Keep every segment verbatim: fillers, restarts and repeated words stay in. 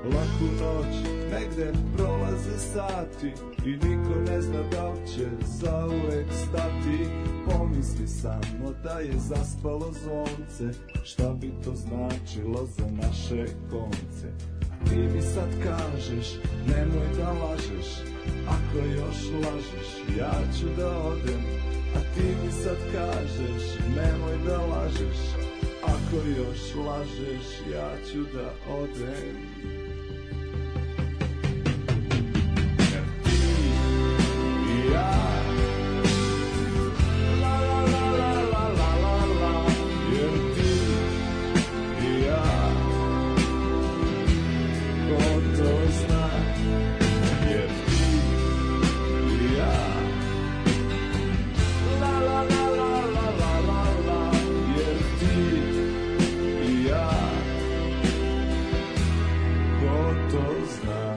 laku noć, negde prolaze sati i niko ne zna da li će zauvek stati. Pomisli samo da je zaspalo zvonce, šta bi to značilo za naše konce. A ti mi sad kažeš, nemoj da lažeš, ako još lažeš, ja ću da odem. A ti mi sad kažeš, nemoj da lažeš, ako još lažeš, ja ću da odem. Jer ti i ja, la la la la la la la, jer ti i ja, ko to zna, jer ti i ja, la la la la la la la la, jer ti i ja, ko to zna.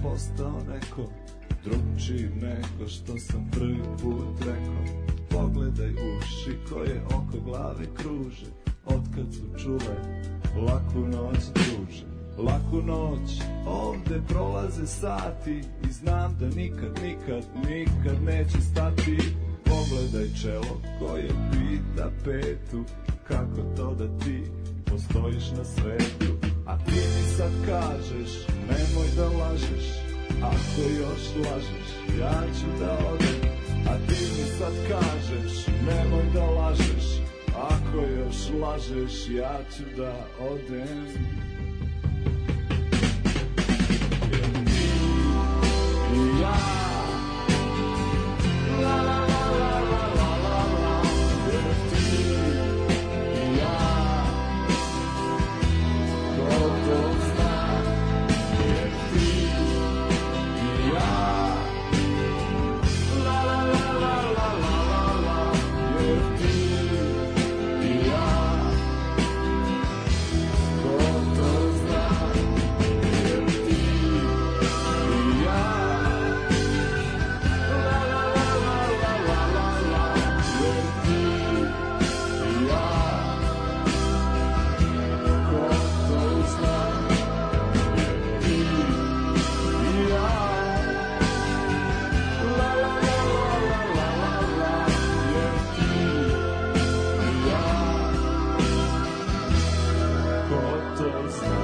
Postao neko drugčiji nego što sam prvi put rekao. Pogledaj uši koje oko glave kruže, otkad su čule laku noć druže. Laku noć, ovde prolaze sati i znam da nikad, nikad, nikad neće stati. Pogledaj čelo koje pita petu, kako to da ti postojiš na svetu. A ti mi sad kažeš, nemoj da lažeš, ako još lažeš, ja ću da odem. A ti mi sad kažeš, nemoj da lažeš, ako još lažeš, ja ću da odem. Jer ti i ja, la la la la la la la la, jer ti i ja, ko to zna, jer ti i ja, la la la la la la la, jer ti i ja, ko to zna, jer ti i ja, la la la la la la la, jer ti i ja, ko to zna, jer ti i ja, la la la la la la la, jer ti i ja, ko to zna.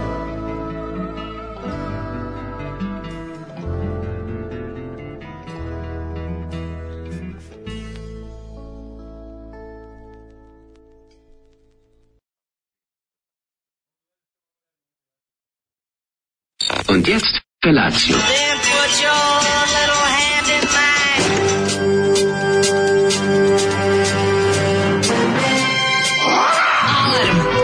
Und jetzt Felatio. Then put your little hand in mine.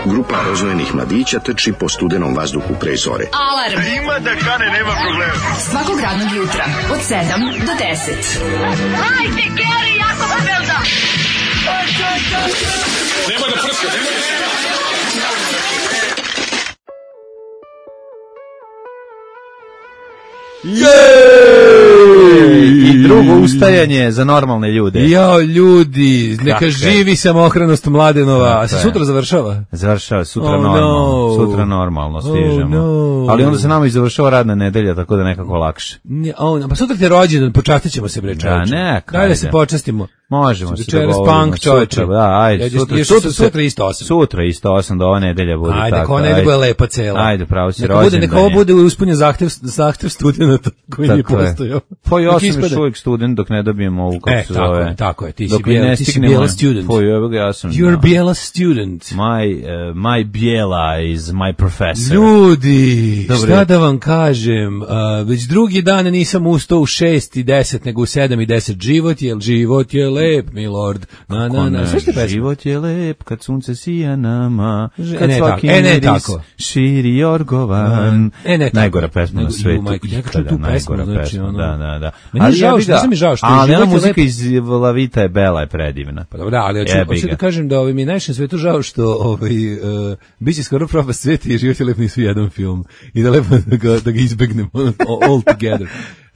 Grupa rozvojenih mladića trči po studenom vazduhu pre zore. Alarm. Ima da kane, nema problema. Svakog radnog jutra od sedam do deset. Hajde, Geri, jako se velda. Nema da prska, nema da prska. I drugo ustajanje za normalne ljude. Jao, ljudi, neka Kakve? živi samohranost Mladenova. A se sutra završava? Završava sutra Oh, normalno. no. Sutra normalno stižemo. Oh, no. Ali onda se nama i završava radna nedelja, tako da nekako lakše. Ne, on, pa sutra ti je rođendan, počastit ćemo se, bre, čovječe. Da, neka, Daj da se ajde. počastimo. Možemo se Večeras dogovorimo. punk, čoveče. Sutra, da, ajde, Ajde, sutra, još sutra, sutra isto osam. Sutra isto osam, da ova nedelja bude Ajde, tako. neka ona ne bude lepa cela. Ajde, pravo si Neka bude, rođendan neka ovo je. bude ispunjen zahtev, zahtev studenta koji nije Tako je. postojao. Pa ja Dok sam još ispada- uvijek student dok ne dobijem ovu, kako E, se tako zove. je, tako je, ti si Dok mi bijela- ne ti si stignemo- bijela student. Pa evo ga, ja sam. You're da. bijela student. My, uh, my bijela is my professor. Ljudi, Dobre. šta da vam kažem, uh, već drugi dan nisam ustao u šest i deset, nego u sedam i deset. Život je, život je lep, milord. Na, na, na, sve što je pesma. Život je lep kad sunce sija nama, Ž- kad e, ne svaki tako, e, ne miris tako. širi jorgovan. E, ne tako. Najgora pesma na Nego, svetu. ju, majko, ja kad čujem ikada tu pesmu, najgora znači, pesma, ono- da, da, da. Meni je Ali žao jebi što- ga, znaš mi žao što je ali ona Život je muzika lep. iz La Vita je Bela je predivna. Pa dobro, ali hoću, Jebi hoću ga. da kažem da ovaj, mi je najviše na svetu žao što ovaj, uh, biće skoro propast sveta i Život je lep nisu jedan film. I da lepo da ga, da ga izbegnemo all together.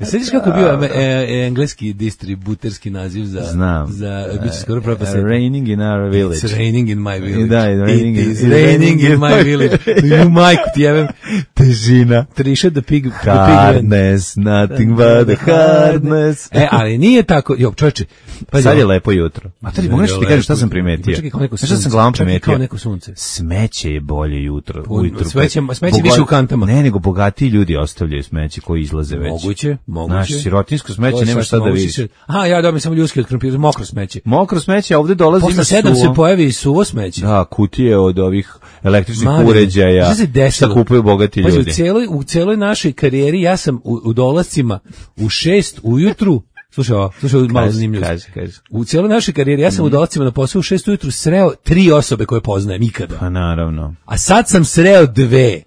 Sjetiš kako je bio e, e, engleski distributerski naziv za, Znam. za biće skoro propast Uh, sveta? Raining in our village. It's raining in my village. Da, it's raining It in- is it's raining in my village. Ju majku ti jevem. Težina. Triša the pig, the pig man. Hardness, nothing but the hardness. E, ali nije tako. Jo, čovječe. pazi Sad je ovo. lepo jutro. A tada Sad mogu je nešto ti lepo kažem šta sam jutro. primetio. Čekaj, kao neko Znaš šta sunce. sam glavom Čekaj, primetio? kao neko sunce. Smeće je bolje jutro, Po- ujutru. smeće- Pa- smeće boga- više u kantama. Ne, nego bogatiji ljudi ostavljaju smeće koji izlaze već. Moguće, moguće. Znaš, sirotinsko To smeće je nema šta sasvim da moguće. vidiš. Aha, ja dobim samo ljudski od krompira, mokro smeće. Mokro smeće, a ovde dolazi Posle ima sedam se suvo. pojavi i suvo smeće. Da, kutije od ovih električnih Mali, uređaja. šta se desilo? Šta kupuju bogati Pazi, ljudi. U cijeloj, u cijeloj našoj karijeri ja sam u, u dolascima u šest ujutru, slušaj ovo, slušaj ovo malo Kaži, zanimljivo. kaži, kaži. U cijeloj našoj karijeri ja sam u dolascima na posao u šest ujutru sreo tri osobe koje poznajem ikada. Pa naravno. A sad sam sreo dve.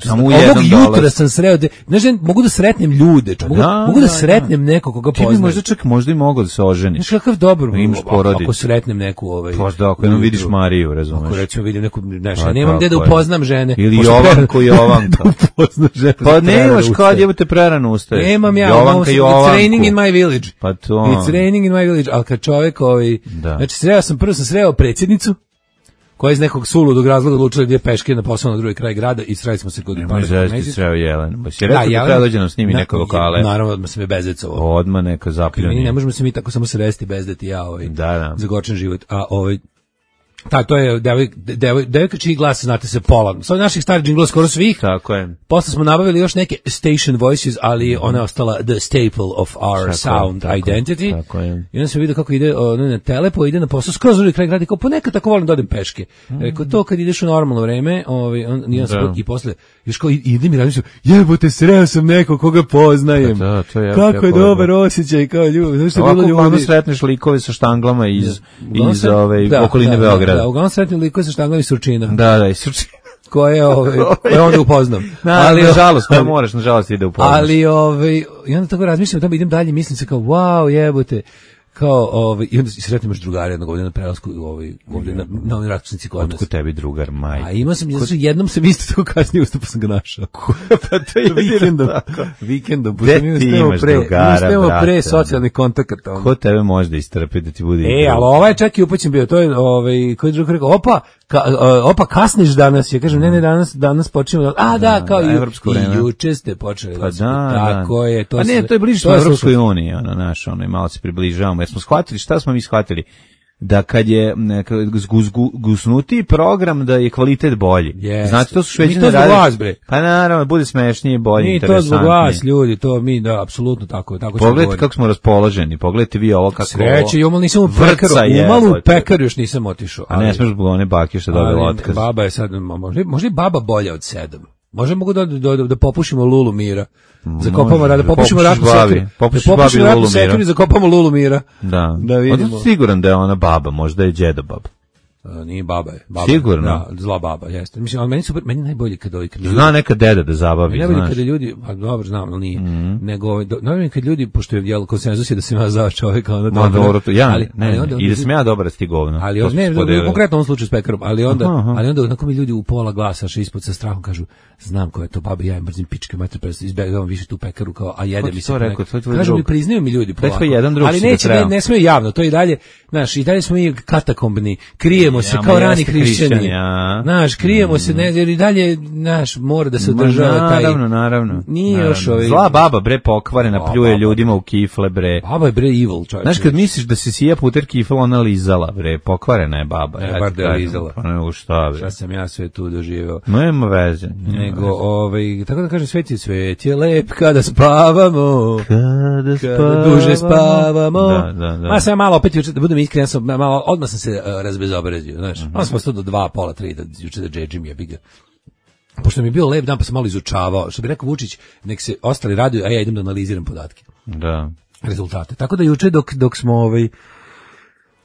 Samo u Ovog jednom jutra dolazi. sam sreo, de, znaš, da mogu da sretnem ljude, čo, mogu, Da, mogu da da, sretnem nekog koga Ti bi poznajem. možda čak možda i mogao da se oženiš. Znaš kakav dobar, Imaš ako- porodicu. ako sretnem neku ovaj. Pa da, ako jednom ujutru. vidiš Mariju, razumeš. Ako recimo vidim neku, znaš, Pa ja nemam gde da tako je. upoznam žene. Ili Pošto Jovanku, Jovanka. da upoznam žene. Pa prerano nemaš kad ustajem. jebote prerano ustaješ. Nemam ja, Jovanka, it's Jovanku. raining in my village. Pa to. It's raining in my village, ali kad čovjek ovaj, Da. znači sreo sam, prvo sam sreo predsjednicu, koja je iz nekog suludog razloga odlučila da ide peške na posao na drugi kraj grada i sreli smo se kod Nemoj Pavle zezati, Komesić. sreo Jelenu. Ba si rekao da Jelena- treba dođe nam snimi Na- neko lokale. Naravno, odmah se me bezecovao. Odmah neka Mi zapljuni. ne možemo se mi tako samo sresti bez da ti ja ovaj, Da, da. zagorčen život. A ovaj, ta, to je devoj, devoj, devojka čiji glas znate se pola. Sa naših starih džinglova skoro svih. Tako je. Posle smo nabavili još neke station voices, ali ona je ostala the staple of our Tako je, sound tako je, identity. tako je. I onda se vidi kako ide ono, na telepo, ide na posao, skroz drugi kraj grada, i kao ponekad tako volim da odem peške. Rekao, to kad ideš u normalno vreme, ovaj, on, i, on se, Da. i posle, još kao i- ide mi razmišljam, jebote, sreo sam nekog koga poznajem. Pa da, to je jako, kako je jako dobar lepo. osjećaj, kao ljudi, zašto je Ovako bilo uglavnom ljudi. sretneš likove sa štanglama iz, Uglavnom iz sret- ove, da, okoline da, Beograda. Da, da, uglavnom sretni liko sa štanglavi Surčina, Da, da, i suči. koje, ovaj, koje onda upoznam. Ali, nažalost, koje moraš, nažalost, ide u pomoć. Ali ovaj i onda tako razmišljam, tamo idem dalje, mislim se kao wow, jebote. Kao ovaj i onda se sretnem još drugara jednog ovdje na prelasku, ovaj ovdje na na onoj raskrsnici kod nas. Otkud tebi drugar, maj? A imao sam, znači, jednom sam isto tako kasnije ustao pa sam ga našao. Pa to je Vikendom, vikendom, Gde pošto mi ti uspemo imaš pre, drugara, mi uspemo brate, pre ono? socijalnih kontakata. ono. Ko tebe može da istrpi da ti bude E, igra? ali ovaj čak i upućen bio, to je, ovaj, koji drug rekao, opa, ka, uh, opa, kasniš danas, ja kažem, ne, ne, danas, danas počinjemo, a da, kao da, i, evropsko i vreme. juče ste počeli, Pa gospod, da, tako da. je, to Pa ne, se- to je bliže smo je Evropskoj slušaj. uniji, ono, naš, ono, i malo se približavamo, jer smo shvatili, šta smo mi shvatili? Da kad je neka gusnuti program da je kvalitet bolji. Jeste. Znate, to su Mi Šveđani to zbog rade- vas, bre. Pa naravno, bude smešnije, bolje, Mi to interesantnije. zbog vas, ljudi, to mi, da, apsolutno tako, tako ćemo Pogledajte govoriti. kako smo raspoloženi, pogledajte vi ovo kako Sreće, umalo nisam u vrca pekaru, je, umalo u jebote. pekaru još nisam otišao. A ne smeš zbog one bake što je dobila ali otkaz. Baba je sad, ma, možda, možda je baba bolja od sedam. Možda mogu da, da, da, da popušimo Lulu Mira. Zakopamo Može, rada, da popušimo popušiš ratnu babi, sekiru. popušiš Da popušimo babi ratnu Lulu Mira. sekiru i zakopamo Lulu Mira. Da. Da vidimo. Odnosno siguran da je ona baba, možda je džeda baba. A, nije baba je. Baba, Sigurno? Da, zla baba, jeste. Mislim, ali meni, super, meni je najbolje kada ovi... Kad ljudi- Zna neka deda da zabavi, Meni je najbolje znaš. kada ljudi, a dobro znam, ali nije, nego, ovaj, do- najbolje kad ljudi, pošto je jel, konsenzus je da sam ja za čovjeka, onda Ma dobro, to, ja, ali, ne, ali ne, onda, i da sam ja dobar da si ti govno. ali To on, smo ne, spodelili. konkretno u ovom slučaju s pekarom, ali onda, Aha, aha. ali onda onako mi ljudi u pola glasa še ispod sa strahom kažu, znam ko je to baba, ja im mrzim pičke, mater, pa izbegavam više tu pekaru, kao, a jede Ko ti mi se. to ponekad. rekao? To je tvoj Kažu mi, drug. priznaju mi ljudi To je tvoj polako. jedan drug ali si ga neće, ne, trebao. ne smiju javno, to i dalje, znaš, i dalje smo mi katakombni, krijemo krijemo se Ja, kao ma rani jeste hrišćani. hrišćani, a. Znaš, krijemo se, ne, jer i dalje, znaš, mora da se održava taj... Naravno, naravno. Nije naravno. još ovaj... Zla baba, bre, pokvarena, Zla pljuje baba. ljudima u kifle, bre. Baba je bre evil, čovječe. Znaš, kad misliš da se sija puter kifla, ona lizala, bre, pokvarena je baba. Ne, ja bar ti da je kažem. lizala. Pa ne, u šta, bre. Šta sam ja sve tu doživeo. Nema veze. nema Nego, veze. ovaj, tako da kažem, svet je, svet je lep kada spavamo. Kada Kada duže spavamo. Da, da, da. Ma sam malo opet juče, da budem iskren, sam malo, odmah sam se uh, razbezobrazio, znaš. Mm-hmm. Onda sam ostao do dva, pola, tri, da juče da džedžim je biga. Pošto mi je bio lep dan, pa sam malo izučavao. Što bi rekao Vučić, nek se ostali raduju, a ja idem da analiziram podatke. Da. Rezultate. Tako da juče dok, dok smo ovaj,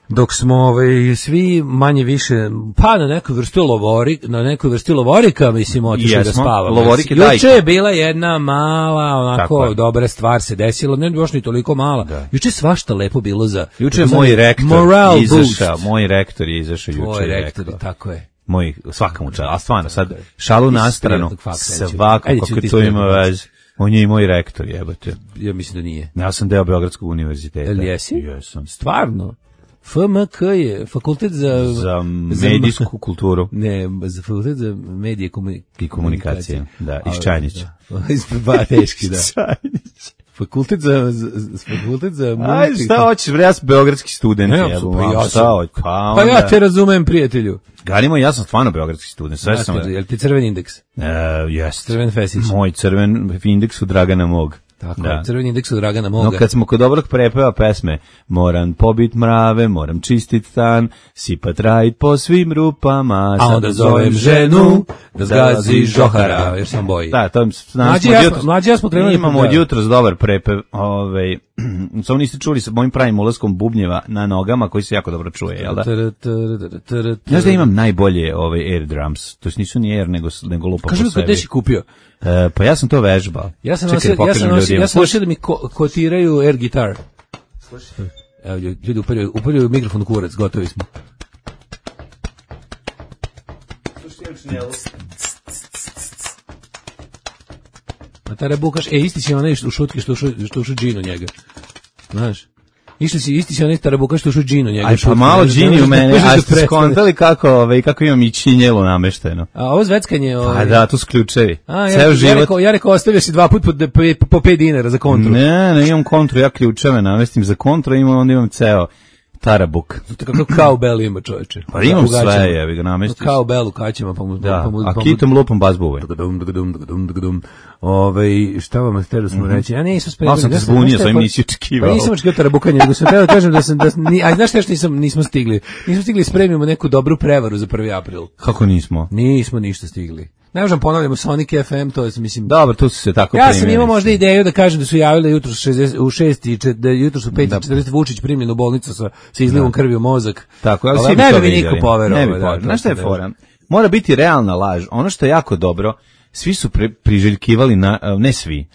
dok smo ovaj, svi manje više, pa na nekoj vrsti lovori, na nekoj vrsti lovorika, mislim, otišli da Jesmo, spavamo. lovorike Juče dajte. je bila jedna mala, Tako onako, je. dobra stvar se desila, ne baš ni toliko mala. Da. Juče je svašta lepo bilo za... Juče je takozvani moj rektor moral izašao, boost. moj rektor je izašao juče. Tvoj i rektor, rekao. tako je. Moj, svaka mu čast, a stvarno, sad, šalu na Iz stranu, privatnog faksa, svako, ajde ću kako ti to ima ispričati. veze. On je i moj rektor, jebote. Ja mislim da nije. Ja sam deo Beogradskog univerziteta. Jel jesi? Jesam. Stvarno? F M K je fakultet za... Za medijsku kulturu Ne, za fakultet za medije komunikacije. i komunikacije. Da, iz A, Čajnića. da. Iz ba, teški, da. Fakultet za, za, za fakultet za... Ajde, šta hoćeš, bre, ja sam beogradski student. Ne, jebo, pa mam, ja šta sam. hoć- Pa, Pa onda. ja te razumem, prijatelju. Galimo, ja sam stvarno beogradski student, sve sam... Jel ti crveni indeks? E, jest. Crven fesić. Moj crven indeks u Dragana Mog. Tako, Da. je, crveni indeks od Dragana Moga. No kad smo kod dobrog prepeva pesme, moram pobit mrave, moram čistit stan, sipat rajt po svim rupama, A sad onda zovem ženu da zgazi žohara, žohara. jer sam boji. Da, to Mlađi ja smo- mlađi ja smo krenuli imamo da- od jutros dobar prepev, ovaj, samo niste čuli sa mojim pravim ulaskom bubnjeva na nogama, koji se jako dobro čuje, jel da? Znaš da imam najbolje ovaj air drums, to nisu ni air, nego, nego lupa Kaži po mi kod sebi. gde si kupio? E, pa ja sam to vežbao. Ja sam Čekaj, nosio, ja pokažem sam nosio, ljudima. ja sam nosio da mi ko, kotiraju air gitar. Evo, ljudi upaljaju, upaljaju mikrofon u kurac, gotovi smo. A tada bukaš, e, isti si onaj što u šutki, što ušu, što ušu džinu njega. Znaš? Išli si, isti si onaj tarabuka što ušu džinu njega. Aj, pa šutki, malo ne znam, džini ne u znam, mene, ne znam a da ste prestane. skontali kako, ovaj, kako imam i činjelu namešteno. A ovo zveckanje... Ovaj, Pa da, tu su ključevi. A, ja, Ceo ja, život. rekao, ja rekao, ostavio si dva put po, po, po pet dinara za kontru. Ne, ne imam kontru, ja ključeve namestim za kontru, imam, onda imam ceo tarabuk. To kako kao bel ima, čoveče. Pa imam U gaćama. sve, jebi ga namestiš. Kao bel u kaćima, pa mu... Da, pa mu, a pa mu- kitom lupom bas buvaj. Dum, dum, dum, dum. Ovaj, šta vam hteli smo reći? Ja nisam spremio. Malo sam te ja zbunio, znaš šta je sa ovim for- nisi očekivao. Pa nisam očekivao tarabukanje, nego sam teo da kažem da sam, da, sam- ni, a znaš šta još nisam, nismo stigli? Nismo stigli spremimo neku dobru prevaru za prvi april. Kako nismo? Nismo ništa stigli. Ne možem ponavljamo Sonic F M, to je, mislim... Dobro, tu su se tako Ja sam primili. imao možda ideju da kažem da su javili jutro u šest i čet- da je jutro u pet i četrdeset Vučić primljen u bolnicu sa, sa izlivom krvi u mozak. Tako, ali Ali svi bi ne to bi mi vidjeli. niko poverovao, Ne bi da, poverovao. to Znaš šta je sam fora? Mora biti realna laž. Ono što je jako dobro, svi su pri, priželjkivali, na, ne svi,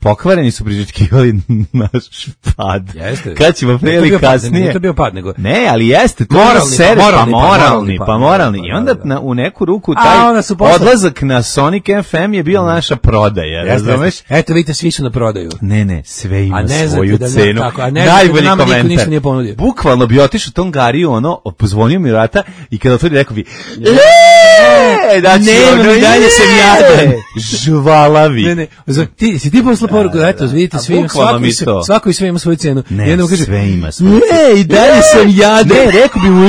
pokvareni su priželjkivali naš pad. Jeste. Kad ćemo pre Nije to ili bio pad, kasnije. nije to bio pad, nego- Ne, ali jeste. To Moralni je pad, servis, moralni pa pad, moralni, moralni pa pad, moralni. da, I onda da, da. na, u neku ruku A, taj onda su posle- odlazak na Sonic F M je bio naša prodaja, Jeste, razumeš? jeste. Eto, vidite, svi su na prodaju. Ne, ne, sve ima A ne znate svoju da ne- cenu. tako, a ne znate da Najbolji nama niko komentar. ništa nije ponudio. Bukvalno bi otišao tom Gariju, ono, pozvonio mi vrata i kada otvori rekao bi, eee, da će Nemam, ono, i dalje sam "Je!" jadan. Žvalavi. Ne, ne, za- ti, si ti poslao poruku, da, eto, vidite, A svi, bukvalno svako, mi i sve, to. svako i sve ima svoju cenu. Ne, I onda mu kaže, sve ima svoju Ne, i dalje sam jadan. Ne, rekao bi mu, "E,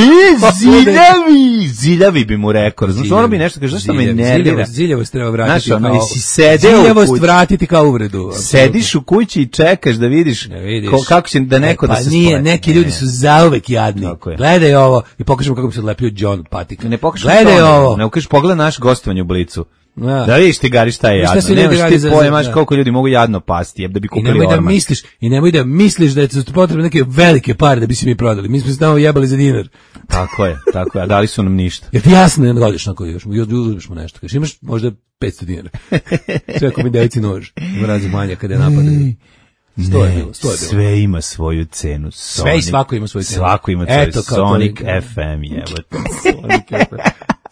ziljavi, ziljavi bi mu rekao. Znaš, ono bi nešto, kaže, zašto me Ziljev- nervira? Ziljavost, ziljavost treba vratiti Znaš, ono, kao... jesi sedeo u Ziljavost kući. vratiti kao uvredu. Sediš u kući i čekaš da vidiš, Ne vidiš. ko, kako će da neko E, da pa se nije, splete. neki Ne. ljudi su zauvek jadni. Tako je. Gledaj ovo i pokažemo kako bi se odlepio John Patik. Ne pokažeš Gledaj to, ovo. Ne pokažeš, pogledaj naš gostovanje u Blicu. Da. Da vidiš ti, Gari, šta je I šta jadno. se ljudi Nemaš radi ti za- pojmaš za- koliko ljudi mogu jadno pasti, jeb da bi I kupili nemoj da orman. misliš, i nemoj da misliš da je to potrebno neke velike pare da bi se mi prodali. Mi smo se tamo jebali za dinar. Tako je, tako je, a dali su nam ništa. Jer ti jasno ne dođeš na koji još, još uzmeš mu nešto. Kažeš, imaš možda petsto dinara. Sve ako mi devici nož. Ima raznih manja kada je napadaju. Sto je bilo, sto je bilo. Sve ima svoju cenu. Sve i svako ima svoju cenu. Svako ima svoju Eto, kao to Sonic je. F M, jebote.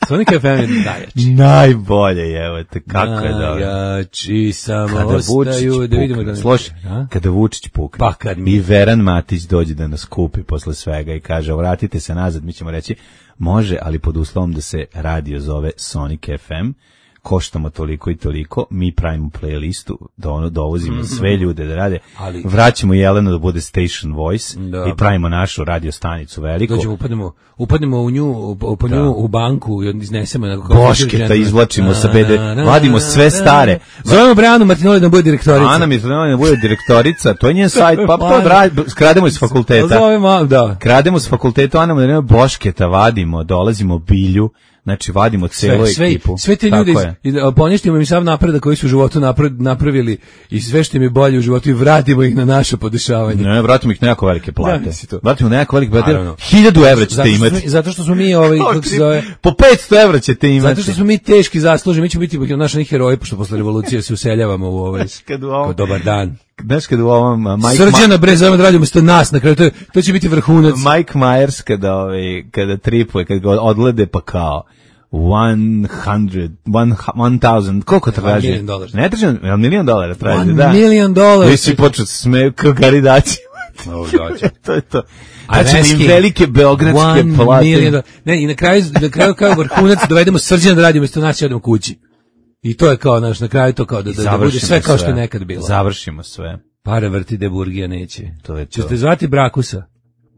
Sonic F M je najjači. Najbolje, jebote, kako je dobro. Najjači samo Kada Vučić ostaju, da vidimo da pukne, ne... sloši, A? kada Vučić pukne Pa kad mi- i Veran Matić dođe da nas kupi posle svega i kaže, vratite se nazad, mi ćemo reći, Može, ali pod uslovom da se radio zove Sonic F M, koštamo toliko i toliko, mi pravimo playlistu, da ono dovozimo sve ljude da rade, ali vraćamo Jelenu da bude station voice da, i pravimo našu radio stanicu veliku. Dođemo, upadnemo, upadnemo u nju, po nju u banku i iznesemo na Bošketa, izvlačimo sa B D, vadimo sve stare. Zovemo Brejanu Martinoli da bude direktorica. Ana Martinoli da bude direktorica, to je njen sajt, pa to krademo iz fakulteta. Zovemo, da. Krademo iz fakulteta, Ana Martinoli Bošketa vadimo, dolazimo Bilju. Znači, vadimo celu sve, ekipu. Sve te ljude, poništimo im sav napredak koji su u životu napravili i sve što im je bolje u životu i vratimo ih na naše podešavanje. Ne, vratimo ih na jako velike plate. Da, vratimo na jako velike plate. Hiljadu evra ćete imati. Zato što smo mi, ovaj, kako se zove... Po petsto evra ćete imati. Zato što smo mi teški zaslužni, mi ćemo biti naši heroji, pošto posle revolucije se useljavamo u ovaj... Kod dobar dan. Znaš kada u ovom Mike Srđana bre zovemo da radimo umesto nas na kraju, to, to će biti vrhunac. Mike Myers kada, ovaj, kada tripuje, kada ga odlede pa kao one hundred, one, one thousand, koliko traži? Milion dolara. Ne traži, jel milion dolara traži, one da. Milion dolara. Vi si počeo se smeju kao garidaći. To je to. Znači, im velike beogradske plate. Ne, i na kraju, na kraju kao vrhunac dovedemo Srđana da radimo umesto nas i odemo kući. I to je kao, naš, na kraju to kao da, da, da bude sve kao što je nekad bilo. Završimo sve. Pare vrti de Burgija neće. To je to. Ćete zvati Brakusa?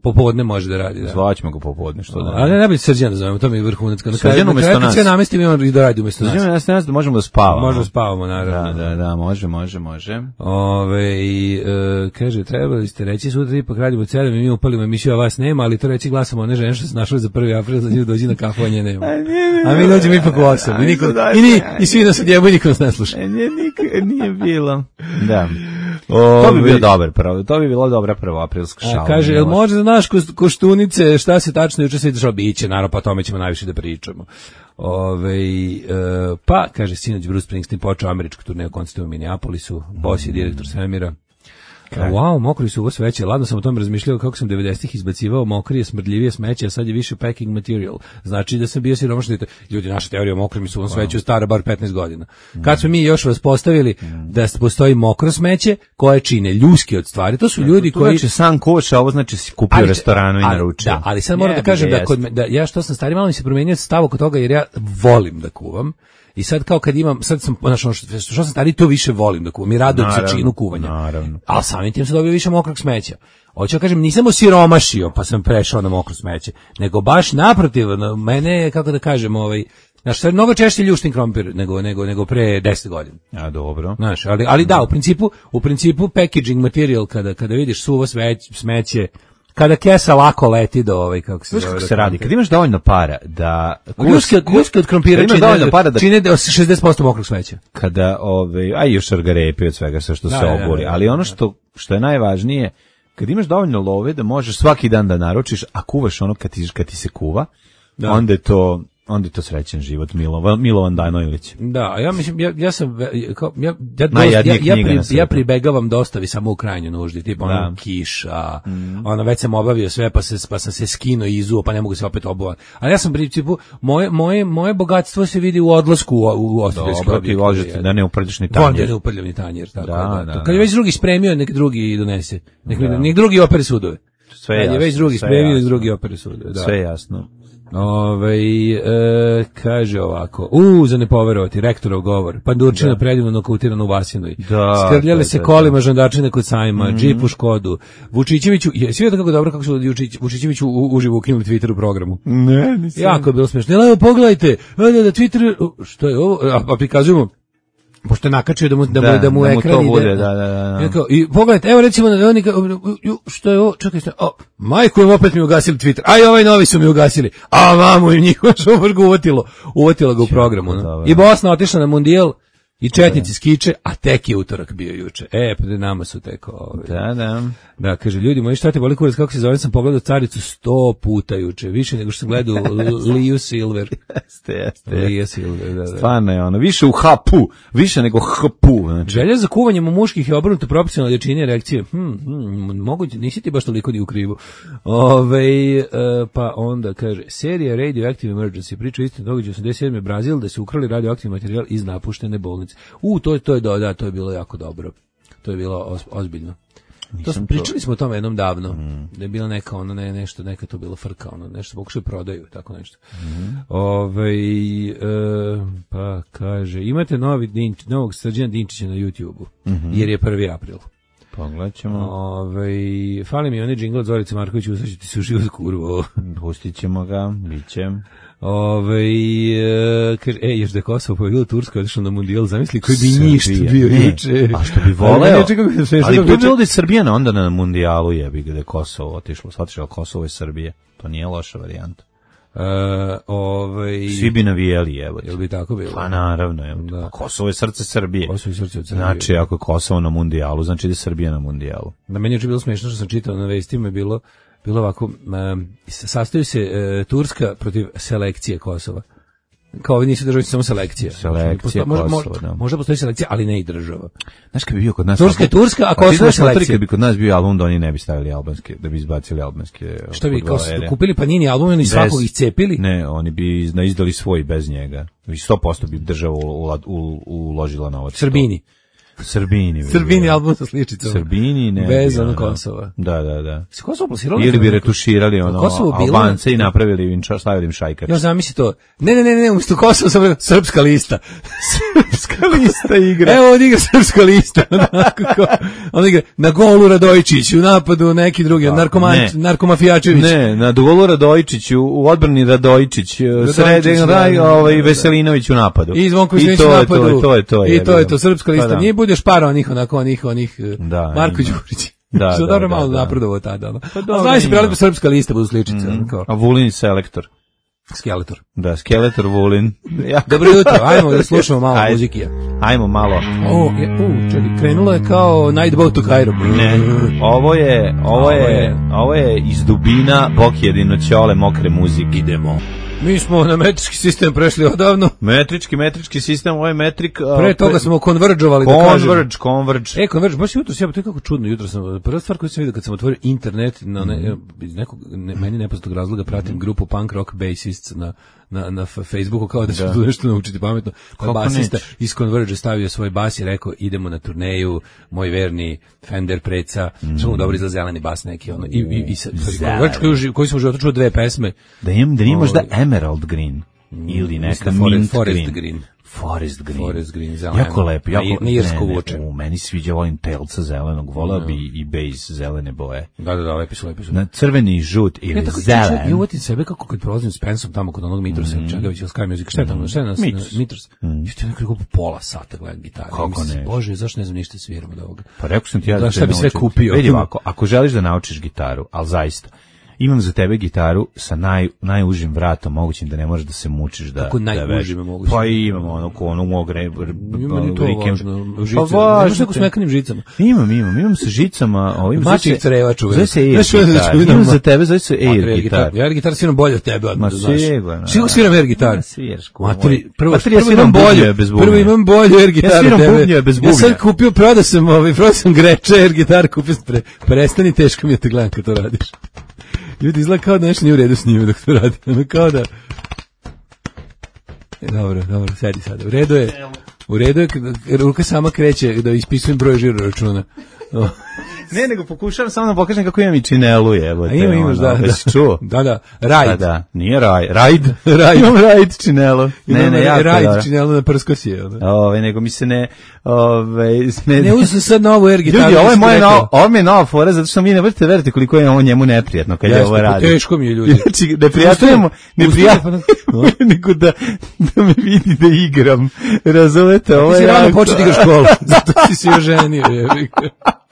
Popodne može da radi. Da. Zvaćemo ga popodne, što da. Ali ne bi Srđana da zovemo, to mi je vrhunac. Na Srđana umjesto nas. Sve namestimo i on i da radi umjesto nas. Srđana nas, nas da možemo da spavamo. Možemo da spavamo, naravno. Da, da, da, može, može, može. Ove, i, e, kaže, trebali ste reći sutra ipak radimo od sedam i mi upalimo emisiju, a vas nema, ali to reći glasamo one žene što se našli za prvi april, da dođi na kafu, a nje nema. A mi dođemo ipak u osam. I, niko, i, ni, i svi nas odjebo i niko nas ne sluša. Nije, nije bilo. Da. O, to bi bio dobar prvo, to bi bilo dobra prvo aprilska šala. A kaže, jel može za naš koštunice, šta se tačno juče se dešava, biće, naravno, pa o tome ćemo najviše da pričamo. Ove, e, pa, kaže, sinoć Bruce Springsteen počeo američku turneju koncerta u Minneapolisu, boss je direktor svemira. Kraj. Wow, mokri su ovo sveće. Ladno sam o tome razmišljao kako sam devedesetih izbacivao mokrije, smrdljivije smeće, a sad je više packing material. Znači da sam bio siromašni. Ljudi, naša teorija o mokrim su u ovom sveću stara bar petnaest godina. Kad smo mi još vas postavili da postoji mokro smeće koje čine ljuske od stvari, to su ljudi to, to koji... Znači sam koš, a ovo znači si kupio u restoranu i naručio. Da, ali sad moram da kažem da, kod, da ja što sam stari, malo mi se promenio stav oko toga jer ja volim da kuvam. I sad kao kad imam, sad sam, znači, što, što sam stari, to više volim da kuvam i radujem se činu kuvanja. Naravno. Ali samim tim sam dobio više mokrog smeća. Hoću da kažem, nisam osiromašio pa sam prešao na mokro smeće, nego baš naprotiv, mene je, kako da kažem, ovaj, znaš, sad mnogo češće ljuštim krompir nego, nego, nego pre deset godina. A, dobro. Znaš, ali, ali da, u principu, u principu packaging material, kada, kada vidiš suvo sveć, smeće, kada kesa lako leti do ovaj, kako se zove. Kako se radi, kad imaš dovoljno para da... Ljuske, ljuske od krompira čine, dovoljno para da čine šezdeset posto mokrog smeća. Kada, ovaj, a i još šargarepi od svega sve što da, se oboli, da, da, ali ono što, što je najvažnije, kad imaš dovoljno love da možeš svaki dan da naručiš, a kuvaš ono kad ti, kad ti se kuva, da. onda je to... onda je to srećen život, Milovan, Milovan Dajnović. Da, ja mislim, ja, ja sam, kao, ja, ja, dosta, ja, ja, pri, ja pribegavam dostavi samo u krajnjoj nuždi, tipa ono kiša, mm. ono već sam obavio sve, pa, se, pa sam se skinuo i izuo, pa ne mogu se opet obuvati. Ali ja sam principu, moje, moje, moje bogatstvo se vidi u odlasku u, u ostavljski objekt. Dobro, ti vožete da ne uprljaš ni tanjer. Da ne uprljam ni tanjer, tako da. da, da kad je već drugi spremio, nek drugi donese. Nek, da. nek drugi opere sudove. Sve jasno. Kad je već drugi spremio, nek drugi opere sudove. Da. Sve jasno. Ove, e, kaže ovako, u, za ne poverovati, rektorov govor, pandurčina da. predivno nokautirana u Vasinoj, da, skrljale da, se da, kolima žandarčine kod sajma, mm-hmm. džip u Škodu, Vučićeviću, je, svi vidio kako dobro kako su Vučićeviću uživo ukinuli Twitter u programu. Ne, nisam. Jako je bilo smiješno. Evo, pogledajte, da, da, Twitter, što je ovo, a, a prikazujemo, pošto je nakačio da mu, da, da, mu, da mu da ekran mu ide. Bude, da, da, da. Kao, i pogledajte, evo recimo da oni, što je ovo, čekaj, što je, o, majku im opet mi ugasili Twitter, a i ovaj novi su mi ugasili, a vamo im njihova što vrgo uvatilo, uvatilo ga u programu. No? I Bosna otišla na mundijal, i četnici skiče, a tek je utorak bio juče. E, pa da nama su tek ove. Da, da. Da, kaže, ljudi moji, šta te boli kurac, kako se zove, sam pogledao Caricu sto puta juče, više nego što sam gledao Liju Silver. Jeste, jeste. Lija Silver, da, da. Stvarno je ono, više u hapu, više nego hpu. Znači. Želja za kuvanjem u muških je obrnuto proporcionalno jačini erekcije. Hm, hm, moguće, nisi ti baš toliko ni u krivu. Ove, e, pa onda, kaže, serija Radioactive Emergency, priča istinu događaja osamdeset sedme Brazil, da se ukrali radioaktivni materijal iz napuštene bolnice. U, to, to je, da, to je bilo jako dobro. To je bilo os, ozbiljno. To smo, pričali smo o tome jednom davno, mm. da je bila neka ono, ne, nešto, neka to bilo frka, ono, nešto pokušaju prodaju, tako nešto. Mm. Ove, e, pa kaže, imate novi Dinč, novog Srđana Dinčića na YouTubeu, mm-hmm. jer je prvi april. Pogledat ćemo. Ove, fali mi onaj džingl od Zorice Markovića, ustaći ti se u život kurvo. Pustit ćemo ga, bit će. Ove, e, kaže, e, još da je Kosovo pobjeglo Tursko, otišao na mundijal, zamisli koji bi njišt bio juče. A što bi voleo? Ali bi bilo da je Srbija onda na mundijalu jebi gde je Kosovo otišlo. Shvatiš, Kosovo je Srbije. To nije loša varijanta. Uh, ovaj svi bi navijali, evo. Jel bi tako bilo? Pa naravno, evo. Da. Kosovo je srce Srbije. Kosovo je srce od Srbije. Znači, ako je Kosovo na mundijalu, znači da je Srbija na mundijalu. Na meni je bilo smiješno što sam čitao na vestima, je bilo bilo ovako, um, sastaju se uh, Turska protiv selekcije Kosova. Kao ovi nisu državi, samo selekcija. Selekcija Posto, Kosova, možda, da. Možda postoji selekcija, ali ne i država. Znaš kad bi bio kod nas... Turska je Turska, a Kosovo je selekcija. Kad bi kod nas bio album, da oni ne bi stavili albanske, da bi izbacili albanske... Šta bi, kao kupili Panini album, oni svakog ih cepili? Ne, oni bi izdali svoj bez njega. sto posto bi država uložila novac. Srbini. Srbini. Srbini album sa sličicom. Srbini, ne. Bez ono Kosova. Da, da, da. Se Kosovo plasiralo? Ili bi retuširali ono Albance i napravili im stavili im šajkač. Ja zamisli to. Ne, ne, ne, ne, umjesto Kosova sam srpska lista. Srpska lista igra. Evo on igra srpska lista. On igra na golu Radojičić, u napadu neki drugi, narkoman, narkomafijačević. Ne, na golu Radojičić, u odbrani Radojičić, srednji raj, ovaj Veselinović u napadu. I Zvonko Veselinović u napadu. I to je to. I to je to srpska lista. Nije budeš para onih, onako, onih, onih, da, Marko Đurić. Da, što da, dobro da, malo da. napredovao tada. No. Pa dobro, znaš se prelepo srpska lista budu sličice. Mm. A Vulin selektor. Skeletor. Da, Skeletor Vulin. Dobro jutro, ajmo da slušamo malo Ajde. muzikija. Ajmo malo. O, je, u, čekaj, krenulo je kao Night Boat to Cairo. Ne, ovo je, ovo je, ovo je iz dubina Bok jedino ćole mokre muzike. Idemo. Mi smo na metrički sistem prešli odavno. Metrički, metrički sistem, ovo je metrik... Uh, Pre toga pre... smo konverđovali, da kažem. Converge, converge. E, converge, baš jutro sjeba, to je kako čudno, jutro sam, prva stvar koju sam vidio kad sam otvorio internet, na ne, iz nekog, ne, meni nepoznatog razloga pratim grupu Punk Rock Bassists na, na, na Facebooku, kao da ću tu nešto naučiti pametno. Pa basista iz Converge stavio svoj bas i rekao, idemo na turneju, moj verni Fender Preca, mm. što mu dobro izgleda zeleni bas neki, ono, i, i, i sa, Converge koji, koji sam u životu čuo dve pesme. Da imam, da imaš da Emerald Green ili neka mint Forest green. green. Forest Green. Forest Green, zeleno. Jako lepo, jako na irsko vuče. U meni sviđa, volim telca zelenog, volao bi i base zelene boje. Da, da, da, lepi su, lepi su. Na crveni, žut ili ja, zelen. Ja uvatim sebe kako kad prolazim s Pensom tamo kod onog Mitrosa, mm. Čegavića, ili Sky Music, šta je tamo, šta je nas? Mitros. Mitros. Mm. Ja ti nekako pola sata gledam gitaru. Kako ne? Bože, zašto ne znam ništa sviram od ovoga? Pa rekao sam ti ja da, da šta bi sve kupio. Vidi ovako, ako želiš da naučiš gitaru, ali zaista, imam za tebe gitaru sa naj, najužim vratom, mogućim da ne možeš da se mučiš da... Kako najužim mogućim? Pa imamo ono, ko ono mogre... Ima ni to važno, žice. Pa važno. Imaš neko s mekanim žicama? Imam, imam, imam sa žicama... Mačih crevač uvijek. Zove se air gitar. Imam za tebe, zove se air gitar. Ja air gitar sviram bolje od tebe, odmah da znaš. Sigurno. Sigurno sviram air gitar. Sviraš. Matri, prvo, Matri, ja sviram bolje bez bubnje. Prvo imam bolje air gitar. Ja sviram bubnje bez bubnja. Ja sam kupio, prodao sam, ovaj, prodao sam greče air gitar, kupio sam pre, prestani, teško mi je te gledam kad to radiš. Ljudi, izgleda kao da nešto nije u redu s njime dok to radi. Ono kao da... E, dobro, dobro, sedi sada. U redu je, u redu je, ruka sama kreće da ispisujem broj žiro računa. Oh. Ne, nego pokušavam samo da pokažem kako imam i činelu, evo te. Ima, imaš, da, da. Jesi čuo? Da, da, rajd. Da, da, nije raj, rajd. Rajd. Imam rajd činelu. Ne, ne, jako rajd činelu na prskosije. Ove, nego mi se ne, ove, ne, ne uzem sad novu air gitaru. Ljudi, ovo je moja nova, ovo mi je nova fora, zato što mi ne vrte verite koliko je ovo njemu neprijatno kad je ovo radi. Teško mi je, ljudi. Znači, ne prijatujemo, ne prijatujemo, nego da, da me vidi da igram. Razumete, ovo je... Ti si rano početi igraš školu, zato si se oženio, je.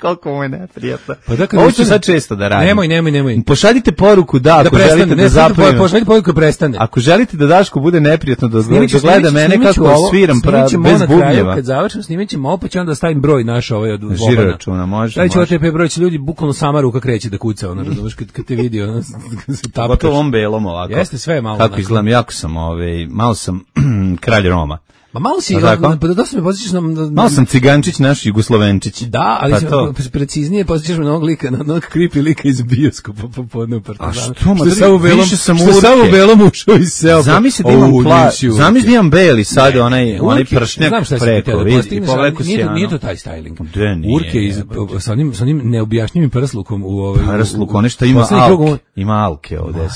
Koliko mu je neprijatno. Pa dakle, ovo ću sad često da radim. Nemoj, nemoj, nemoj. Pošaljite poruku da, ako da želite da zapravo. Pošaljite poruku da prestane. Ako želite da Daško bude neprijatno da gleda mene kako sviram bez bubnjeva. Kad završim, snimat ćemo ovo, pa ću onda stavim broj naš ovaj od Bobana. Žiro računa, može. Stavit ću O T P broj, će ljudi bukvalno sama ruka kreće da kuca, ono, razumeš, kad, kad te vidi, ono, se tapkaš. Gotovo on belom ovako. Jeste sve malo. Kako izgledam, jako sam, ovaj, malo sam kralj Roma. Ma malo si, pa da dosta me posjećaš na... Malo sam cigančić, naš Jugoslovenčić. Da, ali si preciznije posjećaš me na onog lika, na onog creepy lika iz bioskopa popodne u Partizanu. A što, ma više sam urke. Što samo u belom ušao iz seo. Zamisli da imam pla... Zamisli da imam beli sad, onaj onaj pršnjak preko. Nije to taj styling. Urke sa onim neobjašnjivim prslukom u ovaj... Prsluk, ono što ima alke. Ima alke ovde.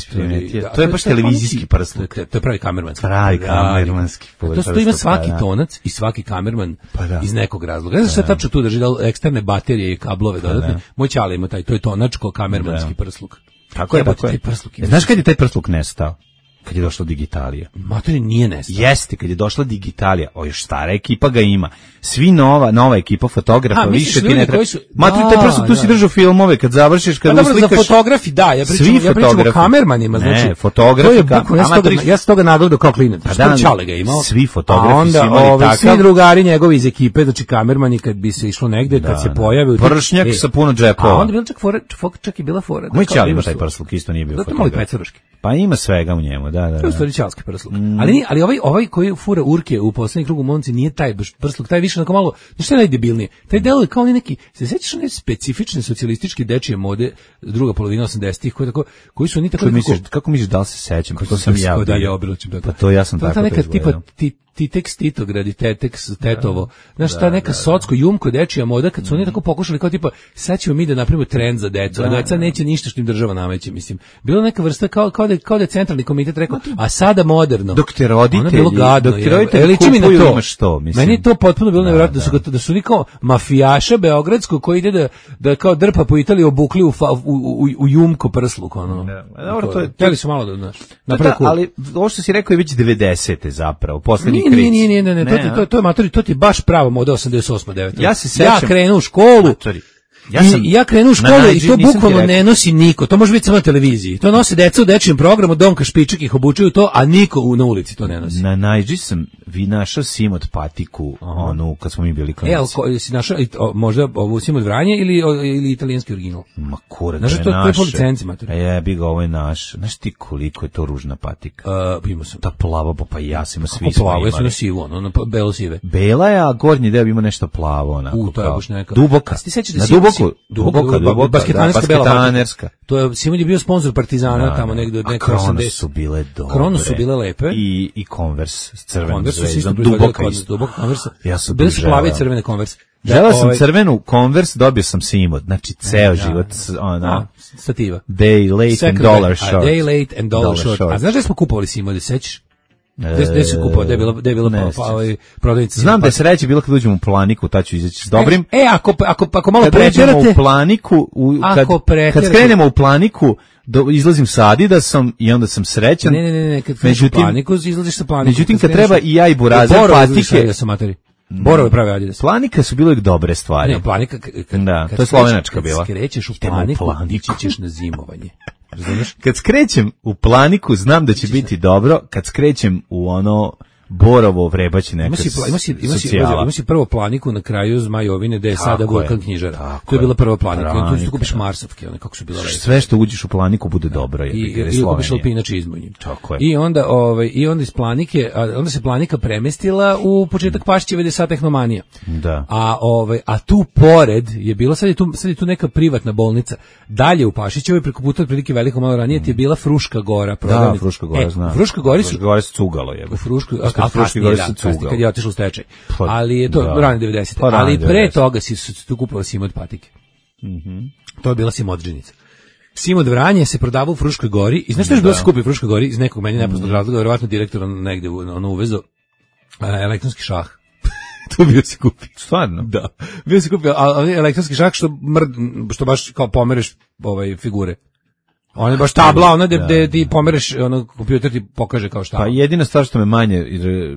To je baš televizijski prsluk. To je pravi kamermanski. Pravi kamermanski. To ima svaki tonac i svaki kamerman iz nekog razloga. Ne znam šta tačno tu drži, da eksterne baterije i kablove dodatne. Moj ćale ima taj, to je tonačko kamermanski prsluk. Tako je, tako je. Znaš kad je taj prsluk nestao? Kad je došla digitalija. Materi nije nestao. Jeste, kad je došla digitalija, o još stara ekipa ga ima. Svi nova, nova ekipa fotografa, A, više ti ne treba. Su... Materi, taj prsluk, tu si držao filmove, kad završiš, kad dobro, uslikaš... Za fotografi, da, ja pričam, ja pričam o kamermanima. Znači, ne, fotografi, to je bukvalno, ja, toga, ja sam toga nagledao kao klinac. Pa da, Čale ga imao. Svi fotografi a onda, su imali ove, takav. Svi drugari njegovi iz ekipe, znači kamermani, kad bi se išlo negde, da, kad se da. pojave... Pršnjak e, sa puno džepova. A onda bila čak fora, čak i bila fora. Moj ćale ima taj prsluk, isto nije bio fotograf. Pa ima svega u njemu, da, da. To je stvari ćalski prsluk. Mm. Ali, ali ovaj, ovaj koji fura urke u poslednjem krugu momci nije taj prsluk, taj više onako malo, nešto je najdebilnije. Taj delo je kao neki, se sećaš one specifične socijalističke dečije mode druga polovina osamdesetih koji tako, koji su oni tako... Misliš, kako misliš da li se sećam? Kako sam ja bio. Da, ja obilačim tako. Pa to ja sam to tako to neka tipa ti Titex Titograd i Tetex Tetovo. Znaš, ta neka socko, jumko, dečija moda, kad su oni tako pokušali kao tipa, sad ćemo mi da napravimo trend za decu, a deca neće ništa što im država nameće, mislim. Bila neka vrsta kao, kao, da, kao da je centralni komitet rekao, a sada moderno. Dok te roditelji, bilo gadno, dok te roditelji kupuju imaš to, mislim. Meni je to potpuno bilo nevjerojatno, da su, da su oni kao mafijaša beogradsko koji ide da, da kao drpa po Italiji obukli u, u, u, u jumko prsluk, ono. Dobro, to je... Htjeli su malo da, znaš, ali ovo što si rekao je već devedesete zapravo, poslednji kriz. Nije, nije, nije, ne, ne, to ti, to, to je matori, to ti baš pravo moda osamdeset osam deveta. Ja se sećam. Ja krenu u školu. Matori. Ja, sam, I ja krenu u školu i to bukvalno ne nosi niko. To može biti samo na televiziji. To nose deca u dečijem programu, Donka Špičak ih obučuju to, a niko u, na ulici to ne nosi. Na Najđi sam vi našao Simod patiku, onu, kad smo mi bili klinici. E, ali ko, si našao o, možda ovu Simod Vranje ili, o, ili italijanski original? Ma kura, znaš, to je to, naše. To je po licenci, mater. A jebi ga, ovo je naš. Znaš ti koliko je to ružna patika? Uh, imao sam. Ta plava, pa ja sam, svi smo imali. Ja sam na sivu, ono, na belo sive. Bela je, a gornji deo ima nešto plavo, onako. U, to je baš neka. Duboka. A ti sećaš da na si, duboku, duboka, duboka, basketanerska bela basketanerska. To je Simon je bio sponzor Partizana, da, tamo negde od neke osamdeset. Su bile dobre. Krono su bile lepe. I i Converse s crvenom zvezdom, duboka isto. Duboka Converse. Ja sam bile su plave i crvene Converse. Želeo sam crvenu Converse, dobio sam Simod. Znači ceo život ona stativa. Day late and dollar short. Day late and dollar short. A znaš da smo kupovali Simode, sećaš? Gde se kupovao, gde je bila, gde je bila pa, pa, ovaj, prodavnica. Znam da je sreće bilo kad uđemo u Planiku, tad ću izaći s dobrim. E, e ako, ako, ako malo kad preterate... u Planiku, u, kad, kad skrenemo u Planiku, do, izlazim sa Adidasom i onda sam srećan. Ne, ne, ne, ne, kad kreneš u Planiku, izlaziš sa Planiku. Međutim, kad treba i ja i Burazer patike... Ja sam materi. Borove prave Adidas. Planika su bile dobre stvari. Ne, Planika... Kad, da, kad to je slovenačka bila. Kad skrećeš u Planiku, ići ćeš na zimovanje. Razumiješ? Kad skrećem u Planiku, znam da će biti dobro. Kad skrećem u ono Borovo vrebaći neka socijala. Ima si, ima si, ima si prvo Planiku na kraju Zmajovine, gde je sada Vulkan knjižara. To je bila prva Planika. Tu kupiš marsovke, one kako su bile lepe. Sve što uđeš u Planiku bude dobro. I, i kupiš Alpinač izmonji. Tako je. I onda, ovaj, i onda iz Planike, onda se Planika premestila u početak Pašćeve gde je sad Tehnomanija. Da. A, ovaj, a tu pored je bilo, sad je tu, sad je tu neka privatna bolnica. Dalje u Pašićevoj, preko puta otprilike veliko malo ranije, ti je bila Fruška Gora. Da, Fruška Gora, e, znam. Fruška Gori su... Fruška Gori su cugalo, je. U Frušku, a kasnije, da, kasnije, kad je otišlo u stečaj. Ali je to da. Rane devedesete. Pa, ali pre toga si su tu kupovali Simod patike. Mm-hmm. To je bila Simodžinica. Simod Vranje se prodavao u Fruškoj Gori. I znaš što je bilo se kupi u Fruškoj Gori iz nekog meni nepoznatog razloga, verovatno direktor negde ono uvezo elektronski šah. To bio se kupi. Stvarno? Da. Bio se kupi, ali elektronski šah što mrd, što baš kao pomereš ovaj figure. On je baš tabla, ona gde ti pomereš, ono, kompjuter ti pokaže kao šta. Pa jedina stvar što me manje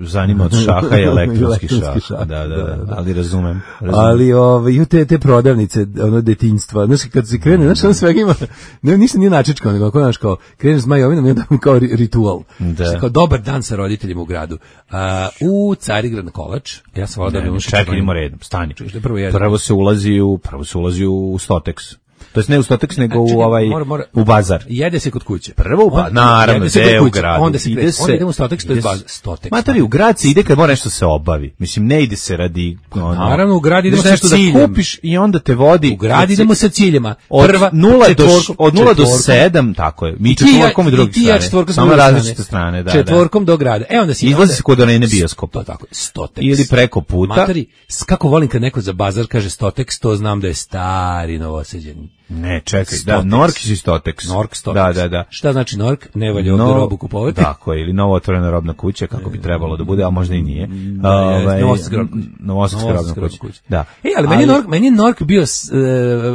zanima od šaha je elektronski šah. šah. Da, da, da, da, ali razumem. razumem. Ali ove, te, te prodavnice, ono, detinjstva, znaš, kad se krene, znaš, ono svega ima, ne, ništa nije načičkao, nego, znaš, kao, kreneš s Majovinom i onda kao ritual. Da. Kao dobar dan sa roditeljima u gradu. A, u Carigrad na kolač, ja sam volao da bi čekaj, idemo redom, stani. Prvo, prvo se ulazi u, prvo se ulazi u Stotex. To jest ne u Stoteks, nego Čekaj, u ovaj mora, mora, u bazar. Jede se kod kuće. Prvo u bazar, naravno, jede u gradu. Onda se ide ide se, onda idemo u Stoteks, to je bazar. Stoteks. Matori, u grad se ide kad mora nešto se obavi. Mislim, ne ide se radi... Ono, naravno, u grad idemo sa nešto ciljem. da kupiš i onda te vodi... U grad idemo sa ciljima. Od Prva, nula do, četvorkom, od nula do četvorkom. sedam, tako je. Mi I ti ja- četvorkom i drugi i ti ja četvorkom s Samo druge različite strane, da, Četvorkom do grada. E onda si izlazi se kod arene bioskopa. To tako, Stoteks. Ili preko puta. Matori, s- kako volim kad neko za bazar kaže Stoteks, to znam da je stari Novosađanin. Ne, čekaj, da, Stoteks. Nork i Stoteks. Nork Stoteks. Da, da, da. Šta znači Nork? Ne valja ovdje No- robu kupovati. Tako je, ili novo otvorena robna kuća, kako bi trebalo da bude, a možda i nije. Da, Ovaj, je, Novosadska robna kuća. Novosadska robna Novosadska kuća. robna kuća. Da. E, ali, meni je Nork, meni je Nork bio s, e,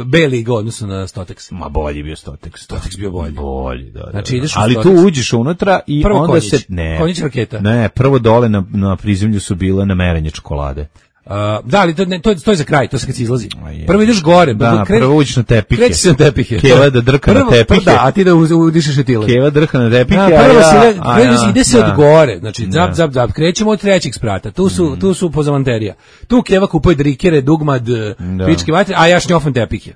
beli go odnosno na Stoteks. Ma bolji bio Stoteks. Stoteks bio bolji. Bolji, da, da. Znači, da. ideš u ali tu Stoteks. uđeš unutra i Prvo onda Konjić. se... Ne, Konjić raketa. Ne, prvo dole na, na prizemlju su bile namerenje čokolade. Uh, da, ali to, ne, to, to je za kraj, to se kad se izlazi. A je. Prvo ideš gore. Da, kre- prvo uđeš na tepihe. Kreći se na tepihe. Keva da drka na Prvo- tepihe. Da, a ti da uz- udišeš etile. Keva drha na tepihe, Da, a prvo ja... se ide, a kreće ja, se- ide se da. od gore, znači Da. zap, zap, zap, krećemo od trećeg sprata, tu su, Mm. tu su pozamanterija. Tu Keva kupuje drikere, dugmad, pičke vatre, a ja šnjofam tepihe.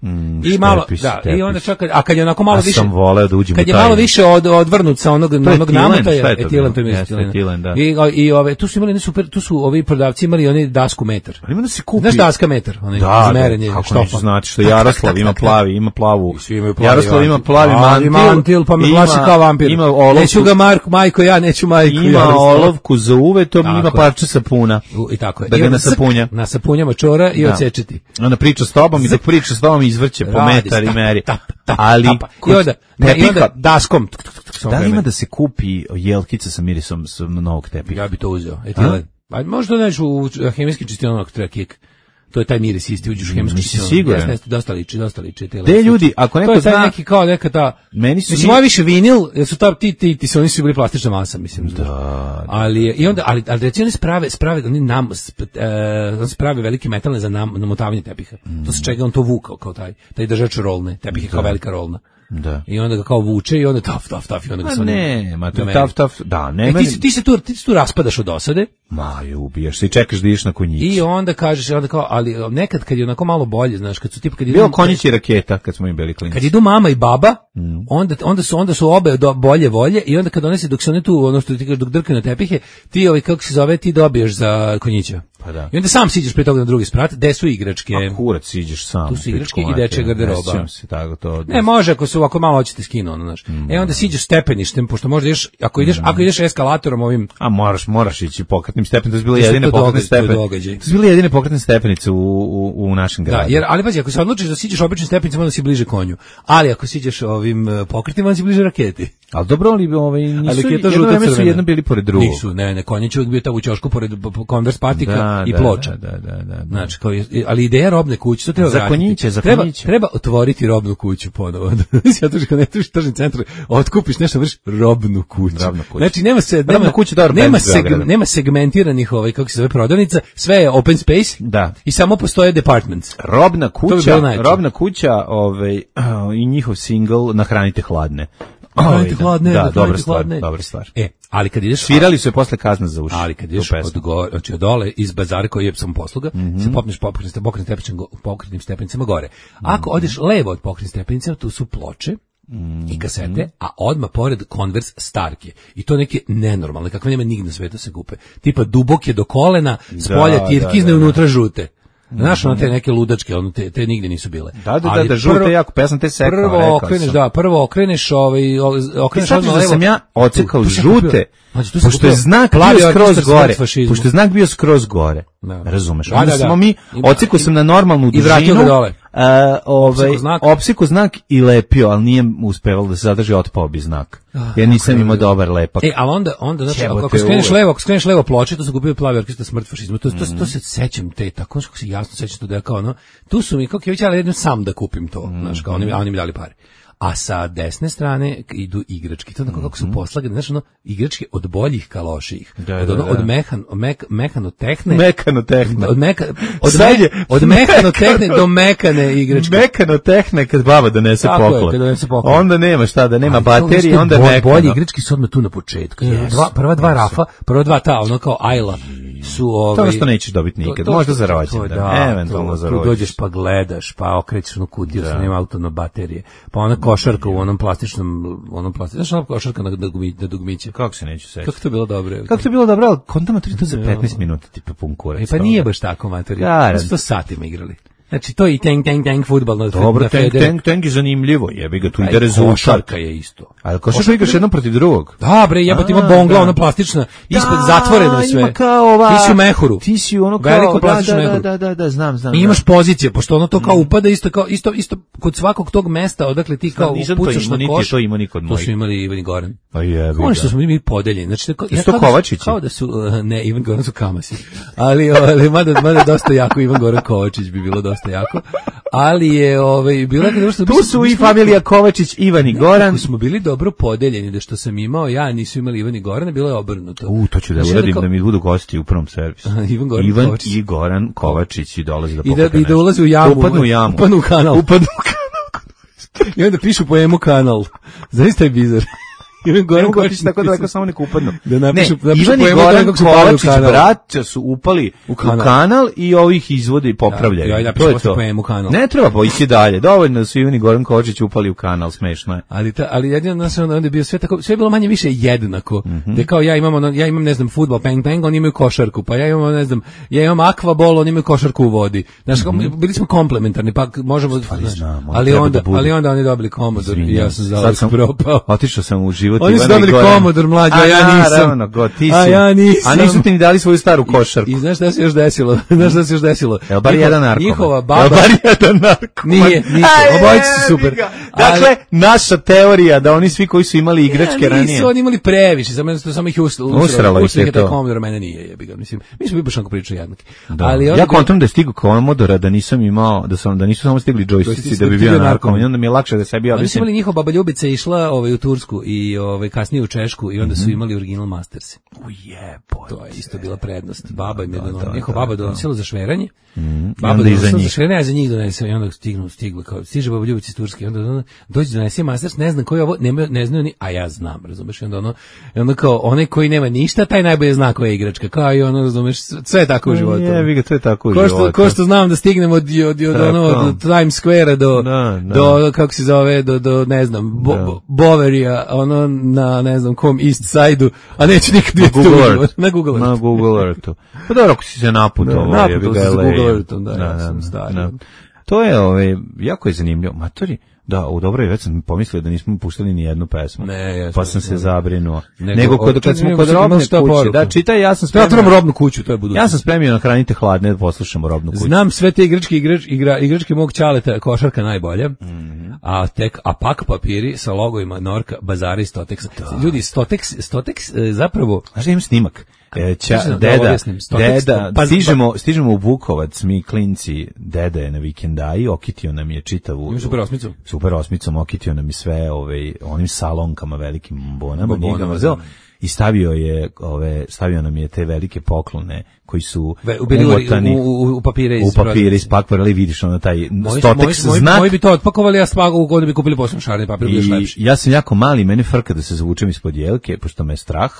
I malo, štepis, da, i tepih. onda čak, a kad je onako malo A više, sam voleo da uđem kad u je taj- malo više od, odvrnut sa onog, je onog etilen, nameta, šta je je to etilen, bilo? to je Jeste, etilen. etilen, da. I, i ove, tu su imali, nisu, tu su ovi prodavci imali oni dasku metar. Ali ima da se kupi... Znaš daska metar, onaj Da, za da, merenje kako štopa. neću znati što Jaroslav ima plavi, ima plavu. Svi imaju plavi Jaroslav ima mantil. plavi Plavi mantil, mantil, pa me ima- plaši kao vampir. Ima olovku, Neću ga Marko, majko, ja neću majku. ima Jaroslava. olovku za uvetom, Tako ima je. parče sapuna. U- I tako je. Da I ga onda nasapunja. ck, nasapunjama čora i Da. odsečeti. Onda priča s tobom i dok priča s tobom izvrće po Radi, metar i tap, meri. tap, tap, Ali tapa. I kod onda, ne, i tepiha- onda daskom. tuk, tuk, tuk, tuk, samo da li ima vreme. da se kupi jelkica sa mirisom s novog tepiha? Ja bi to uzeo. Etilen. A možda neću u hemijski čistionog treba kik. To je taj miris isti, uđeš u hemijski Nisi čistionog. siguran? Jeste, jeste, dosta liči, dosta liči. etilen. Te ljudi, ako neko to je taj zna- neki kao neka ta... Meni su Mislim, mi- moje više vinil, jer su ta, ti, ti, ti su, oni su bili plastična masa, mislim. Da, ali, je- i onda, ali, ali recimo oni sprave, sprave, oni nam, sp, e, oni sprave velike metalne za nam, namotavanje tepiha. To se čega on to vukao, kao taj, taj držač rolne, tepih je kao velika rolna. Da. I onda ga kao vuče i onda taf, taf, taf, i onda ga A se ne, ma to je nameri. taf, taf, da, ne, E, ti, meni- se- ti, se tu, ti se tu raspadaš od dosade. Ma, je, ubijaš se i čekaš da ideš na konjić. I onda kažeš, onda kao, ali nekad kad je onako malo bolje, znaš, kad su tipa kad Bilo idu, konjić i raketa kad smo im bili klinci. kad idu mama i baba, Mm. onda onda su onda su obe do, bolje volje i onda kad one se dok se one tu ono što ti kažeš dok drkaju na tepihe, ti ovaj kako se zove, ti dobiješ za konjića. Pa da. I onda sam siđeš pre toga na drugi sprat, gde su igračke. A kurac iđeš sam. Tu su igračke pičku i materinu, dečja garderoba. ne sjećam se tako to. Ne, može ako su ako malo hoćete skinu, ono, znaš. E onda siđeš stepeništem, pošto možda ideš, ako ideš, ako ideš eskalatorom ovim. A moraš, moraš ići pokretnim stepenicama. To su bile Jeste, jedine to pokretne događaj, to je stepenice. događaj. To su bile jedine pokretne stepenice u, u, u našem Da, gradu. jer ali pazi, ako se odlučiš da siđeš običnim stepenicama, onda si bliže konju. Ali ako siđeš ovim uh, pokretnim, onda si bliže raketi. Ali dobro, ali ovaj, nisu, Ali raketa jedno žuta vreme su crvena. jedno bili pored drugog. Nisu, ne, ne, konjić uvijek bio tamo u ćošku pored p- p- Converse patika Da, i da, ploča. Da, da, da, da. Znači, kao, je- ali ideja robne kuće, to treba Za vratiti. konjiće, za treba, konjiće. treba otvoriti robnu kuću ponovo. Ja to što ne tuš tržni centar, otkupiš nešto, vrš robnu kuću. Robnu kuću. Znači, nema se, Robna nema, kuća je dobar nema, bend iz Beograda. nema segmentiranih, ovaj, kako se zove, prodavnica, sve je open space Da. i samo postoje departments. Robna To bi kuća, bilo najjače. robna kuća, ovaj i njihov single Nahranite hladne. Nahranite Ovaj, hladne, da, nahranite dobra stvar, hladne. dobra stvar. E, ali kad ideš... Svirali su je posle kazna za uši. Ali kad tu ideš pesmu. od gore, znači od dole iz bazara koji je sam posluga, Mhm. se popneš pokretnim pokretnim stepenicama, pokretnim stepenicama gore. Ako odeš levo od pokretnih stepenica, tu su ploče i kasete, a odmah pored Converse Starke. I to neke nenormalne, kakve nema nigde na svetu se kupe. Tipa duboke do kolena, s polja Da, tirkizne, da, da. unutra žute. Znaš, ono te neke ludačke, ono te, te nigde nisu bile. Da, da, da, Ali da, žute prvo- jako, pa ja sam te sekao, Prvo rekao okreneš, sam. da, prvo okreneš, ovaj, o- Ti okreneš shvatiš odmah da levo. sam ja ocekao Tu sam žute, kupio- Znači, tu sam pošto je kupio znak plavi bio skroz orkestar gore, smrt fašizmu. pošto je znak bio skroz gore. Da. Razumeš? Da, Onda da, da. smo mi, Ima- ocekao sam na normalnu i vratio dužinu, ga dole. a, ovaj, Opsekao znak. opsekao znak i lepio, ali nije uspevalo da se zadrži, otpao bi znak. Ja nisam imao dobar lepak. E, ali onda, onda znači, Jebote, ako skreneš uvek. levo, ako skreneš levo ploče, to su kupio plavi orkestar smrt fašizmu. To, to, to se sećam te, tako kako se jasno sećam to da je kao ono, tu su mi, kako je već, ali jednom sam da kupim to, znaš, kao oni, mi- a oni mi dali pare. A sa desne strane idu igračke, to onako kako su poslagane, znaš, ono, igračke od boljih ka lošijih. Da, od, da, ono, da. od mehan, mek, mehanotehne, Mekano tehna. od, meka, od, Sad me, je- od mehanotehne do mekane igračke. Mekano tehne kad baba donese Tako je, poklon. kad donese poklon. Onda nema šta da nema Ali to baterije, isto onda je bo- mekano. Bolji igrački su odmah tu na početku. Yes. Dva, prva dva rafa, prva dva ta, ono kao ajla. su ovaj to što nećeš dobiti nikad, to, to, možda za rođendan, da, eventualno za rođendan. Dođeš pa gledaš, pa okrećeš onu kutiju sa nema auto na baterije, pa ona košarka u onom plastičnom, onom plastičnom, znaš ona košarka na dugmiće, na dugmiće. Kako se neću sećati? Kako to bilo dobro? Kako to bilo dobro, ali konta materi to za petnaest minuta, tipa pun kurac. E pa nije baš tako materi, sto satima igrali. Znači to i tank tank tank fudbal na dobro, tank tank tank je zanimljivo, jebi ga tu ide rezultat. Košarka je isto. Ali košarka igraš jednom protiv drugog. Da bre, jebote ima bongla ona plastična, ispred zatvoreno sve. Ima kao ova. Ti si u mehuru. Ti si ono kao veliko plastično da, mehuru. Da, da, da, znam, znam. I imaš pozicije, pošto ono to kao upada isto kao isto isto kod svakog tog mesta, odakle ti kao upucaš na koš. To ima niko od mojih. To su imali Ivan i Goran. Pa jebi ga. Oni što smo mi podeljeni. Znači ja to Kovačić. Kao da su ne Ivan Goran su Kamasi. Ali ali mada mada dosta jako Ivan Goran Kovačić bi bilo dosta jako. Ali je ovaj bilo da što tu su i familija Kovačić, Ivan i Goran. Smo bili dobro podeljeni, da što sam imao ja, nisu imali Ivan i Goran, bilo je obrnuto. U, to ću da uradim da mi budu gosti u prvom servisu. Ivan, Goran, Ivan Kovačić. i Goran Kovačić i dolazi da I da, i da ulazi u jamu. Upadnu u jamu. Upadnu u kanal. Upadnu u kanal. I onda pišu po emu kanal. Zaista je bizar. Ivan Goran Kovačić tako daleko samo neko upadnu. Da napišu, ne, napišu Ivan i Goran Kovačić braća su upali u kanal. u kanal i ovih izvode i popravljaju. Ja, ja to je to. Po kanal. Ne treba pa ići dalje. Dovoljno da su Ivan i Goran Kovačić upali u kanal, smešno je. Ali ta, ali jedino nas onda je bio sve tako, sve je bilo manje više jednako. Mm-hmm. Da kao ja imam ja imam ne znam fudbal, ping pong, oni imaju košarku, pa ja imam ne znam, ja imam akvabol, oni imaju košarku u vodi. Znaš, mm-hmm. bili smo komplementarni, pa možemo ali, znam, ali onda da ali onda oni dobili komodor i ja sam za sam propao. Otišao sam u život Ivana Komodor mlađa, a ja nisam. Naravno, go, ti si. A ja nisam. A nisu ti ni dali svoju staru košarku. I, i znaš šta se još desilo? Znaš šta se još desilo? Evo bar jedan narkoman. Njihova baba. Evo bar jedan narkoman. Nije, nije. Obojice su super. Dakle, ali, naša teorija da oni svi koji su imali igračke ja, ranije. Nisu oni imali previše, samo samo ih usralo. Usralo ih je to. Komodor mene nije, jebi ga, mislim. Mi smo baš onako pričali jednaki. Da. Ali ja kontam da je stigao Komodora, da nisam imao, da sam da nisu samo stigli džojstici da bi bio narkoman. Onda mi je lakše da sebi objasnim. Oni su imali njihova baba Ljubica išla ovaj u Tursku i ovaj kasnije u Češku i onda su imali original Masters. Ujebo. To je isto bila prednost. Baba im je donosila, njihova baba donosila za šveranje. Mm. Baba donosila za šveranje, a za njih donese i onda stignu, stigla kao stiže baba Ljubica iz Turske, onda ona dođe donese Masters, ne znam koji je ovo, ne, ne znaju ni, a ja znam, razumeš, i onda ono, i onda kao onaj koji nema ništa, taj najbolje zna koja je igračka, kao i ono, razumeš, sve je tako u životu. Je, vi ga, to je tako u ko životu. Što, ko što znam da stignemo od, od, od, ono, od Times Square do, da, da. do, kako se zove, do, do ne znam, bo, bo, Boverija, ono, na, ne znam, kom East Side-u, a neće nikad vidjeti na Google Earth. Na Google Earth. Na Google Earthu. Pa dobro, ako si se naputovao, da, naputovao se sa Google Earthom, da, da, ja sam stari. Da. To je, ove, jako je zanimljivo. Matori, da, u dobroj već sam pomislio da nismo puštali ni jednu pesmu. Ne, ja pa sam se ne, zabrinuo. Nego, Nego kod, kad smo kod robne kuće, da, čitaj, ja sam spremio. Ja robnu kuću, to je budućnost. Ja sam spremio na Hranite hladne da poslušamo robnu kuću. Znam sve te igračke, igrač, igra, igračke mog ćaleta, košarka najbolja. Mm-hmm. A tek a pak papiri sa logovima Norka, Bazara i Stotex. Ljudi, Stotex, Stotex zapravo, znaš da imam snimak. E, ča, da deda, Stotex, deda, pa, stižemo, stižemo u Bukovac, mi klinci, deda je na vikendaji, okitio nam je čitavu... Super osmicu. Super osmicom, okitio nam je sve ovaj, onim salonkama, velikim bonama, nije ga mrzeo. I stavio je ove stavio nam je te velike poklone koji su Ve, umotani u, u, u papire iz u papire iz pakvarali, vidiš ono taj Stotex znak. Moji bi to otpakovali, ja spago u kod bi kupili posebno šareni papir, bio je lepši. Ja sam jako mali, mene frka da se zavučem ispod jelke, pošto me je strah.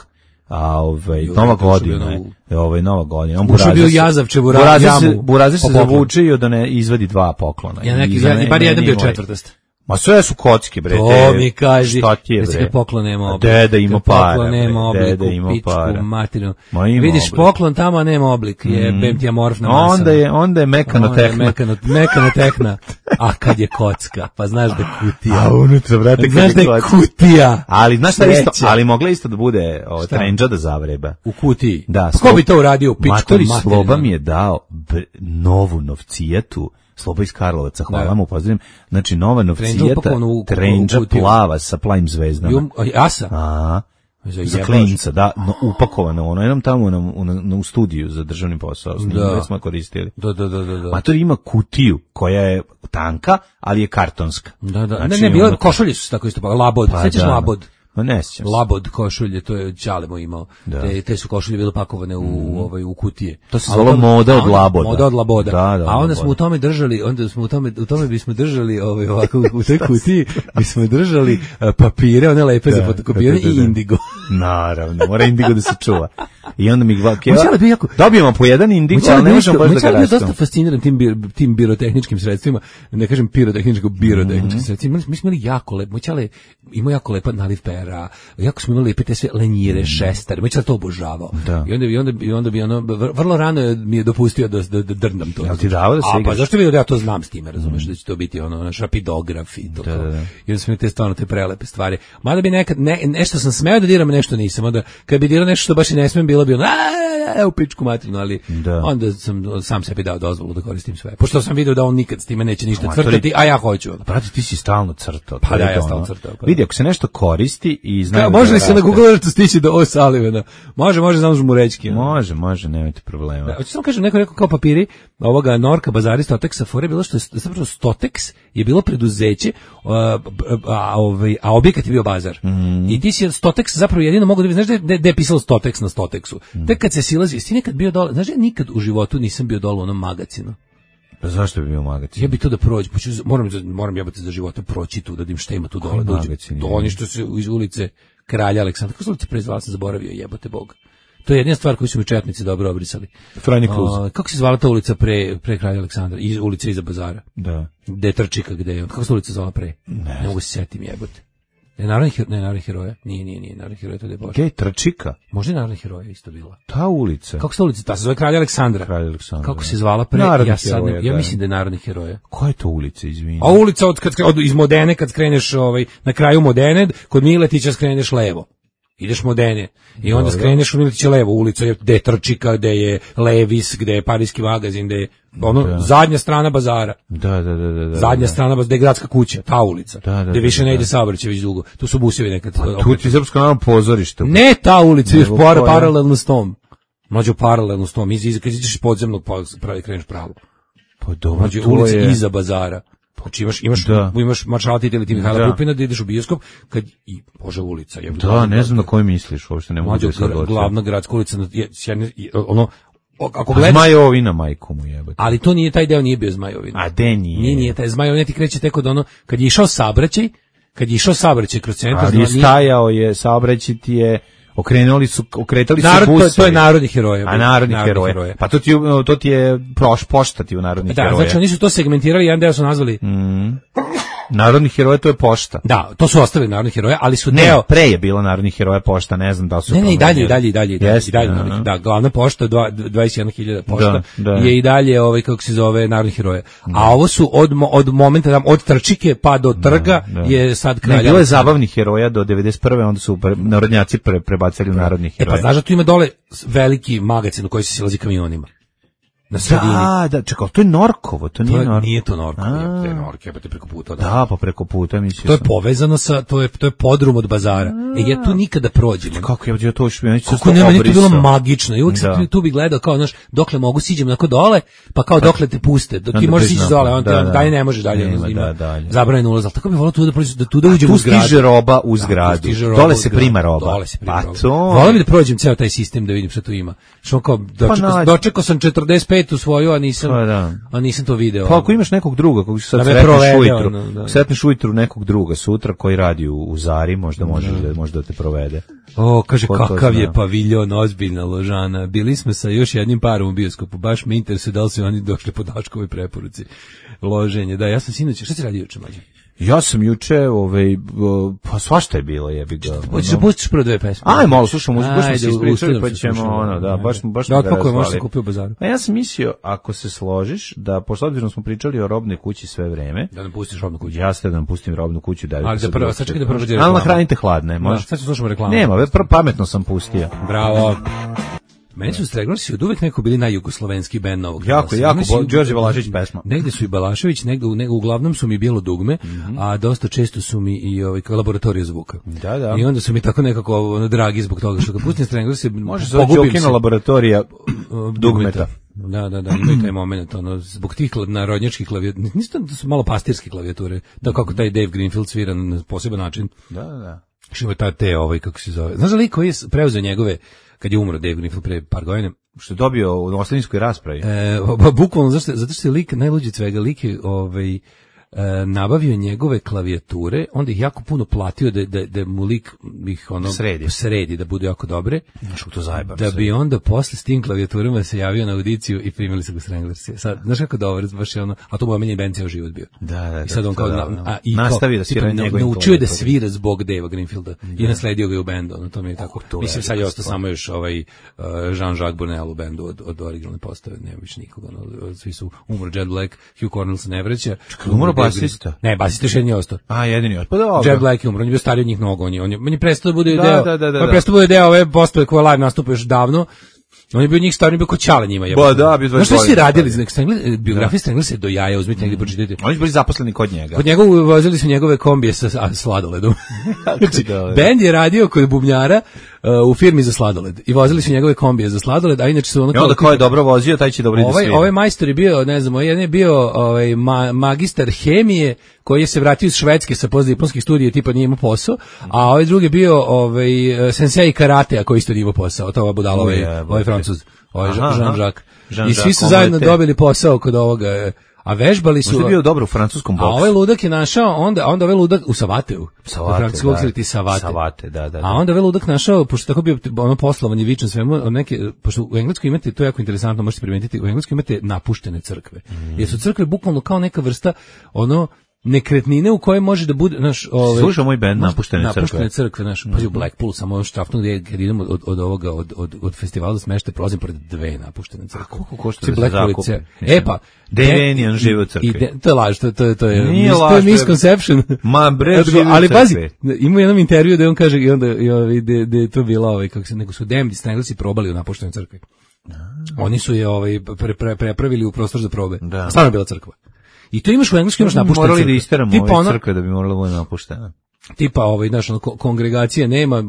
A ovaj nova godina je, ovaj nova godina. On Burazer bio Jazavče, Burazer, Burazer se zavučio da ne izvadi dva poklona. Ja neki, ja, bar jedan bio četvrtast. Ma sve su kocke, bre. To mi kaži. Šta ti je, bre? Poklon nema oblik. Deda ima para, poklon nema oblik, deda ima para. Matinu. Vidiš oblik. Poklon tamo, a nema oblik. Je mm. bem amorfna masa. Onda je, onda je mekanotehna. Mekano, mekanotehna. A kad je kocka, pa znaš da je kutija. A unutra, brate, kad znaš je da je kutija. Ali znaš šta isto, ali mogla isto da bude o, trendža da zavreba. U kutiji. Da. Ko bi to uradio u pičku materinu? Matori Sloba mi je dao b, novu novcijatu. Sloba iz Karlovaca, hvala da. mu, pozdravim. Znači, nova novcijeta, trendža plava sa plavim zvezdama. Asa? A, za klinca, da, no, upakovano, ono, jednom tamo na, na, u studiju za državni posao, da smo koristili. Da, da, da, da. Mator ima kutiju koja je tanka, ali je kartonska. Da, da, znači, ne, ne, bilo, ono, košulje su tako isto, pa labod, pa, sećaš da, labod? Ma ne sjećam se. Labod košulje, to je Ćalemo imao. Da. Te, te su košulje bile pakovane u, Mm. u, ovaj, u kutije. To se zvalo moda od Laboda. Moda od Laboda. Da, da, a onda Laboda. smo u tome držali, onda smo u tome, u tome bismo držali ovaj, ovako, u toj kutiji bismo držali uh, papire, one lepe za fotokopiranje da, da, da. i indigo. Naravno, mora indigo da se čuva. I onda mi dva keva, Moćala bi jako- dobijemo po jedan indigo, ali ne možemo baš da ga Moćala bi rastamo. dosta fasciniran tim, bir- tim birotehničkim sredstvima, ne kažem pirotehničko, birotehničkim Mhm. sredstvima. Mi smo imali jako lep, Moćala je imao jako lepa naliv pera, jako smo imali lepe te sve lenjire, šestare, Moćala to obožavao. Mhm. Da. I onda bi, onda bi, i onda bi ono, vr- vrlo rano je- mi je dopustio da, da, da drndam to. Jel ti dao da se A pa igraš? zašto bi da ja to znam s time, razumeš, da će to biti ono, naš rapidograf i to. Da, kao. da, da. I onda smo imali te stvarno te prelepe stvari. Mada bi nekad, ne, nešto sam smeo da diram, nešto nisam. Onda kad bi dirao nešto što baš i ne smem, bilo bi ono, a u pičku materinu, ali Da. onda sam sam sebi dao dozvolu da koristim sve. Pošto sam video da on nikad s time neće ništa Ma, to je- crtati, a ja hoću. ono. Brate, ti si stalno crtao. Pa to je da, ja to, stalno ono. crtao, pa da. Vidi, ako se nešto koristi i Kao, znamo... može da li se na raste. Google Earthu stići do O. Sullivana? Može, može, znam žmurečki. ono. Može, može, nemojte problema. Da, hoću samo kažem, neko je rekao kao papiri ovoga Norka Bazari Stoteksa, fore je bilo što je zapravo Stoteks je bilo preduzeće, a, a, ovaj, a objekat je bio bazar. Mhm. I ti si Stoteks zapravo jedino mogu da vidiš, znaš da je, da je pisalo Stoteks na Stoteksu. Mhm. Tek kad se silazi, jesi ti nekad bio dole, znaš da ja nikad u životu nisam bio dole u onom magacinu. Pa zašto bi bio magacin? Ja bi to da prođem, poću, moram, za- moram jebati za života proći tu, da vidim šta ima tu dole. Koji Da uđem. magacin To je? oni što se iz ulice Kralja Aleksandra, kako se ulica prezvala, sam zaboravio, jebote Bog. To je jedina stvar koju su mi četnici dobro obrisali. Franje Kluz. A, kako se zvala ta ulica pre, pre Kralja Aleksandra? Iz ulice iza bazara. Da. Gde je Trčika, gde je on? Kako se ulica zvala pre? Ne, ne mogu se setim, jebote. Je narodni heroj, ne narodni heroja? Nije, nije, nije narodni heroja, to je Bože. Gej, Trčika? Možda je narodni heroja isto bila. Ta ulica. Kako se ulica? Ta se zove Kralja Aleksandra. Kralj Aleksandar. Kako se zvala pre? Narodni ja sad, ne- heroja, ja da. mislim da je narodni heroja. Koja je to ulica, izvini? A ulica od, kad, od, iz Modene, kad skreneš ovaj, na kraju Modene, kod Miletića skreneš levo. Ideš Modene. I onda Dobro. skreneš u Miletića levo. Ulica je gde je Trčika, gde je Levis, gde je Parijski magazin, gde je ono, Da. zadnja strana bazara. Da, da, da, da. da Zadnja da. strana bazara, gde je gradska kuća, ta ulica. Da, da, gde da, više da, ne ide da. saobraćaj već dugo. Tu su busevi nekad. Tu ti je Srpsko narodno pozorište. Ne ta ulica, još Nego para, koja? paralelno s tom. Mlađo paralelno s tom. Iz, iz, kad ideš iz podzemnog, pa pravi kreneš pravo. Pa dobro, Mlađo to ulica je... iza bazara. Znači imaš imaš Da. imaš maršala Tita ili ti Mihajla Da. Pupina da ideš u bioskop kad i Bože ulica je. Da, ne znam na koji misliš, uopšte ne mogu Mlađo da se odlučim. glavna gradska ulica na- je s jedne- i- ono o- ako A gledaš, Zmajovina, majko mu jebate. ali to nije taj deo, nije bio Zmajovina. A de nije? Nije, nije taj Zmajovina ti kreće tek od ono kad je išao saobraćaj, kad je išao saobraćaj kroz centar, Ali je znači, nije- stajao je, saobraćaj ti je, okrenuli su, okretali su narod, to, je- busevi. to je narodni heroja. A narodni heroje. Pa to ti, je- to ti je proš, pošta ti u narodnih Da, heroja. znači oni su to segmentirali, jedan deo su nazvali, Narodni heroje to je pošta. da, to su ostavili narodni heroja, ali su Ne, deo, pre je bila narodnih heroja pošta, ne znam da li su... Ne, ne, i dalje, i promenili. dalje, i dalje, i dalje, Jeste, i dalje, aha. narodnih- da, glavna pošta, dva- dvadeset jedna hiljada pošta, Da, da. je i dalje, ovaj, kako se zove, narodnih heroja. A ovo su od, mo- od momenta, tam, od Trčike pa do Trga, Da. je sad Ne, Kralja. bilo je zabavnih heroja do devedeset prve onda su pre, narodnjaci pre, prebacili u narodnih E pa heroja. znaš da tu ima dole veliki magacin u koji se silazi kamionima. Na sredini. Da, da, čekaj, to je Norkovo, to To nije je, Norkovo. nije to Norko, A. je, je Norko, jebate preko puta. Da. Da, pa preko puta mislio To je sam. povezano sa, to je, to je podrum od bazara. E, ja tu nikada prođem. Kako je, ja to još ja nisam Kako to ne, meni je to bilo obrisao. magično. I uvijek Da. sam tu bi gledao kao, znaš, dokle mogu siđem onako dole, pa kao dokle te puste. Do, ti Onda možeš priznam, sići dole, on te, da, da. dalje ne može dalje. Nema, ono, ima da, dalje. zabranjen ulaz, ali tako bi volao tu da, prođem, da tu da uđem Tu u zgradu. stiže roba u Da, tu zgradu. stiže roba Dole u se zgradu. prima roba. Dole se prima Pa roba. to. Volao bi da prođem ceo taj sistem da vidim šta tu ima. Što kao, dočekao, nađi. dočekao sam četrdeset petu svoju, a nisam, Pa da. a nisam to video. Pa ako imaš nekog druga, kog sad Da me sretneš provede, ujutru, ono, da. sretneš ujutru nekog druga sutra koji radi u, u Zari, možda može da, možda da te provede. O, kaže, Ko to kakav zna? je paviljon, ozbiljna ložana. Bili smo sa još jednim parom u bioskopu. Baš me interesuje da li su oni došli po Daškovoj preporuci. Loženje, da, ja sam sinoć, šta si radio juče, mlađe? Ja sam juče, ovaj, o, pa svašta je bilo, jebi ga. Hoćeš da pustiš prvo dve pesme? Aj, malo slušamo muziku, baš smo se Ajde, ispričali, ustavljam pa se, ćemo, slušamo. ono, da, baš, baš Da, smo ga otpakuje, možeš razvali. se kupiti u bazaru. A ja sam mislio, ako se složiš, da, pošto obzirom smo pričali o robnoj kući sve vreme, Da nam pustiš robnu kuću. ja ste da nam pustim robnu kuću, da Ali da prvo, sad čekaj da prvo dođe Ali reklama. nahranite hladne, Da, može. sad ću slušamo reklamu. Nema, ve, pr- pametno sam pustio. Bravo. Meni su Streglorsi od uvek neko bili najjugoslovenski bend novog. Jako, glasa. jako, Oni su- bo- Đorđe Balašević pesma. Negde su i Balašević, negde, u- negde uglavnom su mi Bijelo dugme, a dosta često su mi i ovaj laboratorija zvuka. Da, da. I onda su mi tako nekako ono, dragi zbog toga što kad pustim Stranglers se Može se zove pogubim Đokina se. laboratorija Uh, dugmeta. Da, da, da, imaju taj moment, ono, zbog tih kla- narodnjačkih klavijatura, nisu to, to su malo pastirske klavijature, da kako taj Dave Greenfield svira na poseban način. Da, da, da. Što ima ta te, ovaj, kako se zove. Znaš da lik koji je preuzeo njegove, kad je umro Dave Greenfield pre par godina, što je dobio u ostavinskoj raspravi. E, ba, bukvalno, zato, zato što je lik, najluđi od svega, lik je ovaj, e, nabavio njegove klavijature, onda ih jako puno platio da, da, da mu lik ih ono sredi, sredi da budu jako dobre, što to zajebam, da bi onda posle s tim klavijaturama se javio na audiciju i primili su ga Stranglersi. Sad, znaš kako dobro, baš je ono, a to mu je omiljeni bend ceo život bio. Da, da, i sad on kao, da, da, a, i nastavi da svira njegovim naučio da svira zbog Davea Greenfielda i nasledio ga u bendu, ono to mi je tako. Oh, mislim sad je ostao samo još ovaj uh, Jean-Jacques Brunel u bendu od, od originalne postave, nema više nikoga, ono, svi su umro Jet Black, Hugh Cornell se ne vraća. Umro basista. Ne, basista još jedini ostao. A, jedini ostao. Pa dobro. Jet Black je umro, on je bio stariji od njih mnogo, on je, on je, on je prestao da bude da, deo, da, da, da, on je prestao da bude deo ove postave koje live nastupa još davno. On je bio njih stariji, bio ko Ćale njima. Ba, da, bio znaš što su radili? Biografije Strangler se do jaja, uzmite negdje pročitajte. Oni su bili zaposleni kod njega. Kod njega vozili su njegove kombije sa sladoledom. Znači, bend je radio kod bubnjara uh, u firmi za sladoled i vozili su njegove kombije za sladoled, a inače su ono... I onda ko je dobro vozio, taj će dobro ovaj, da ovaj majstor je bio, ne znam, jedan je bio ovaj, ma, magistar hemije koji je se vratio iz Švedske sa postdiplomskih studija, tipa nije imao posao, a ovaj drugi je bio ovaj, sensei karatea koji isto nije imao posao, to ova budala, ovaj, ovaj Francuz. Ovaj Jean-Jacques. I svi su zajedno dobili posao kod ovoga, a vežbali su... Možda je bio dobro u francuskom boksu. A ovaj ludak je našao, onda, onda ovaj ludak u Savateu. Savate, da. Ti Savate. Savate, da, da, da. A onda ovaj ludak našao, pošto tako bio ono poslovan je vičan svemu, od neke, pošto u Engleskoj imate, to je jako interesantno, možete primetiti, u Engleskoj imate napuštene crkve. Mm. Jer su crkve bukvalno kao neka vrsta, ono, nekretnine u kojoj može da bude, znaš, ovaj slušao moj bend napuštene crkve. Napuštene crkve, naš, pa u Blackpoolu samo još štafnu gdje kad idemo od od ovoga od od od festivala smešte prolazim pored dve napuštene crkve. A koliko košta da zakupi? E pa, Devenijan živi u crkvi. De, to je laž, to to to je Nije to je misconception. Ma bre, ali pazi, ima jedan intervju da on kaže i onda i ovaj da da je to bilo ovaj kako se nego su Demdi Stranglesi probali u napuštenoj crkvi. Oni su je ovaj pre, pre, prepravili u prostor za probe. Stvarno je bila crkva. I to imaš u engleskom, imaš napuštene crkve. Morali da isteramo ove ono, crkve da bi moralo bude napuštena. Tipa, ovaj, znaš, ono, kongregacija nema,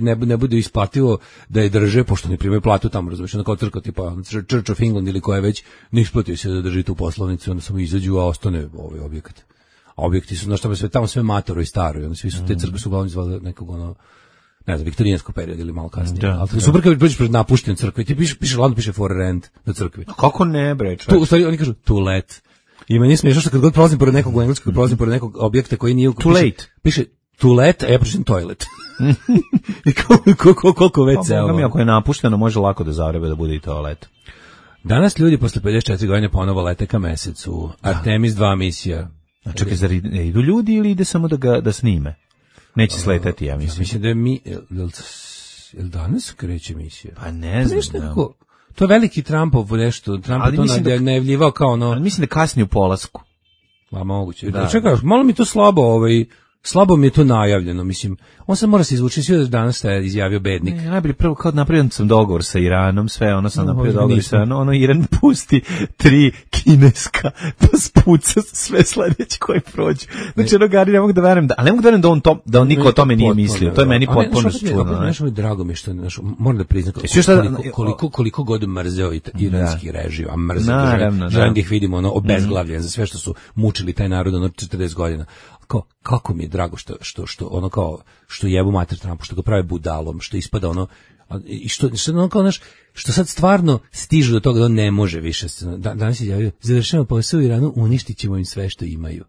ne, ne bude isplativo da je drže, pošto ne primaju platu tamo, razumiješ, ono kao crkva, tipa Church of England ili koja već, ne isplati se da drži tu poslovnicu, onda samo izađu, a ostane ovaj objekat. A objekti su, znaš, tamo sve, tamo sve matoro i staro, i onda svi su, te crkve su uglavnom zvali nekog, ono, ne znam, viktorijanskog perioda ili malo kasnije. Da, ali da. Super kad prođeš pred napuštenu crkvu i ti piše, piše, ladno piše for rent na crkvi. A kako ne, bre, tu, u stvari, oni kažu, to let. I meni je smiješno što kad god prolazim pored nekog u engleskog, prolazim pored nekog objekta koji nije... Too late. Piše to let, a ja pročitam toilet. I koliko, koliko već se... Pa, ako je napušteno, može lako da zavrebe da bude i toalet. Danas ljudi posle pedeset četiri godine ponovo lete ka mesecu. Artemis dva misija. A čekaj, zar idu ljudi ili ide samo da ga da snime? Neće sletati, ja mislim. Ja mislim da je mi... Jel danas kreće misija? Pa ne znam. Nekako, to je veliki Trumpov nešto. Trump je to da, najavljivao kao ono... Ali mislim da kasni u polasku. Pa moguće. Da, čekaj, malo mi to slabo, ovaj, slabo mi je to najavljeno, mislim. On se mora se izvući, svi da danas je izjavio bednik. Ne, najbolje prvo kao napravio sam dogovor sa Iranom, sve ono sam no, napravio dogovor sa Iranom, ono Iran pusti tri kineska, pa spuca sve sledeće koje prođu. Znači, ono Gari, ne mogu da verujem, da, ali ne mogu da verujem da on, to, da on niko o tome nije mislio. To je meni potpuno čudno. Nešto mi je drago mi što, znaš, moram da priznam, koliko, koliko, koliko god mrzeo iranski režim, a mrzeo, želim da ih vidimo, ono, obezglavljen za sve što su mučili taj narod, ono, četrdeset godina. Kao, kako mi je drago što, što, što ono kao, što jebu mater Trumpu, što ga prave budalom, što ispada ono, i što, što ono kao, znaš, što sad stvarno stižu do toga da on ne može više. Da, danas je javio, završamo posao u Iranu, uništit ćemo im sve što imaju.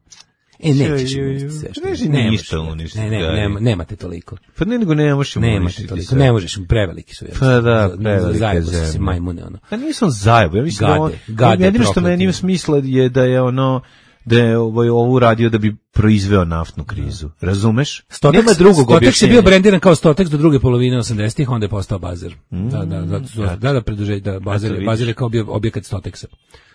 E, nećeš uništiti sve što imaju. Ne, ništa uništiti. Ne, ne, nema, nemate toliko. Pa ne, nego ne možeš uništiti toliko. Ne možeš, preveliki su. Pa da, prevelike zemlje. Se majmune, ono. Pa nisam zajebo, ja mislim gade, da on, gade, jedino što meni ima smisla je da je ono, da je ovaj ovo radio da bi proizveo naftnu krizu. Razumeš? Stotex, nema drugog objašnjenja. Stotex je bio brendiran kao Stotex do druge polovine osamdesetih, onda je postao Bazer. Mm, da, da, da, da, da, da preduže, da Bazer, Bazer je kao bio objekat Stotexa.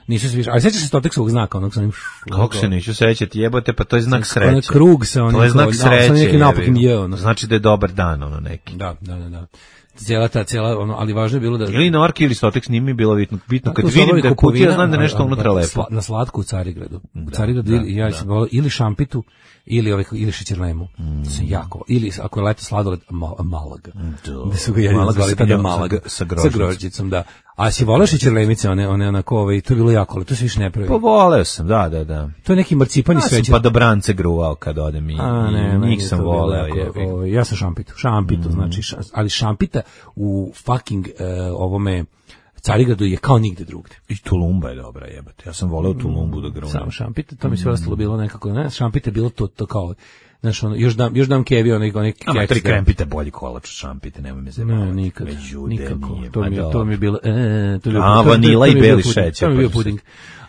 Nisu se više, ali sećaš se Stotexovog znaka, onog sa onim... Kako se neću sećati, jebote, pa to je znak sreće. Ono krug sa onim... To je znak sreće, neki napukim je, ono. Znači da je dobar dan, ono neki. Da, da, da, da. Cijela ta, cijela, ono, ali važno je bilo da... Ili Norki ili Stotex nije mi bilo bitno. Bitno, kad vidim da je kutija, znam da je nešto unutra lepo. Na slatku u Carigradu. U Carigradu, ja sam volao ili šampitu, ili ovaj ili šećerlemu. Mm. Sam jako. Ili ako je leto sladoled, mal, Malaga. Da su ga jedni zvali tada Malaga sa grožđicom, da. A si voleo šećerlemice, one, one onako, ovaj, to je bilo jako, ali to se više ne pravi. Pa voleo sam, da, da, da. To je neki marcipan i Ja sveće. sam pa do brance gruvao kad odem i, A, ne, i meni njih je sam to bilo voleo. jako, jebi. ovaj, ja sam šampitu, šampitu, Mm. znači, ša, ali šampita u fucking uh, ovome Carigradu je kao nigde drugde. I Tulumba je dobra, jebate. Ja sam voleo Tulumbu da gruvnem. Samo šampita, to mi sve ostalo bilo nekako, ne, šampita je bilo to, to kao, znaš, ono, još dam, još dam kevi, onaj, onaj Ama keks tri da- krempite bolji kolač od šampite, nemoj me zajebavati. Ne, nikad, Međude, nikako. nije, To pa mi, je, to dobro. mi je bilo, e, to mi je bio- A, to- to- vanila to i mi je bio beli puding, šećer, To mi je bio pa su se- puding.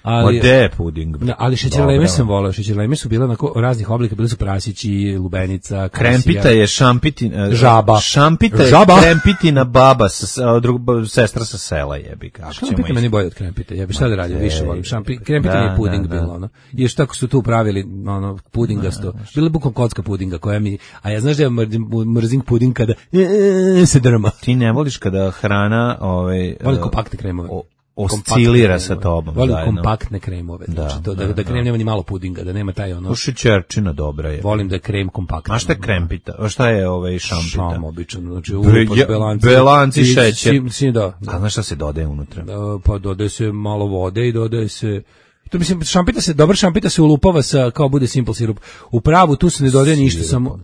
Ma Ali, de je puding. da, ali šećerleme Dobro. sam voleo, šećerleme su bile onako raznih oblika, bili su prasići, lubenica, Krempita kasija. je šampitina Žaba. Šampita je Žaba. krempitina baba sa sa- drug, sestra sa sela, jebi ga. Ako ćemo Šampita ići. meni bolje od krempite. Ja bih šta da radim, Ma, više ej, volim. Šampi, krempita da, nije puding da, da. bilo, ono. I još tako su tu pravili, ono, pudingasto. Bilo je bukom kocka pudinga koja mi, a ja znaš da ja mrzim, mrzim puding kada e, se drma. Ti ne voliš kada hrana ovaj Volim e, kompaktne kremove. o- Kompaktne oscilira kremove. sa tobom Volim zajedno. kompaktne kremove. Znači, Da, to, da, da, da, krem da. nema ni malo pudinga, da nema taj ono. To šećerčina dobra je. Volim da je krem kompaktan. A šta je krempita? A šta je ovaj šampita? Šam, obično. Znači, Be- ulupaš ja- belanci. belanci, I šećer. si- si- da, da. A znaš šta se dodaje unutra? Da, pa dodaje se malo vode i dodaje se to mislim šampita se dobar šampita se ulupava sa kao bude simple sirup. U pravu tu se ne dodaje ništa samo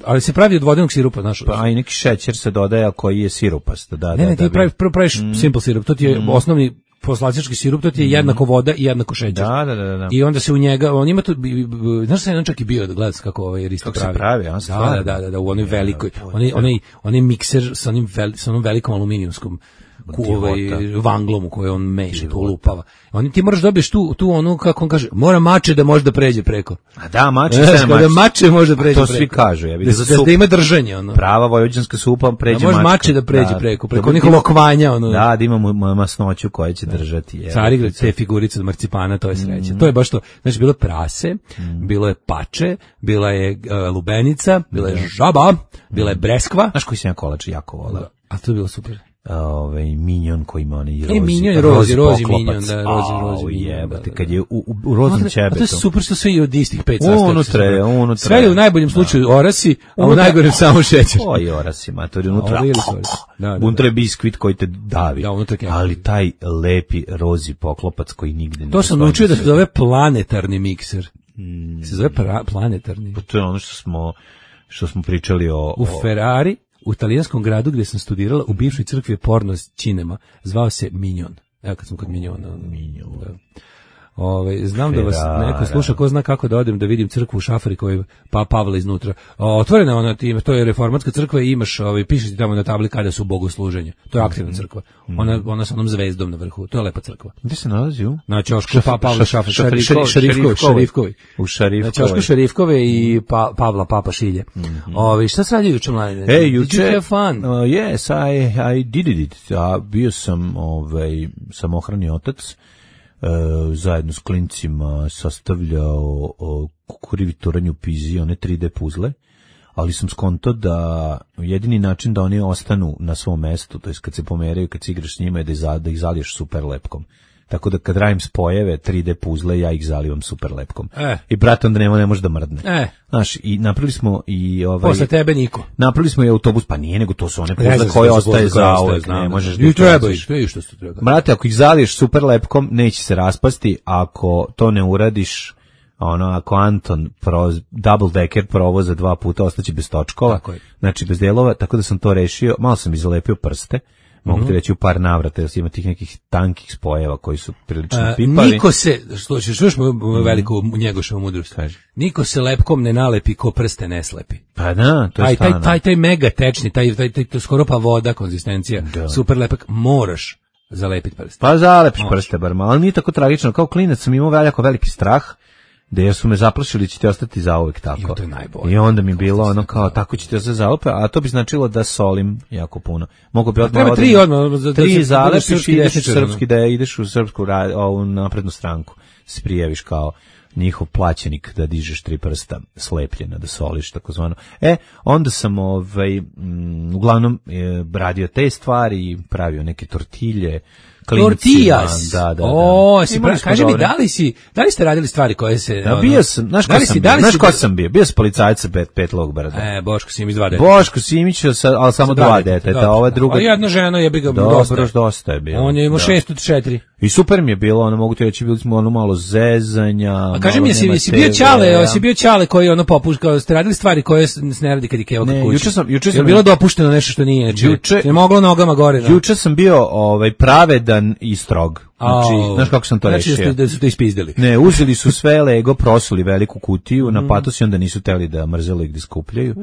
ali se pravi od vodenog sirupa, znaš. Pa i neki šećer se dodaje, a koji je sirupast. Da, ne, da, ne, da ti bi- praviš, prvo praviš simple sirup, to ti je osnovni poslastički sirup, to ti je jednako voda i jednako šećer. Da, da, da, da. I onda se u njega, on ima tu, bi- bi- znaš šta je on čak i bio da gledaš kako ovaj Risto Kako se pravi. pravi, a, da, stvarno? da, da, da, u onoj velikoj, onaj, onaj, onaj mikser sa onim, veli, sa onom velikom aluminijumskom ku, ovaj, vanglom u kojoj on meša, to lupava. Oni ti moraš dobiješ tu, tu onu, kako on kaže, mora mače da može da pređe preko. A da, mače Znaš, se kada mače. mače može da pređe To preko. svi kažu, ja Da, vidim za da, sup. da ima držanje, ono. Prava vojvođanska supa pređe Da može mačka. mače da pređe preko, preko Da, onih da, lokvanja, ono. Da, da ima mu- mu- masnoću koja će držati. je. Carigrad, te figurice od marcipana, to je sreća. To je baš to. Znači, bilo je prase, bilo je pače, bila je uh, lubenica, bila je žaba, bila je breskva. Znaš koji sam ja kolač jako volao? A to je bilo super. Ovaj minjon koji ima onaj rozi. E, minjon, rozi, rozi poklopac. minjon, da, rozi, rozi Au, minjon, jebote, da, da. kad je u, u, u roznom A to ćebetu. je super što sve i od istih pet sastojaka. Unutra je, unutra Sve je je. u najboljem slučaju orasi, a u Unutra- najgorem samo šećer. Oj, orasi, matori, unutra. A ovo ili su orasi. Da, da, da. Unutra je biskvit koji te davi. Da, unutra je kek. Ali taj lepi rozi poklopac koji nigde ne To sam postoji naučio da na se svetu. zove planetarni mikser. Se zove pra- planetarni. Pa to je ono što smo, što smo pričali o... U o- Ferrari, u italijanskom gradu gdje sam studirala, u bivšoj crkvi je porno cinema, zvao se Minjon. Evo kad sam kod Minjona. Minjon. Da. Ove, znam da vas Ferrara. neko sluša, ko zna kako da odem da vidim crkvu u Šafari koji je pa Pavla iznutra. O, otvorena je ona, ti- to je reformatska crkva i imaš, ovaj, piše ti tamo na tabli kada su bogosluženja. To je aktivna crkva. Ona, ona sa onom zvezdom na vrhu. To je lepa crkva. Gde se nalazi u? Na ćošku pa Pavla Šafari. Šarifkovi, Šarifkovi. Šarifkovi. U Šarifkovoj. Na ćošku Šarifkove i pa, Pavla Papa Šilje. Ovi, šta se radi juče, mladine? E, Did juče... you have fun? Uh, yes, I, I did it. A bio sam, ovaj, samohrani otac, uh, zajedno s klincima sastavljao uh, kukurivi turanj u pizi, one tri D puzle, ali sam skonto da jedini način da oni ostanu na svom mestu, to jest kad se pomeraju, kad se igraš s njima, je da, iza, da ih zaliješ super lepkom. Tako da kad radim spojeve, tri D puzle, ja ih zalivam super lepkom. E. I brat onda nema, ne može da mrdne. E. Znaš, i napravili smo i ovaj... Posle tebe niko. Napravili smo i autobus, pa nije, nego to su one puzle Rezervne koje su ostaje puzle koje za ostaje, uvek, znam, ne da. možeš I ih treba baciš. ih, to je što se treba. Brate, ako ih zaliješ super lepkom, neće se raspasti, ako to ne uradiš, ono, ako Anton proz, double decker provoza dva puta, ostaće bez točkova, Tako je. znači bez delova, tako da sam to rešio, malo sam izalepio prste, mogu Mhm. ti reći u par navrata, jer ima tih nekih tankih spojeva koji su prilično A, pipavi. niko se, što ćeš još veliku njegošovu mudrost, Kaži. niko se lepkom ne nalepi ko prste ne slepi. Pa da, to je Taj, taj, stvarno. taj, taj mega tečni, taj, taj, taj, taj skoro pa voda konzistencija, Da. super lepak, moraš zalepiti prste. Pa zalepiš Može. prste bar malo, ali nije tako tragično. Kao klinac sam imao veliko veliki strah, da jer su me zaplašili će ti ostati zauvek tako. I to je najbolje. I onda mi je bilo ono kao tako će ti ostati zauvek, a to bi značilo da solim jako puno. Mogu bi odmah treba odem- tri odmah, da- da tri se- da zalepiš budeš srpski i ideš u desničar, ono. srpski, da ideš u srpsku ra- ovu naprednu stranku. Se prijaviš kao njihov plaćenik da dižeš tri prsta slepljena, da soliš takozvano. E, onda sam ovaj, m, uglavnom e, radio te stvari, pravio neke tortilje, klincima. Tortillas. Da, da, da. O, si Imali pra, smo kaži mi, dobre. da li si, da li ste radili stvari koje se... Ja, ono, bio sam, znaš ko da li sam si- bio? da li Znaš si- ko sam bio? Bio sam policajac sa pet, pet log brada. E, Boško Simić, dva deta. Boško Simić, sa- ali samo Sa dva deteta, deteta, dobro. ova druga... A jedna žena je bi ga Dobro, dosta. dosta je bilo. On je imao da. šest od četiri. I super mi je bilo, ono, mogu ti reći, bili smo ono malo zezanja. A kaži mi, malo jesi, nema jesi bio te Ćale, ve, jesi bio Ćale koji ono popušta, ste radili stvari koje se ne radi kad je Keva kod Ne, kuće? juče sam- juče Je sam- bilo dopušteno nešto što nije, znači, Juče- je moglo nogama gore. da? Juče sam bio ovaj pravedan i strog. Znači, Au. znaš kako sam to znači, rešio? Znači da su to ispizdili. Ne, uzeli su sve Lego, prosuli veliku kutiju Mm. na patos i onda nisu teli da mrzeli gde skupljaju.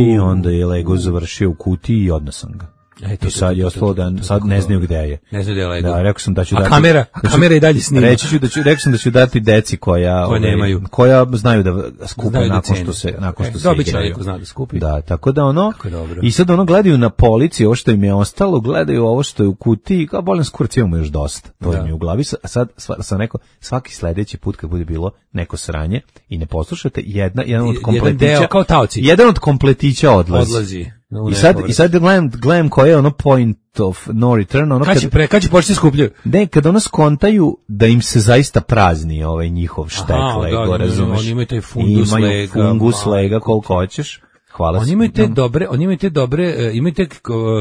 I onda je Lego završio u kutiji i odno sam ga. E, to, I sad je ostalo da sad ne znaju gde je. Ne znaju gde je Lego. Da, rekao sam da ću A dati. kamera, a da ću- kamera i dalje snima. Reći ću da ću, rekao sam da ću dati deci koja, Koje ovaj, nemaju. koja znaju da skupe Znaju da nakon cene. što se nakon E, što se dobit će igraju. neko zna da skupi. Da, tako da ono. Kako je dobro. I sad ono gledaju na policiji ovo što im je ostalo, gledaju ovo što je u kutiji, kao bolan skurac imamo još dosta. To Da. im je u glavi. A sad sva- sam rekao svaki sledeći put kad bude bilo neko sranje i ne poslušate, jedna jedan od Jedan kompletića deo, kao taoci. jedan od kompletića odlazi. Odlazi. u I sad, nepovrat. i sad gledam, gledam koje je ono point of no return, ono Kad kad, će, pre, kad će početi skupljaju? ne, kad ono skontaju da im se zaista prazni ovaj njihov štek Aha, Lego, da, oni imaju- razumeš? oni imaju taj fundus imaju Lega, fungus majko Lega ti. koliko hoćeš. Hvala. Oni imaju te No. dobre, oni imaju te dobre, e, imaju te k-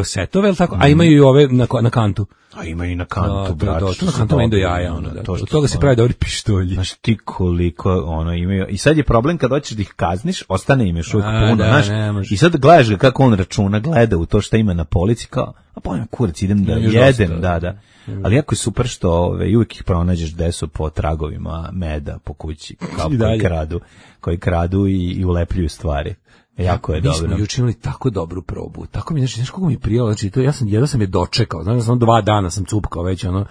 setove, el tako, a imaju i ove na, ko- na kantu. A imaju i na Da, kantu, da, brate. da, što to na su kantu meni do dobri, jaja, ono, da. to što Od toga su se ono- pravi dobri pištolji. Znaš ti koliko ono imaju. I sad je problem kad hoćeš da ih kazniš, ostane im još uvijek A, puno, da, znaš. ne može. I sad gledaš ga kako on računa, gleda u to što ima na polici, kao, a pojem kurac, idem da Imam još jedem, dosta, da, da. Ali jako je super što ove, uvijek ih pronađeš gde su po tragovima meda po kući, kao I koji dalje. kradu, koji kradu i, i ulepljuju stvari. Jako je Mi smo dobro. juče imali tako dobru probu. Tako mi, znači, znaš kako mi je prijelo, znači, to, ja sam, jedno sam je dočekao, znači, sam dva dana sam cupkao već, ono,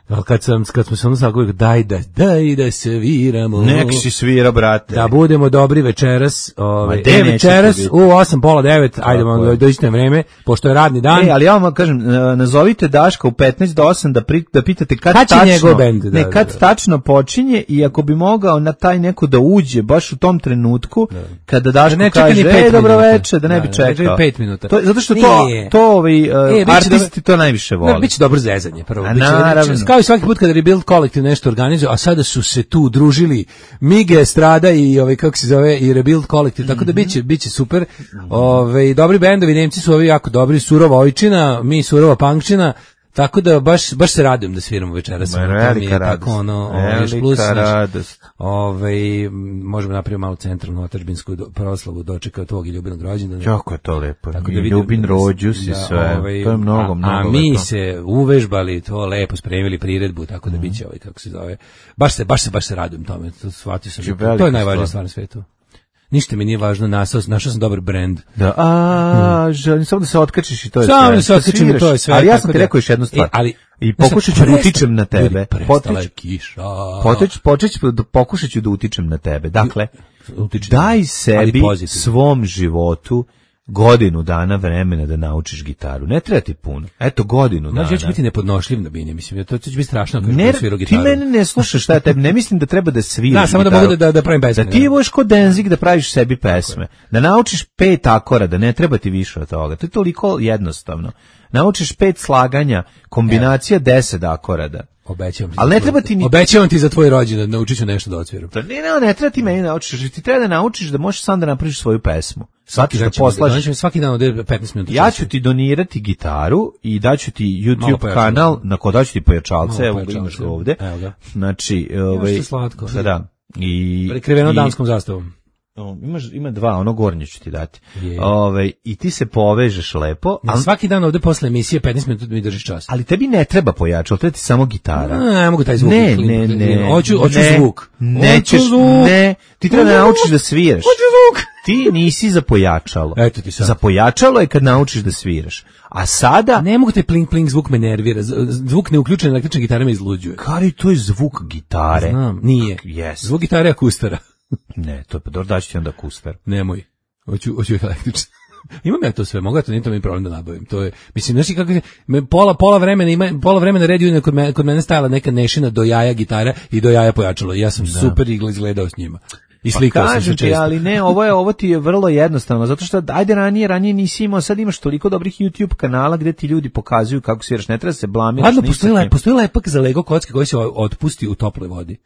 ali kad sam, kad smo se ono svakog, daj da, daj da se viramo. Nek si svira, brate. Da budemo dobri večeras, ovaj, Ma de e, nećete večeras biti. u osam, pola devet, ajde, Tako do, je. dođite na vreme, pošto je radni dan. E, ali ja vam kažem, e, nazovite Daška u petnaest do osam da, pri, da pitate kad, Kad će tačno, njegov bend, da, ne, kad da, da. tačno počinje i ako bi mogao na taj neko da uđe baš u tom trenutku, kada Daško Da ne čeka ni kaže, pet e, dobro minuta. veče, da ne Da, bi da ne čeka čekao. ni pet minuta. To, zato što to, Nije. to ovi, uh, E, biće artisti to najviše vole. Ne, biće dobro zezanje prvo. A Biće- naravno. biće- kao i svaki put kada Rebuild kolektiv nešto organizuje, a sada su se tu družili Mige, Strada i ovaj kako se zove i Rebuild kolektiv, tako da biće biće super. Ovaj dobri bendovi, Nemci su ovi jako dobri, Surova Ojčina, mi Surova Punkčina. Tako da baš baš se radujem da sviramo večeras. Ma, Ono, to mi je velika tako radost. ono, ovaj, još Velika plus, znaš, radost. ovaj, m, možemo napraviti malu centralnu otadžbinsku do- proslavu dočeka tvog i ljubinog rođendana. Jako je to lepo. Tako I da vidim Ljubin da- rođus i da, sve. ovaj, to je mnogo, a, mnogo A mi lepo. se uvežbali, to lepo spremili priredbu, tako da biće ovaj, kako se zove. Baš se, baš se, baš se radujem tome. To shvatio sam. Biće To, to velika je najvažnija stvar. stvar na svetu. Ništa mi nije važno, našao, našao sam dobar brend. Da, a, želim samo da se otkačiš i to je Samo sve. da se otkačim i sviraš. to je sve. Ali ja tako sam ti da- rekao još jednu stvar. E, ali, I znaš, pokušat ću da presta- utičem na tebe. Ljudi, prestala je Potič- kiša. Počeć, počeć, ću da pokušat ću da utičem na tebe. Dakle, Utičem. daj Ali sebi, pozitivno. svom životu, godinu dana vremena da naučiš gitaru. Ne treba ti puno. Eto, godinu dana. Znači, ja ću biti nepodnošljiv na bini, mislim, to će biti strašno ako Ne, ne, svirao ti gitaru. mene ne slušaš šta ja tebi, ne mislim da treba da sviraš Da, samo da gitaru. mogu da- da pravim pesme, Da ti da. budeš kod Denzik da praviš sebi pesme. Da naučiš pet akorada, ne treba ti više od toga. To je toliko jednostavno. Naučiš pet slaganja, kombinacija deset akorada. Obećavam ti. Ali za ne tvoj- treba ti ni- Obećavam ti za tvoj rođendan, naučit ću nešto da odsviram. To ne, ne, ne treba ti meni naučiš, ti treba da naučiš da možeš sam da napraviš svoju pesmu. Svaki da dan ćemo- poslaš. danas ćemo svaki dan ovde petnaest minuta. Ja časa. ću ti donirati gitaru i daću ti Malo YouTube pojačalo. kanal na ko daću ti pojačalce, Malo evo ga pojačalce. imaš ga ovde. Evo ga. Znači, ovaj što slatko. Da, da. I Prekriveno i- danskom zastavom. O, imaš ima dva, ono gornje ću ti dati. Je. Ovaj i ti se povežeš lepo, Ja ali, svaki dan ovde posle emisije petnaest minuta mi držiš čas. ali tebi ne treba pojačalo, treba ti samo gitara. A, ne mogu taj zvuk. Ne, Klin, ne, klin, ne. klin. Hoću, hoću ne, zvuk. Nećeš, Hoću zvuk. ne. Ti treba da Hoću naučiš zvuk. da sviraš. Hoću zvuk. Ti nisi za pojačalo. Eto ti sad. Za pojačalo je kad naučiš da sviraš. A sada, Ne mogu taj pling pling zvuk me nervira. Z- Zvuk neuključene električne gitare me izluđuje. Kari, to je zvuk gitare. Znam, nije. Yes. Zvuk gitare je akustara. Ne, to je pa dobro, daću ti onda kustar. Nemoj. Hoću, hoću električne. Imam ja to sve, mogu ja to, nije to mi problem da nabavim. To je, mislim, znaš i kako je, me pola, pola vremena ima, pola vremena red Union kod mene, kod mene stajala neka nešina do jaja gitara i do jaja pojačalo. I ja sam super igla izgledao s njima. I slikao pa sam se često. Ali ne, ovo je ovo ti je vrlo jednostavno, zato što ajde ranije, ranije nisi imao, sad imaš toliko dobrih YouTube kanala gde ti ljudi pokazuju kako sviraš, ne treba se blamiraš. Ladno, postoji, le, postoji lepak za Lego kocke koji se otpusti u toploj vodi.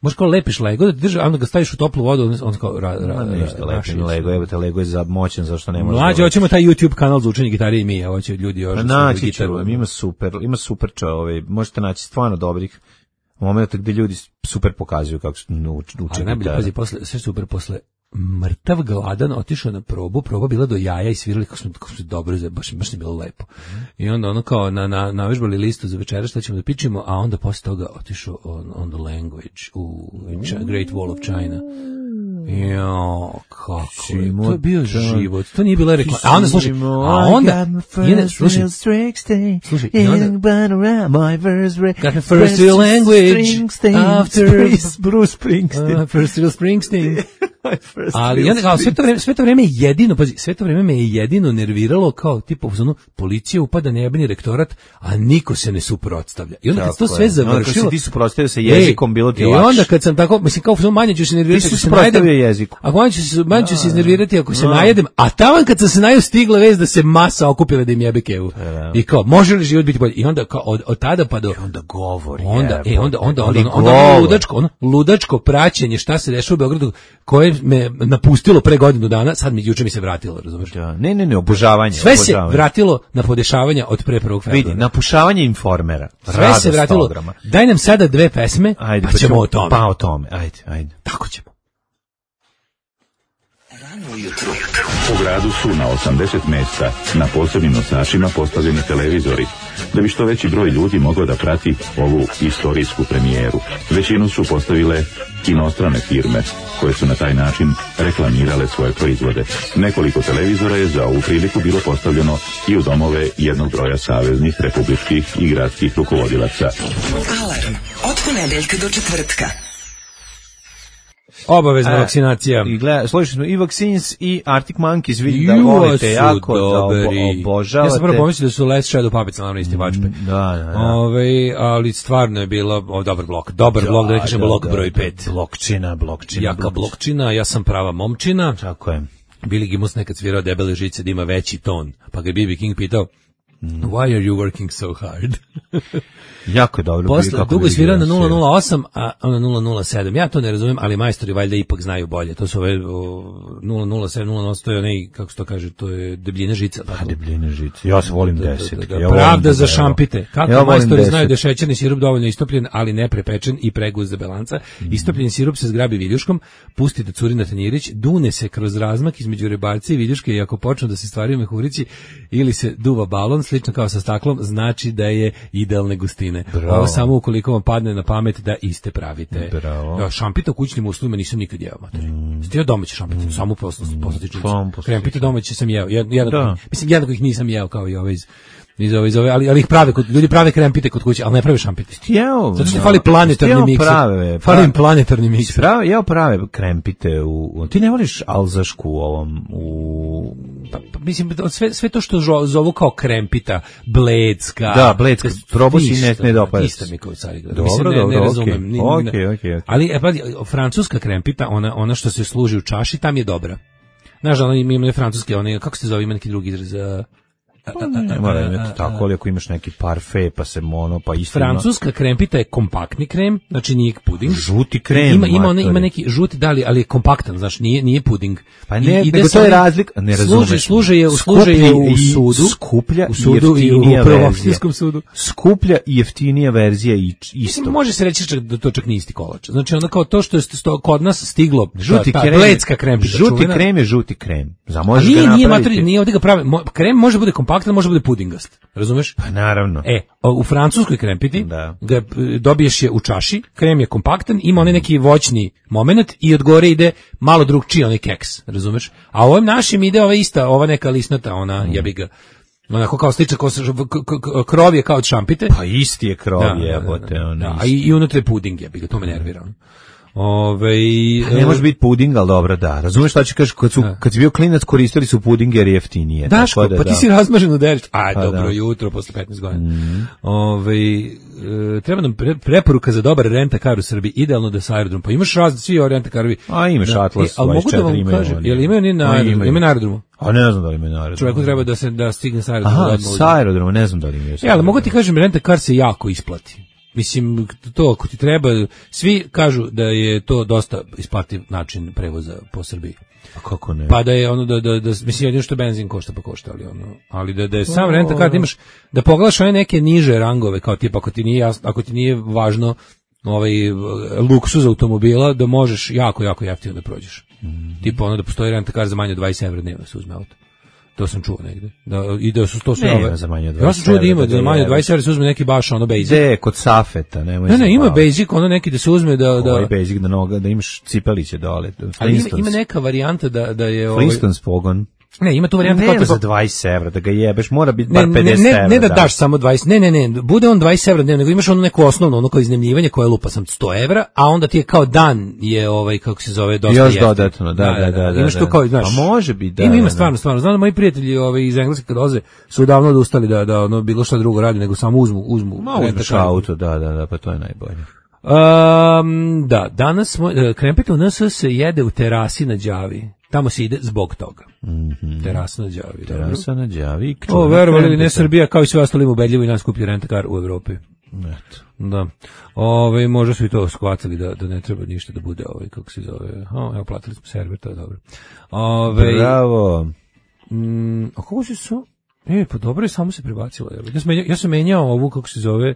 Možeš kao lepiš Lego, da ti drži, a onda ga staviš u toplu vodu, on, on kao... Ra, ra, ra, ništa lepim Lego, evo te Lego je za moćan, zašto ne može... Mlađe, hoćemo taj YouTube kanal za učenje gitare i mi, a hoće ljudi još... Naći ću, ima super, ima super čove, možete naći stvarno dobrih momenta gde ljudi super pokazuju kako su uče gitare. Najbolje, pazi, posle, sve super posle mrtav gladan otišao na probu, proba bila do jaja i svirali kako smo, kako smo dobro, baš, baš je bilo lepo. I onda ono kao na, na, navežbali listu za večera šta ćemo da pičimo, a onda posle toga otišao on, on the language u Great Wall of China. Jo, kako je, to je bio život, to nije bila reklama. A onda slušaj, a onda, jene, slušaj, slušaj, i onda, got my first real language, after Bruce Springsteen. Uh, first real Springsteen. Ali onda, kao, sve to vreme, sve to vreme jedino, pazi, sve to vreme me je jedino nerviralo kao, tipa, ono, policija upada na jebeni rektorat, a niko se ne suprotstavlja. I onda kad to sve završilo... Onda kad se ti suprotstavio sa jezikom, bilo ti lakše. I onda kad sam tako, mislim, kao, manje ću se nervirati ako se najedem. Jeziku. A manje ću se, manje ću se iznervirati ako se najedem, a taman kad sam se najeo stigla vez da se masa okupila da im jebe kevu. I kao, može li život biti bolji? I onda, kao, od, od tada pa do... I onda govori. Onda, e, onda, onda, onda, onda, onda, onda ludačko, ono, ludačko praćenje šta se dešava u Beogradu, koje me napustilo pre godinu dana, sad mi juče mi se vratilo, razumeš? Da, ne, ne, ne, obožavanje. Sve obožavanje. se vratilo na podešavanja od pre prvog februara. Vidi, napušavanje informera. Sve se vratilo. Programa. Daj nam sada dve pesme, ajde, pa ćemo o tome. Pa o tome, ajde, ajde. Tako ćemo. Rano ujutru. U gradu su na osamdeset mesta na posebnim nosačima postavljeni televizori, da bi što veći broj ljudi mogao da prati ovu istorijsku premijeru. Većinu su postavile inostrane firme, koje su na taj način reklamirale svoje proizvode. Nekoliko televizora je za ovu priliku bilo postavljeno i u domove jednog broja saveznih, republičkih i gradskih rukovodilaca. Alarm od ponedeljka do četvrtka. Obavezna e, vakcinacija. I gleda, slušali smo i Vaccines i Arctic Monkeys, vidim da volite jako, dobri. Da obo, obožavate. Ja sam prvo pomislio da su Last Shadow Puppets, naravno isti vačpe. Da, da, da. Ove, ali stvarno je bilo o, dobar blok. Dobar da, blok, da ne kažem blok da, broj pet. Blokčina, blokčina. Jaka blokčina, ja sam prava momčina. Tako je. Billy Gibbons nekad svirao Debele žice da ima veći ton. Pa ga B B King pitao, why are you working so hard? Jako je dobro. Posle, dugo je svirao na nula nula osam, a na nula nula sedam. Ja to ne razumijem, ali majstori valjda ipak znaju bolje. To su ove nula nula sedam, nula nula osam, to je onaj, kako se to kaže, to je debljina žica. Pa debljina žica. Ja se volim deset. Da, da, da, pravda za šampite. Kako ja majstori znaju da je šećerni sirup dovoljno istopljen, ali ne prepečen i preguz za belanca. Mm. Istopljeni sirup se zgrabi viljuškom, pusti da curi na tanjirić, dune se kroz razmak između rebarca i viljuške i ako počnu da se stvaraju mehurići ili se duva balon, slično kao sa staklom, znači da je idealne gustine. Bravo. Ovo samo ukoliko vam padne na pamet da iste pravite. Bravo. Ja, šampita u kućnim uslovima nisam nikad jeo, materi. Mm. Ste jeo domaće šampite, mm. samo poslatičnice. Krempite domaće sam jeo. Jed, jednako, mislim, jednako ih nisam jeo kao i ove iz... Iz ove, iz ove, ali, ali ih prave, kod, ljudi prave krempite kod kuće, ali ne prave šampite. Jeo, zato što fali planetarni miks. Prave, fali im planetarni miks. Prave, jeo prave krempite u, u, ti ne voliš alzašku u ovom, u... Pa, pa, mislim, sve, sve to što zovu kao krempita, blecka. Da, blecka, probao si ne, ne dopada. Isto mi kao cari gleda. Dobro, mislim, ne, dobro, ne razumem. okej, okay, okej, okay, okay. Ali, e, pa, francuska krempita, ona, ona što se služi u čaši, tam je dobra. Znaš, ona ima ne francuske, one, kako se zove, ima neki drugi izraz, Pa ne, mora imati tako, ali ako imaš neki parfe, pa se mono, pa isto... Francuska krempita je kompaktni krem, znači nije puding. Žuti krem, ima, ima, one, ima neki žuti, da li, ali je kompaktan, znači nije, nije puding. Pa ne, I, nego to je razlika, ne razumeš. Služe, služe je, služe je u sudu, skuplja u sudu i u prvopštinskom sudu. Skuplja i jeftinija verzija i isto. Može se reći čak da to čak nije isti kolač. Znači onda kao to što je sto, kod nas stiglo, žuti ta, krem, blecka krempita. Žuti čuvena. krem je žuti krem. Za možeš nije, ga nije, napraviti. Nije, nije ovdje ga prave. Krem može bude kompaktan, može bude pudingast. Razumeš? Pa naravno. E, u francuskoj krempiti da. ga dobiješ je u čaši, krem je kompaktan, ima onaj neki voćni moment i od gore ide malo drugčiji onaj keks, razumeš? A ovim našim ide ova ista, ova neka lisnata, ona mm. jebi ga. Onako kao sliča, kao krov je kao od šampite. Pa isti je krov, da, jebote. Da, da, da, da. A i, i unutra je puding, jebi ga, to me nervira. Ove, ne može biti puding, ali dobro, da. Razumeš šta ću kažeš, kad, su, kad si bio klinac koristili su puding jer je jeftinije. Daško, da, pa ti da. si razmažen u derić. Aj, pa dobro da. jutro, posle petnaest godina. Mm. Ove, e, treba nam pre, preporuka za dobar rent-a-car u Srbiji, idealno da sa aerodrom. Pa imaš razli, svi ovi rent-a-carovi. A imaš da, Atlas, e, ali mogu da vam kažem, jel imaju ni na, aerodromu, imaju na aerodromu? A ne znam da li imaju na aerodromu. Čovjeku treba da se da stigne sa aerodromu. Aha, sa aerodromu, ne znam da li imaju. Ja, ali mogu ti kažem, rent-a-car se jako isplati. Mislim, to ako ti treba, svi kažu da je to dosta isplativ način prevoza po Srbiji. A kako ne? Pa da je ono, da, da, da mislim, jedino što benzin košta pa košta, ali ono, ali da, da je sam rent-a-car, da imaš, da pogledaš one neke niže rangove, kao tipa, ako ti nije, jasno, ako ti nije važno ovaj luksuz automobila, da možeš jako, jako jeftino da prođeš. Mm. Tipa ono da postoji rent-a-car za manje od dvadeset evra dnevno se uzme auto. To sam čuo negde. Da, i da su to sve ove. Ne, za manje od dvadeset. Ja sam čuo da ima za manje od dvadeset evra se uzme neki baš ono basic. De, kod Safeta, nemoj. Ne, ne, ima basic, ono neki da se uzme da da ovaj basic da noga, da imaš cipeliće dole. Ali ima, ima neka varijanta da da je ovaj Flintstones pogon. Ne, ima tu varijanta ne, kao za dvadeset evra, da ga jebeš, mora biti bar pedeset ne, evra. Ne, ne da daš samo dvadeset, ne, ne, ne, bude on dvadeset evra dnevno, nego imaš ono neko osnovno, ono kao iznajmljivanje koje lupa sam sto evra, a onda ti je kao dan je ovaj, kako se zove, dosta još jeftin. dodatno, da, da, da. da imaš da, to kao, znaš. A može biti, da. Ima, ima da, stvarno, stvarno. Znam da moji prijatelji ovaj, iz Engleske kad doze su davno odustali da, da ono, bilo šta drugo radi, nego samo uzmu, uzmu. Ma uzmeš auto, da, da, da, pa to je najbolje. Um, da, danas smo, krempet u N S se jede u terasi na Đavi. Tamo se ide zbog toga. Mm-hmm. Terasa na Đavi. Terasa na Đavi. O, verovali li ne, Srbija kao i sve ostali ubedljivo i najskuplji rent-a-car u Evropi. Eto. Da. Ove, možda su i to shvatili da, da ne treba ništa da bude, ovaj, kako se zove. O, evo, platili smo server, to je dobro. Ove, Bravo. Mm, a kako se su? E, pa dobro je, samo se prebacilo. Ja sam, menjao, ja sam menjao ovu, kako se zove,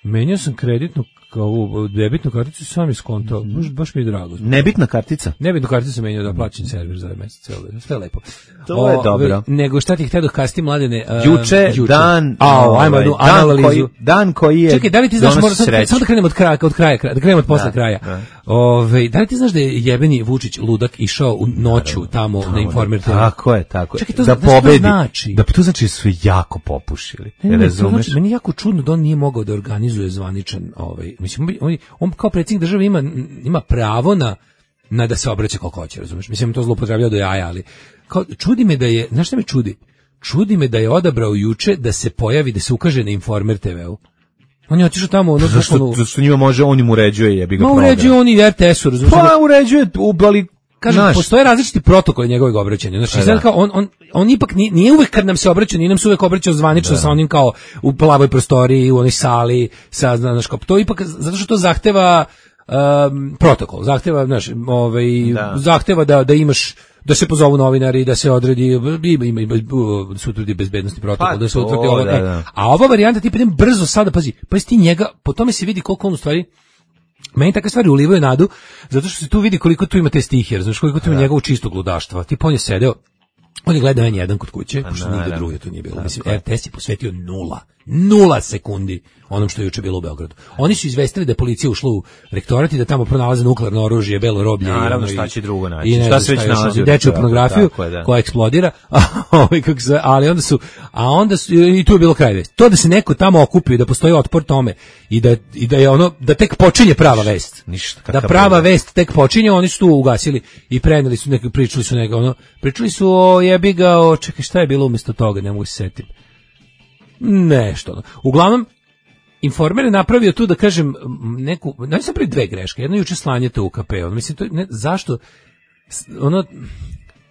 menjao sam kreditnu, ovu debitnu karticu, sam iskontao, mm-hmm. baš, baš mi je drago. Nebitna kartica? Nebitnu karticu sam menjao da plaćam server za ovaj mesec, sve je lepo. To o, je dobro. Nego šta ti htio da kasti mladene? Uh, juče, juče, dan, a, oh, ajmo, dan, analizu. Koji, dan koji je Čekaj, da li ti znaš, mora, sad, sad da krenemo od kraja, od kraja, da krenemo od posle da, kraja. Da. Ove, da li ti znaš da je jebeni Vučić ludak išao u noću tamo na Informer te ve? Tako je, tako je. Čekaj, to, da pobedi. Znači? Da to znači su jako popušili. Ne, ne, razumeš? Znači, meni je jako čudno da on nije mogao da organizuje zvaničan, ovaj, mislim, on, on kao predsjednik države ima, ima pravo na, na da se obraća koliko hoće, razumeš? Mislim, to zloupotrebljava do jaja, ali kao, čudi me da je, znaš šta me čudi? Čudi me da je odabrao juče da se pojavi, da se ukaže na Informer te ve-u. On je otišao tamo, ono, zašto, zašto njima može, on im uređuje, jebi ga program. Ma uređuje on i R T S-u, razumiješ? Pa uređuje, ubali, kažem, naš. Postoje različiti protokoli njegovog obraćanja. Znači, znači kao on, on, on ipak nije, nije uvek kad nam se obraća, nije nam se uvek obraćao zvanično da. Sa onim kao u plavoj prostoriji, u onoj sali, sa, znaš, kao, to ipak, zato što to zahteva um, protokol, zahteva, znaš, ovaj, da. zahteva da, da imaš, da se pozovu novinari, da se odredi, ima, ima, ima, da se utvrdi bezbednosni protokol, pa da se utvrdi ovo. Da, da. E, a ova varijanta, ti idem brzo sada, pazi, pa ti njega, po tome se vidi koliko on u stvari, meni takve stvari ulivaju nadu, zato što se tu vidi koliko tu ima te stihije, znaš, koliko tu ima njegovog čistog ludaštva. Tipa on je sedeo, on je gledao en jedan kod kuće, pošto nigde drugdje tu nije bilo. Mislim, R T S je posvetio nula, nula sekundi onom što je juče bilo u Beogradu. Oni su izvestili da je policija ušla u rektorat i da tamo pronalaze nuklearno oružje, belo roblje. Naravno, šta će drugo naći? I ne, šta se već nalazi? Dečju pornografiju da. Koja eksplodira, kako se, ali onda su, a onda su, i tu je bilo kraj vesti. To da se neko tamo okupi, da postoji otpor tome i da, i da je ono, da tek počinje prava vest. Ništa, da prava vest tek počinje, oni su tu ugasili i preneli su neki, pričali su neka, ono, pričali su o jebi ga, o, čekaj, šta je bilo umjesto toga, ne mogu se setiti. Nešto. Ono. Uglavnom, Informer je napravio tu, da kažem, neku, ne sam prvi dve greške, jedno juče slanje te u K P, ono, mislim, to, ne, zašto, ono,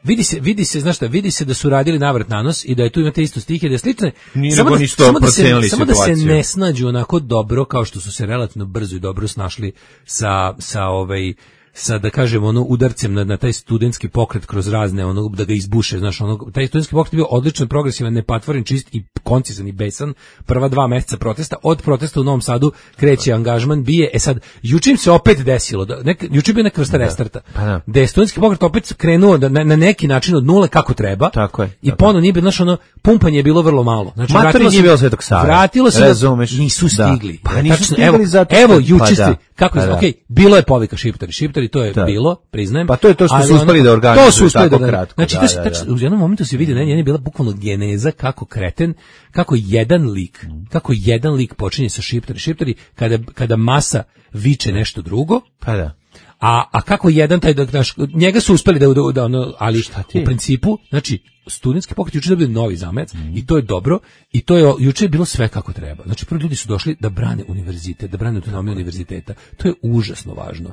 vidi se, vidi se, znaš šta, vidi se da su radili navrat na nos i da je tu imate isto stihije, da je slične, samo, da, samo, da, se, samo da se ne snađu onako dobro, kao što su se relativno brzo i dobro snašli sa, sa ovaj, sa, da kažem, ono, udarcem na, na taj studentski pokret kroz razne, ono, da ga izbuše, znaš, ono, taj studentski pokret je bio odličan, progresivan, nepatvoren, čist i koncizan i besan, prva dva meseca protesta, od protesta u Novom Sadu kreće angažman, bije, e sad, juče im se opet desilo, da, nek, juče je bio neka vrsta restarta, da, da je studentski pokret opet krenuo da, na, na neki način od nule kako treba, tako je, i ponovno nije bilo, znaš, ono, pumpanje je bilo vrlo malo, znači, vratilo se, bilo Svetog Save, vratilo se, razumeš, da, nisu stigli, da. Pa nisu stigli, evo, zato evo, juče pa ste, da. kako je, pa okej, okay, bilo je povika šiptari, šiptari, to je da. bilo, priznajem. Pa to je to što su uspeli da organizuju, to su uspeli tako da, kratko. Znači, da, to se, da, tačno, da. u jednom momentu se vidi, ne, je bila bukvalno geneza kako kreten, kako jedan lik, kako jedan lik počinje sa šiptari, šiptari, kada, kada masa viče nešto drugo, pa da. A a kako jedan taj da naš, njega su uspeli da, da, da ono, ali u principu, znači studentski pokret juče dobio novi zamajac mm. i to je dobro i to je juče je bilo sve kako treba. Znači prvi ljudi su došli da brane univerzitet, da brane autonomiju univerziteta. To je užasno važno.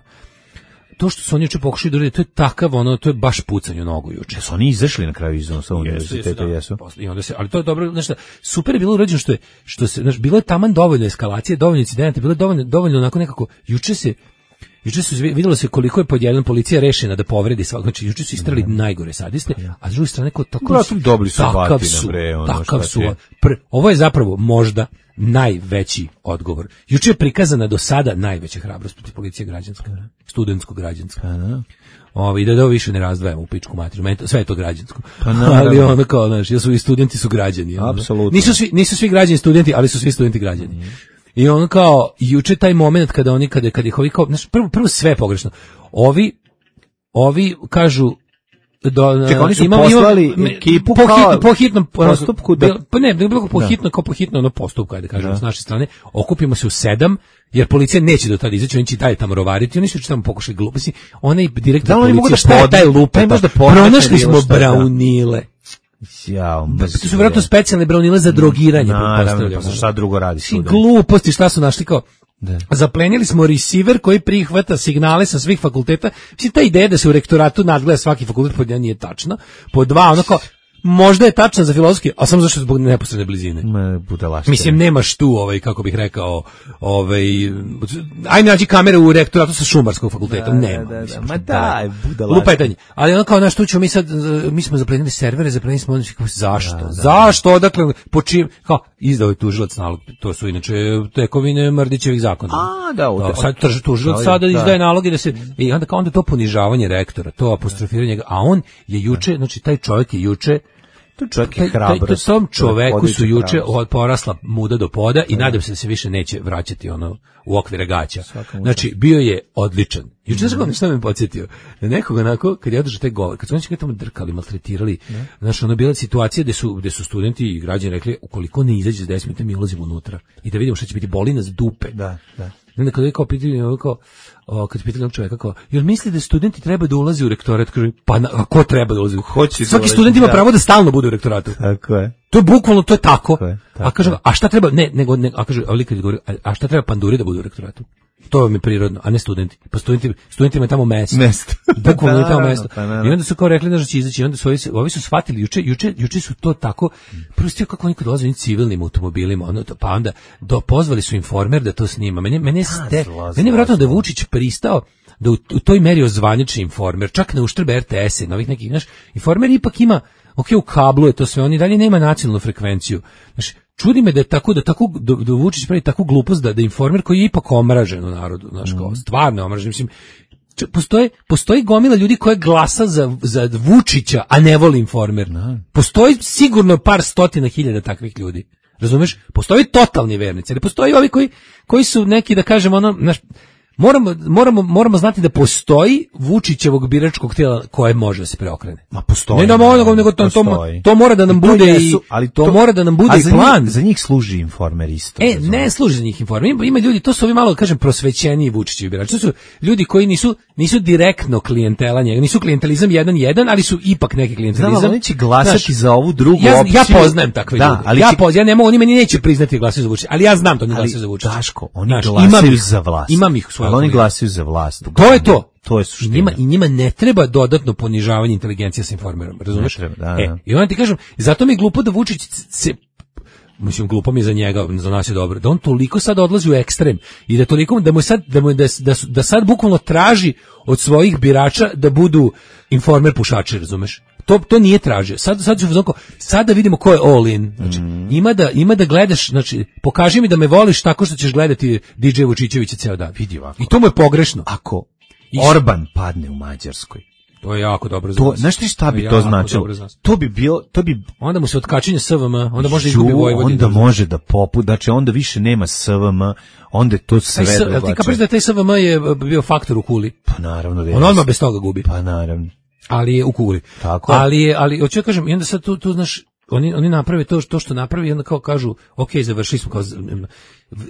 To što su oni juče pokušali da urade, to je takav, ono, to je baš pucanje u nogu juče. Su oni izašli na kraju iz onog univerziteta, jesu? I onda se, ali to je dobro, znači, super je bilo urađeno što je, što se, znači, bilo je taman dovoljno eskalacije, dovoljno incidenata, bilo je dovoljno, dovoljno onako nekako, juče se, juče se vidjelo se koliko je pod jedan policija rešena da povredi svakog, znači juče su istrali mm. najgore sadiste, a s druge strane ko tako su dobili su takav su, bre, ono takav su, pr, ovo je zapravo možda najveći odgovor. Juče je prikazana do sada najveća hrabrost protiv policije građanska, studentsko građanska. Da. Ovi da da više ne razdvajamo u pičku materiju, meni to, sve je to građansko. Pa ali ono kao, znaš, jesu i studenti su građani. Apsolutno. Nisu svi nisu svi građani studenti, ali su svi studenti građani. Mm. I ono kao juče taj moment kada oni kada kad ih ovi kao, znaš, prvo prvo sve je pogrešno. Ovi ovi kažu do, Čekaj, oni su imam, poslali imam, ekipu po, kao hit, po hitnom postupku da... Pa ne, ne bilo po hitno, kao po hitno ono postupku, ajde kažemo, s naše strane, okupimo se u sedam, jer policija neće do tada izaći, oni će dalje tamo rovariti, oni su tamo pokušali gluposti, onaj direktor da, policije, da šta je taj lupa, da pronašli smo braunile. Ja, to su vjerojatno specijalne braunile za drogiranje, pretpostavljam. Šta drugo radi student? Gluposti, šta su našli kao... Da. Zaplenili smo receiver koji prihvata signale sa svih fakulteta. Mislim, ta ideja da se u rektoratu nadgleda svaki fakultet pod jedan nije tačna. Po dva, ono kao, možda je tačna za filozofski, a samo zašto zbog neposredne blizine. Mislim, nemaš tu, ovaj, kako bih rekao, ovaj, ajme nađi kamere u rektoratu sa šumarskog fakulteta. Da, nema. Da, da, mislim, ma da, budalaštine. Lupetanje. Ali ono kao, naš tu ćemo mi sad, mi smo zaplenili servere, zaplenili smo ono, zašto? Da, da, zašto? Odakle, po čim, kao, izdao je tužilac nalog, to su inače tekovine Mrdićevih zakona. A, da, da sad trži tužilac, sada izdaje naloge da se, i onda kao onda to ponižavanje rektora, to apostrofiranje, a on je juče, znači taj čovjek je juče To čovjek je hrabrost. Tom čoveku su juče porasla muda do poda i nadam se da se više neće vraćati ono u okvire gaća. Znači, bio je odličan. Juče znaš kako što me podsjetio? Da nekog onako, kad je održao taj govor, kad su oni tamo drkali, maltretirali, znaš, ono bila situacija gde su, gde su studenti i građani rekli, ukoliko ne izađe za deset minuta, mi ulazimo unutra i da vidimo šta će biti, boli nas dupe. Da, da. Onda kada je kao pitanje, kao, o, kad pitali onog čovjeka, kao, jel misli da studenti treba da ulaze u rektorat? Kaže, pa na, a ko treba da ulazi? Hoće Svaki student ima pravo da stalno bude u rektoratu. Tako je. To je bukvalno, to je tako. tako, je, tako a kaže, a šta treba, ne, nego, ne, a kaže, ali kad govori, a, a šta treba panduri da bude u rektoratu? To je mi prirodno, a ne studenti. Pa studenti, studentima je tamo mesto. Mesto. Bukvalno je tamo mesto. I onda su kao rekli da će izaći, onda su ovi, ovi su shvatili, juče, juče, juče su to tako, prvo stio kako oni kad dolaze u civilnim automobilima, ono, pa onda do, pozvali su Informer da to snima. Mene, mene, ste, mene je vjerojatno da Vučić pristao da u, u toj meri ozvaniči Informer, čak na uštrb R T S-a, novih nekih, znaš, Informer ipak ima, ok, u kablu je to sve, on i dalje nema nacionalnu frekvenciju. Znaš, čudi me da je tako, da tako, da, da Vučić pravi takvu glupost da, da Informer koji je ipak omražen u narodu, znaš, kao, stvarno omražen, mislim, postoje, postoji gomila ljudi koja glasa za, za Vučića, a ne voli Informer. Postoji sigurno par stotina hiljada takvih ljudi. Razumeš? Postoji totalni vernici, ali postoji ovi koji, koji su neki, da kažem, ono, znaš, Moramo, moramo, moramo znati da postoji Vučićevog biračkog tijela koje može da se preokrene. Ma postoji. Ne, no, nego, nego to, to, to mora da nam bude i, ali to, to mora da nam bude i plan. Njih, za njih služi Informer isto. E, ne služi za njih Informer. Ima, ima ljudi, to su ovi malo, kažem, prosvećeniji Vučićevi birači. To su ljudi koji nisu, nisu direktno klijentela njega, nisu klijentelizam jedan jedan, ali su ipak neki klijentelizam. Znam, oni će glasati znaš, za ovu drugu ja, opciju. Ja poznajem takve da, ljude. Ali ja, će... poz, ja ne mogu, oni meni neće priznati glasaju za Vučića, ali ja znam da oni glasaju za Vučića. Daško, oni znaš, glasaju za vlast. Imam ih svoje. Ali oni glasaju za vlast. To je to. To je suština. I njima, i njima ne treba dodatno ponižavanje inteligencije sa Informerom, razumeš? Treba, da, e, da. I onda ti kažem, zato mi je glupo da Vučić se, mislim, glupo mi je za njega, za nas je dobro, da on toliko sad odlazi u ekstrem i da toliko, da mu sad, da, mu, da, da, da sad bukvalno traži od svojih birača da budu Informer pušači, razumeš? To, to nije tražio. Sad, sad, sad, sad da vidimo ko je all in. Znači, mm. ima, da, ima da gledaš, znači, pokaži mi da me voliš tako što ćeš gledati D J Vučićevića ceo dan. Vidi ovako. I to mu je pogrešno. Ako Orban padne u Mađarskoj, to je jako dobro za to, znaš ti šta bi to, to značilo? To bi bilo, to bi onda mu se otkačenje S V M, onda može izgubi Vojvodinu. Onda može da popu, znači onda više nema S V M, onda je to sve drugačije. Ti kapiš da taj S V M je bio faktor u Kuli? Pa naravno da je. On odmah bez toga gubi. Pa naravno. Ali je u Kuli. Tako. Ali je, ali hoću da kažem, i onda sad tu, tu znaš, oni oni naprave to to što napravi i onda kao kažu, ok, završili smo, kao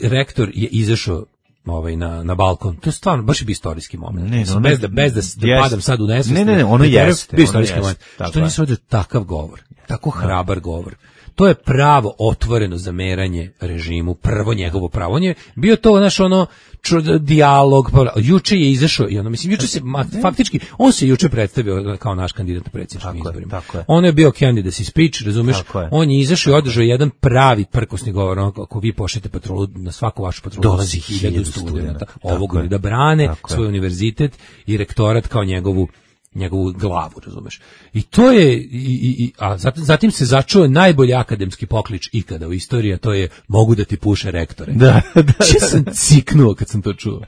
rektor je izašao ovaj na na balkon. To je stvarno baš je bio istorijski moment. Ne, Mislim, no, bez da bez da, da jest. padam sad u nesvest. Ne, ne, ne, ono jeste, bio ono istorijski jeste, moment. tako Što je. nisi vodio takav govor, tako hrabar govor. To je pravo otvoreno zameranje režimu, prvo njegovo pravo. On je bio to naš ono ču, dijalog, pa, juče je izašao i ono, mislim, juče se, ma, faktički, on se juče predstavio kao naš kandidat na predsjedničkim izborima. Tako je. On je bio candidacy speech, razumeš? Tako je. On je izašao i održao jedan pravi prkosni govor, ono, ako vi pošljete patrolu, na svaku vašu patrolu Dolazi hiljadu hiljadu studenata, studenata. ovog Tako je. da brane Tako je. svoj univerzitet i rektorat kao njegovu njegovu glavu, razumeš. I to je, i, i, i, a zatim, zatim se začuo najbolji akademski poklič ikada u istoriji, a to je mogu da ti puše rektore. Da, da, da. Če sam ciknuo kad sam to čuo.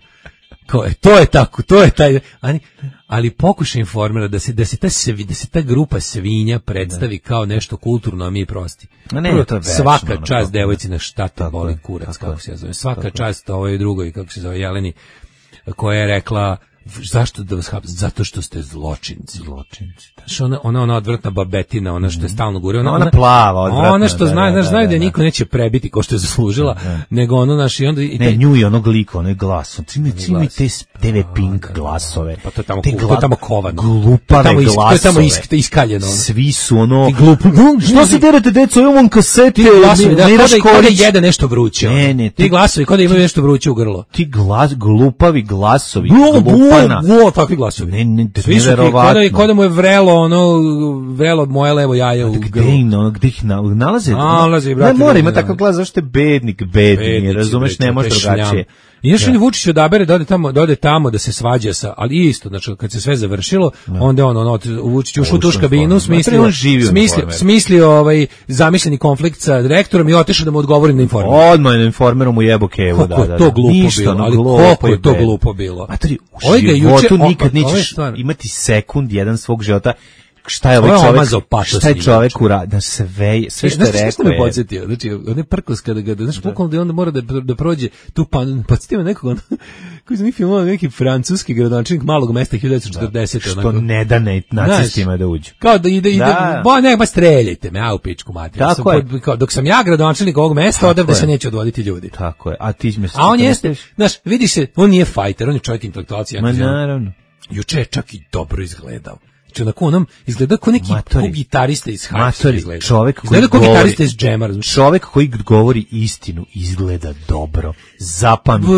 Kao, e, to je tako, to je taj, ali, ali pokušaj informera da se, da se ta, sevi, da se ta grupa svinja predstavi kao nešto kulturno, a mi prosti. A ne, Prvo, to je večno, svaka ono, čast to- devojci na šta te Tako boli je, kurac, tako kako je. se ja zove. Svaka čast ovoj drugoj, kako se zove, Jeleni, koja je rekla, zašto da vas hapse? Zato što ste zločinci. Zločinci. Znaš, ona, ona, ona odvrtna babetina, ona što je stalno gure. Ona, Ona plava, odvratna, Ona što da, zna, da, znaš, da, znaju da je da, niko neće prebiti ko što je zaslužila, nego ono, naš, i onda... I Ne, taj- nju i onog lika, onaj glas. Ti mi ti mi glas. te te ve Pink glasove. Pa to je tamo Te ku- to je gla- tamo kovano. Glupave To je tamo is- glasove. to je tamo is- iskaljeno, ono. Svi su ono... I glup- Što se derete, deco, imam kasete. Ti glasovi, da, Mira kod da, kod da Škorić. jede nešto vruće. ono. Ne, ne, Ti ti- glasovi, kod da imaju nešto vruće u grlo. Ti glas, glupavi glasovi. Glo, glupana. glo, glo, takvi glasovi. Ne, ne, Svi su ti, neverovatno. kod da, kod da mu je vrelo, ono, vrelo moje levo jaje u Gde grlo. ih, no, gde ih na- nalaze? Nalaze, brate, Ne mora, ima da. takav glas, zašto je bednik, bedni, Bednici, razumeš, bre, ne može to je drugačije. šljam. I još on Vučić odabere da ode tamo, da ode tamo da se svađa sa, ali isto, znači kad se sve završilo, onda je on ono Vučić ušao u tu Ušao u kabinu, informer. smislio, Ma, on živi u smislio, informeru. smislio ovaj zamišljeni konflikt sa direktorom i otišao da mu odgovori na informer. Odmah je informerom u jebo kevu, Koliko da, je da, to da. glupo Ništa, bilo, ono, ali glupo koliko je i to bedno. glupo bilo. Matri, u Ovaj ga životu juče- nikad o- ovo je nećeš stvar. imati sekund jedan svog života. Šta je Ovo ovaj je čovjek, omazao patos šta je njima, čovjek uradio, da sve, sve što je Znaš što rekao me je... podsjetio? Znači, on je prkos kada ga, znaš, bukvalno da onda mora da, da prođe tu pan, podsjetio me nekog, ono, koji su neki filmova, neki francuski gradonačelnik malog mesta hiljadu devetsto četrdesetog. Što onako. ne da ne, nacistima da uđu. Kao da ide, ide, Da. ba ne, ba streljajte me, a u pičku materiju. Tako Sam je. pod- kao, dok sam ja gradonačelnik ovog mesta, odavde je. se neće odvoditi ljudi. Tako je, a ti me... A on jeste, znaš, vidi se, on nije fajter, on je čovjek intelektualac. Ma naravno. Juče je čak i dobro izgledao. Znači, onako onom, izgleda kao neki Matori. ko gitarista iz Hajsa. Matori, izgleda. čovjek koji Izgleda kao govori- gitarista iz Džema, razumiješ? Čovjek koji govori istinu izgleda dobro. Zapamti. B-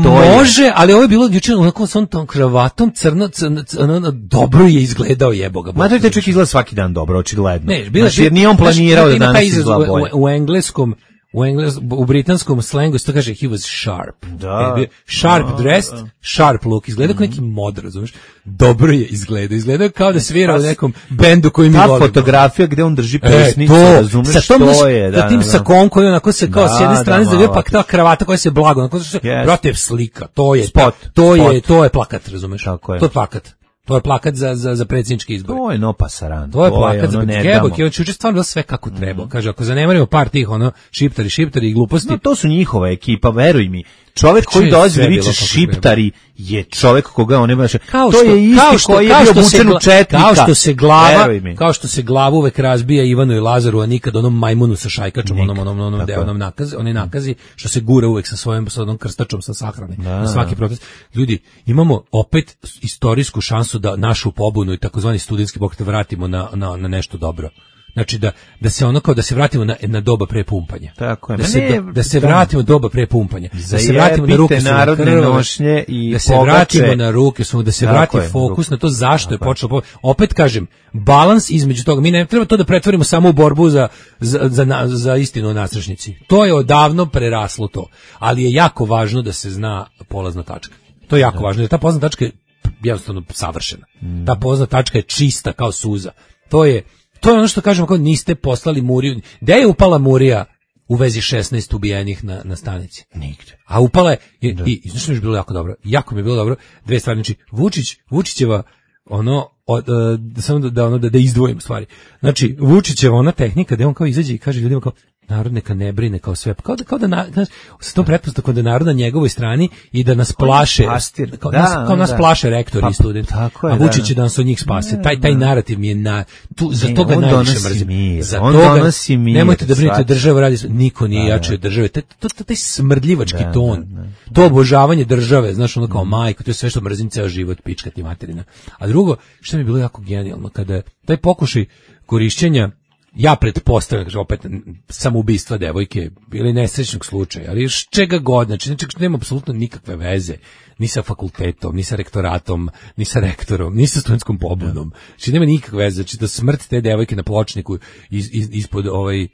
To je- može, ali ovo je bilo juče onako s onom tom kravatom, crno, crno, crno, dobro je izgledao, jebo ga. Ma to je čovjek izgleda svaki dan dobro, očigledno. Ne, bila Znači, jer nije on planirao da ima taj danas izraz izgleda u, bolje. u, u engleskom u engles, u britanskom slengu se to kaže he was sharp. Da. E, bio sharp dressed, sharp look, izgleda kao neki mod, razumiješ? Dobro je izgleda, izgleda kao da svira u nekom bendu koji mi Ta volimo. fotografija gde on drži E, pesnicu, to, razumeš sa tom, što znaš, je. sa tim da, da. sakom koji onako se kao Da, s jedne da, strane malo zavio, pa ovako. ta kravata koja se blago, onako se, Yes. brate, slika, to je, Spot, to je, spot. to je plakat, razumeš? Tako je. To je plakat. To je plakat za, za, za predsjednički izbor. To je no pasaran. To je plakat za ono, ne predsjednički. damo. Evo, juče stvarno bilo sve kako treba. Kaže, ako zanemarimo par tih, ono, šiptari, šiptari i gluposti, No, to su njihova ekipa, veruj mi. Čovjek koji je dolazi sve da bilo viče kako šiptari je čovjek koga on ne baš. Kao To što, je isti kao što, koji je kao bio što se obučen u gla- četnika. Kao što se glava, Veruj mi. kao što se glavu uvek razbija Ivanu i Lazaru, a nikad onom majmunu sa šajkačom, Nikad, onom onom onom tako deo, je. onom nakazi, onaj nakazi što se gura uvek sa svojim sa onom krstačom sa sahrane. Na svaki protest. Ljudi, imamo opet istorijsku šansu da našu pobunu i takozvani studentski pokret vratimo na, na, na nešto dobro. Znači da da se ono kao da se vratimo na na doba pre pumpanja. Tako je. Da Ma se ne, da, da se da. vratimo doba pre pumpanja. Da se vratimo na Zajebite ruke su narodne krvave, nošnje i da se pogače. vratimo na ruke su da se Tako vrati je, fokus ruke. na to zašto je Tako je. počelo. po- Opet kažem, balans između toga. Mi ne treba to da pretvorimo samo u borbu za za za, na- za istinu o nasrećnici. To je odavno preraslo to. Ali je jako važno da se zna polazna tačka. To je jako važno jer ta polazna tačka je jednostavno savršena. Mm. Ta polazna tačka je čista kao suza. To je to je ono što kažemo kao niste poslali Muriju. Gde je upala Murija u vezi šesnaest ubijenih na na stanici? Nigde. A upala je i, i znaš što mi je bilo jako dobro. Jako mi je bilo dobro. Dve stvari, znači Vučić, Vučićeva ono od, uh, samo da, da ono da, da izdvojim stvari. Znači Vučićeva ona tehnika da on kao izađe i kaže ljudima kao narod neka ne brine kao sve, kao da, kao da na, znaš, sa tom pretpostavkom da je narod na njegovoj strani i da nas plaše, pastir. kao, Da, nas, kao nas da. plaše rektori Pa, i studenti, tako je, a Vučić će da. da nas od njih spase. Taj, taj narativ mi je na, tu, za Ne, toga on najviše donosi mrzim. mir, Za on toga, donosi mir, nemojte da brinete, shvaćaš. država radi, niko nije Da, jači da. od države. Taj, to, to, taj smrdljivački Da, ton, da, da. to obožavanje države, znaš, ono kao majko, to je sve što mrzim ceo život, pička ti materina. A drugo, što mi je bilo jako genijalno, kada je taj pokušaj korišćenja, ja pretpostavljam, kaže opet, samoubistva devojke ili nesrećnog slučaja, ali još čega god, znači, znači nema apsolutno nikakve veze ni sa fakultetom, ni sa rektoratom, ni sa rektorom, ni sa studentskom pobudom. Znači nema nikakve veze, znači da smrt te devojke na pločniku iz, iz, ispod ovaj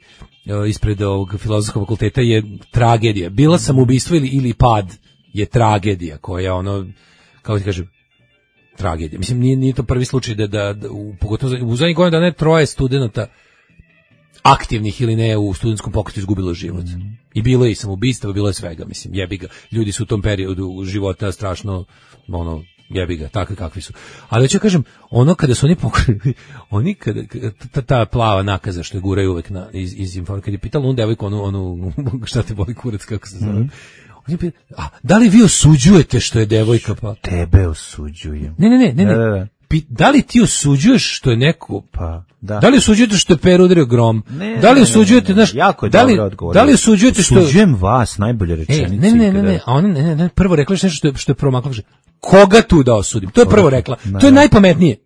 ispred ovog filozofskog fakulteta je tragedija. Bila samoubistvo ili ili pad je tragedija koja ono, kako ti kažem, tragedija. Mislim, nije, nije to prvi slučaj da, da, da u, pogotovo u zadnjih godina da ne troje studenta aktivnih ili ne u studentskom pokretu izgubilo život. Mm. I bilo je i samoubistva, bilo je svega, mislim, jebi ga. Ljudi su u tom periodu života strašno, ono, jebi ga, takvi kakvi su. Ali hoću kažem, ono kada su oni pokrili, oni kada, ta, ta plava nakaza što je guraju uvek na, iz, iz informa, kada je pitala onu devojku, onu, onu, šta te boli kurac, kako se zove, mm. on je pitala, a, da li vi osuđujete što je devojka pa? Tebe osuđujem. Ne, ne, ne, ne, ne. Da, da, da. Pi, da li ti osuđuješ što je neko, pa, da. Da li osuđujete što je Per udario grom? Ne, da li ne, osuđujete, ne, ne, znaš, jako je da li, dobro odgovor. Da li osuđujete što... Osuđujem vas, najbolje rečenice. E, ne, ne, ne, ne, a ona, ne, ne, ne, prvo rekla je nešto što je, što je promaklo, kaže, koga tu da osudim? To je prvo rekla, to je najpametnije.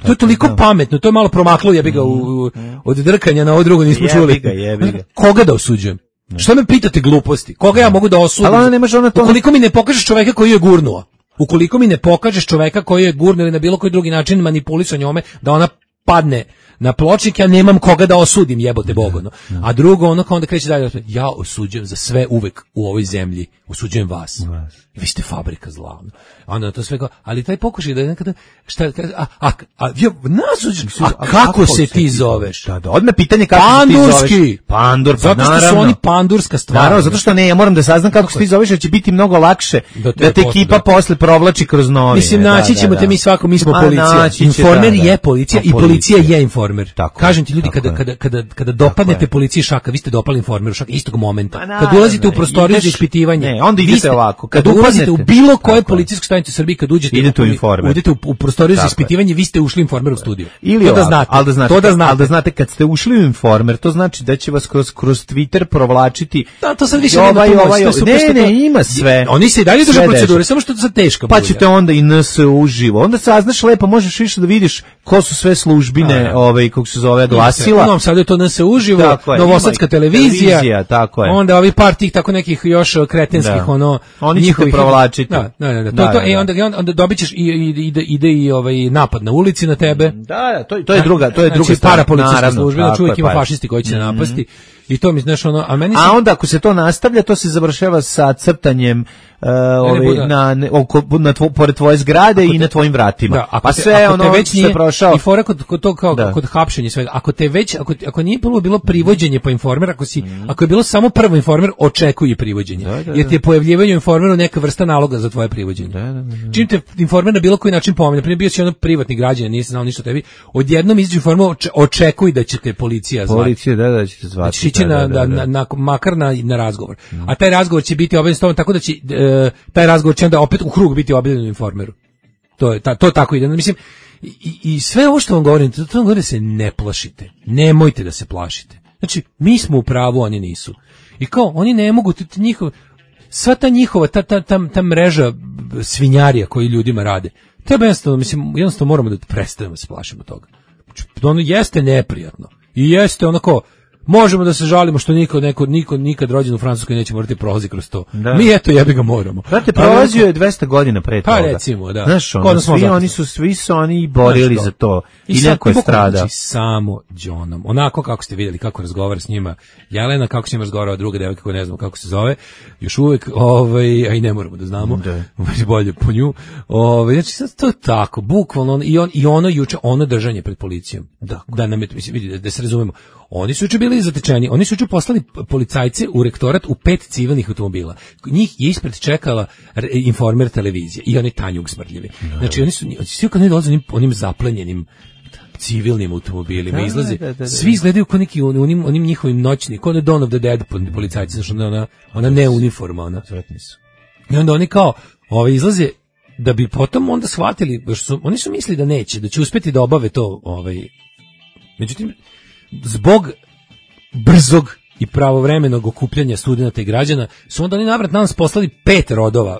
To je toliko pametno, to je malo promaklo, ja bi ga u, u, od drkanja na ovo drugo nismo čuli. Jebi ga, jebi ga. Koga da osuđujem? Što me pitate gluposti? Koga ja mogu da osudim? Ali ona ne može, ona to... Ukoliko mi ne pokažeš čoveka koji je gurnuo, ukoliko mi ne pokažeš čoveka koji je gurnuo ili na bilo koji drugi način manipulisao njome, da ona padne na pločnik, ja nemam koga da osudim, jebote Bogo. No. A drugo, ono kao onda kreće dalje, ja osuđujem za sve uvek u ovoj zemlji, osuđujem vas. Vi ste fabrika zla. Onda to sve kao, ali taj pokušaj da nekada, šta, a, a, a, ja, nas, a, a kako se ti zoveš? Da, da, odmah pitanje kako Pandurski. se ti zoveš. Pandur, pa zato što naravno. su oni pandurska stvar. Naravno, zato što ne, ja moram da saznam kako se ti zoveš, jer će biti mnogo lakše da, da te ekipa da. posle provlači kroz novine. Mislim, naći ćemo da, da, te mi svako, mi smo a, policija. Informer da, da. je policija i policija je informer. Tako, kažem ti ljudi, kada, kada, kada, kada dopadnete policiji šaka, vi ste dopali informeru šaka istog momenta. Kad ulazite u prostoriju za ispitivanje, ne, onda idete ovako. Kad ulazite u bilo koje policijsko stanicu u Srbiji, kad uđete idete u informer. Udete u, u prostoriju za ispitivanje, vi ste ušli u informer u studiju. Ili to da znate, al da znate, to da znate, al da znate kad ste ušli u informer, to znači da će vas kroz kroz Twitter provlačiti. Da, to sad više ovaj, nema ovaj, ovaj, ne, ne, ima sve. Oni se i dalje drže procedure, samo što je sad teško. Pa ćete onda i N S uživo. Onda saznaš lepo, možeš više da vidiš ko su sve službine, ovaj kako se zove glasila. Ono sad je to N S uživo, Novosadska televizija, televizija, tako je. Onda ovi par tih tako nekih još kretenskih ono njihovih provlačiti. Da, da, da, to to e onda onda dobićeš i ide ide i ovaj napad na ulici na tebe. Da, da, to to je druga, to je druga parapolicijska služba, čovjek ima fašisti koji će mm-hmm. napasti. I to mi znaš ono, a meni se... A onda ako se to nastavlja, to se završava sa crtanjem uh, ove, na ne, oko na tvo, pored tvoje zgrade i na tvojim vratima. Da, pa te, sve ono već nije, se prošao. I fora kod, kod to kao da. kod hapšenja svega. Ako te već ako ako nije bilo bilo privođenje po informer, ako si mm. ako je bilo samo prvo informer, očekuje privođenje. Da, da, jer ti je pojavljivanje informeru neka vrsta naloga za tvoje privođenje. Da, da, da, da. Čim te informer na bilo koji način pomene, primjer bio si ono privatni građanin, nisi znao ništa o tebi, odjednom izađe informer, očekuj da će te policija zvati. Policija, da, da će te zvati. Da, da, da, da, na, makar na, na razgovor. Mm. A taj razgovor će biti obavljen s tobom tako da će e, taj razgovor će onda opet u krug biti objavljen u informeru. To je ta, to tako ide. Mislim i, i sve ovo što vam govorim, to, to vam govorim da se ne plašite. Nemojte da se plašite. Znači, mi smo u pravu, oni nisu. I kao, oni ne mogu, njihov, sva ta njihova, ta, ta, ta, ta mreža svinjarija koji ljudima rade, treba jednostavno, mislim, jednostavno moramo da prestanemo da se plašimo toga. Ono jeste neprijatno. I jeste onako, možemo da se žalimo što niko, neko, niko nikad rođen u Francuskoj neće morati prolazi kroz to. Da. Mi eto jebi ga moramo. Znate, prolazio je dvesta godina pre toga. Pa recimo, da. Znaš, ono, svi oni su, svi su oni borili Znaš, za to. I, I neko je strada. Znači, samo Johnom. Onako kako ste vidjeli kako razgovara s njima Jelena, kako s njima razgovara druga devojka koja ne znam kako se zove, još uvek, ovaj, a i ne moramo da znamo, da. bolje po nju. Ovaj, znači, sad to je tako, bukvalno, i, on, i ono juče, ono držanje pred policijom. Da, da nam je, mislim, vidi, da, da se razumemo. Oni su juče bili zatečeni, oni su juče poslali policajce u rektorat u pet civilnih automobila. Njih je ispred čekala informer televizije i oni Tanjug smrdljivi. Znači oni su, svi kad oni dolaze onim, onim zaplenjenim, civilnim automobilima, Da, izlaze, da, da, da. svi izgledaju kao neki on- onim, onim njihovim noćni, kao da Dawn of the Dead policajci, znači ona, ona, ona ne uniforma, ona. I onda oni kao, ovaj, izlaze, da bi potom onda shvatili, baš su, oni su mislili da neće, da će uspeti da obave to, ovaj, međutim, zbog brzog i pravovremenog okupljanja studenata i građana, su onda oni navrat nas poslali pet rodova.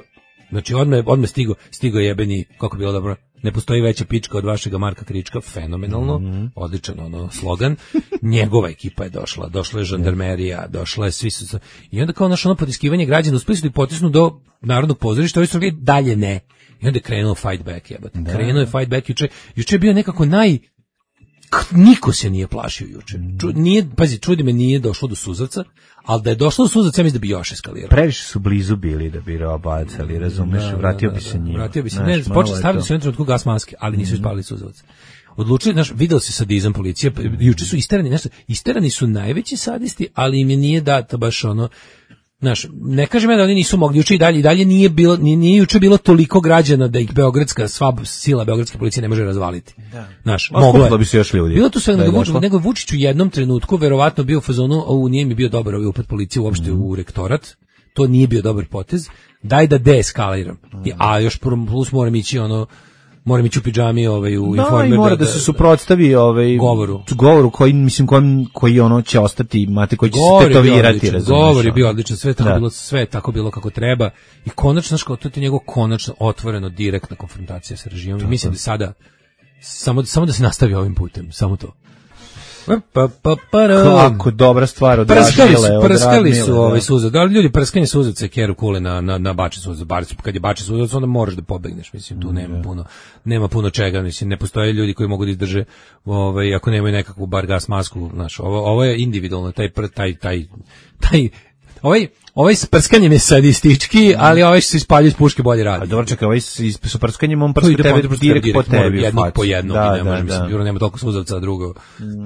Znači, odmah, odmah stigo, stigo jebeni, kako bi bilo dobro, ne postoji veća pička od vašega Marka Krička, fenomenalno, mm-hmm. odličan ono slogan. Njegova ekipa je došla, došla je žandarmerija, došla je svi su, i onda kao naše ono potiskivanje građana, uspeli su da ih potisnu do Narodnog pozorišta, ovi su rekli dalje ne. I onda je krenuo fight back, jebate. Da. Krenuo je fight back juče, juče je bio nekako naj, niko se nije plašio juče. Ču, nije, pazi, čudi me, nije došlo do suzavca, ali da je došlo do suzavca, ja mislim da bi još eskalirao. Previše su blizu bili da bi robacali, razumeš, Da, da, vratio da, bi se da, njima. Vratio bi se, Znaš, ne, malo počeli je stavili to. su u jednom trenutku gas maske, ali nisu ispalili suzavac. Odlučili, znaš, video se sadizam policije, juče su isterani, nešto, isterani su najveći sadisti, ali im je nije data baš ono, znaš, ne kažem ja da oni nisu mogli juče i dalje, i dalje nije bilo, nije, nije juče bilo toliko građana da ih beogradska, sva sila beogradske policije ne može razvaliti. Da. Znaš, A moglo je. skupilo bi se još ljudi. Bilo tu sve, Da je nego, došlo. nego Vučić u jednom trenutku verovatno bio u fazonu, ovo nije mi bio dobar ovaj upad policije uopšte u rektorat, to nije bio dobar potez, daj da deeskaliram. I, a još plus moram ići ono, moram ići u pidžami ovaj, u Da, informer. i mora da, se suprotstavi ovaj govoru. govoru koji mislim koji koji ono će ostati, mate koji će Govor se je bio tetovirati, odličan, razumeš. govor je ono. bio odličan, sve je tako Da. bilo, sve je tako bilo kako treba i konačno, znaš, kao to je njegov konačno otvoreno direktna konfrontacija sa režimom i mislim da sada samo, samo da se nastavi ovim putem, samo to. Pa, pa, pa, Kako dobra stvar od prskali su, Radmile, od prskali Radmile, su da. ovaj suzac. Da li ljudi prskanje suzavce keru kule na na na bače suzac, bar kad je bače suzac onda moraš da pobegneš, mislim tu nema puno nema puno čega, mislim ne postoje ljudi koji mogu da izdrže ovaj ako nemaju nekakvu bar gas masku, znaš, ovo ovo je individualno taj pr- taj taj taj ovaj ovaj s prskanjem je sadistički, ali ovaj što se ispaljuje iz puške bolje A radi. dobro, čekaj, ovaj s s s prskanjem on To prska ide tebe po- direkt po direkt, mora tebi, jednog facu. po jednog, Da, i ne da, može, mislim, da. jer nema toliko suzavca, a drugo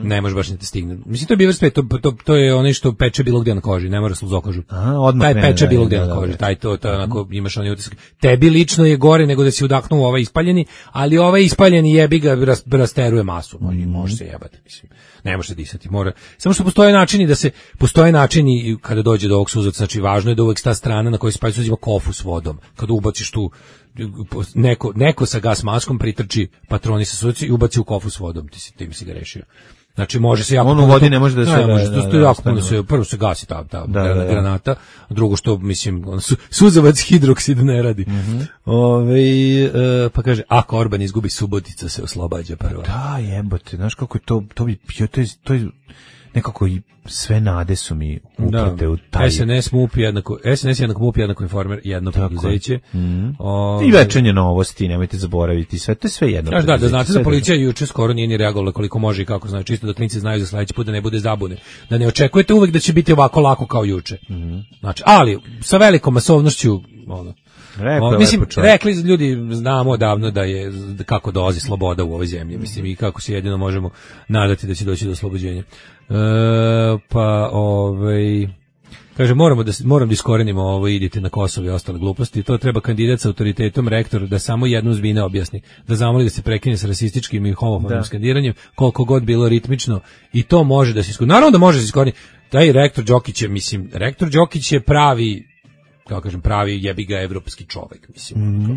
ne može baš ni te stigne. Mislim, to je Beaver Spray, to, to, to je onaj što peče bilo gdje na koži, ne mora sluzokožu. Aha, odmah Taj krene, peče da, bilo da, gdje da, na da, koži, da. taj to, to je onako, imaš onaj utisak. Tebi lično je gore nego da si udahnuo ovaj ispaljeni, ali ovaj ispaljeni jebi ga ras, rasteruje masu, no, i može se jebati, mislim. Ne može se disati, mora. Samo što postoje načini da se, postoje načini kada dođe do ovog suzavca, znači važno je da uvek ta strana na kojoj se palji suzavc ima kofu s vodom. Kada ubaciš tu neko, neko sa gas maskom pritrči patroni sa suzavcem i ubaci u kofu s vodom, ti si, ti mi si ga rešio. Znači može se jako On u puno vodi to- ne može da se- ne, može, da, to, da, to je da, jako puno ostane. se, prvo se gasi ta, ta Da, da, da. granata, a drugo što, mislim, ono, su, suzavac hidroksid ne radi. Mhm. Ovaj, e, pa kaže, ako Orban izgubi Subotica se oslobađa prva. Da, jebote, znaš kako je to, to bi, jo, to je, to je nekako i sve nade su mi uprate u taj. S N S, MUP jednako, S N S jednako MUP jednako Informer, jedno Tako je. preduzeće. Mhm. Ovaj, I večernje novosti, nemojte zaboraviti, sve, to je sve jedno. Znaš, da, da preduzeće, znate sve da policija juče skoro nije ni reagovala koliko može i kako znači, čisto da klinci znaju za sledeći put da ne bude zabune. Da ne očekujete uvek da će biti ovako lako kao juče. Znači, ali sa velikom masovnošću, ono, Rekao o, je mislim, lepo čovjek. rekli ljudi, znamo odavno da je da kako dolazi sloboda u ovoj zemlji, mislim, i kako se jedino možemo nadati da će doći do oslobođenja. E, pa, ovaj... Kaže, moramo da, moram da iskorenimo ovo, idite na Kosovo i ostale gluposti. To treba kandidat sa autoritetom, rektor, da samo jednu zbine objasni. Da zamoli da se prekine sa rasističkim i homofobnim Da. skandiranjem, koliko god bilo ritmično. I to može da se iskoreni. Naravno da može da se iskoreni. Taj rektor Đokić je, mislim, rektor Đokić je pravi, kako kažem, pravi jebi ga evropski čovek, mislim. Mhm.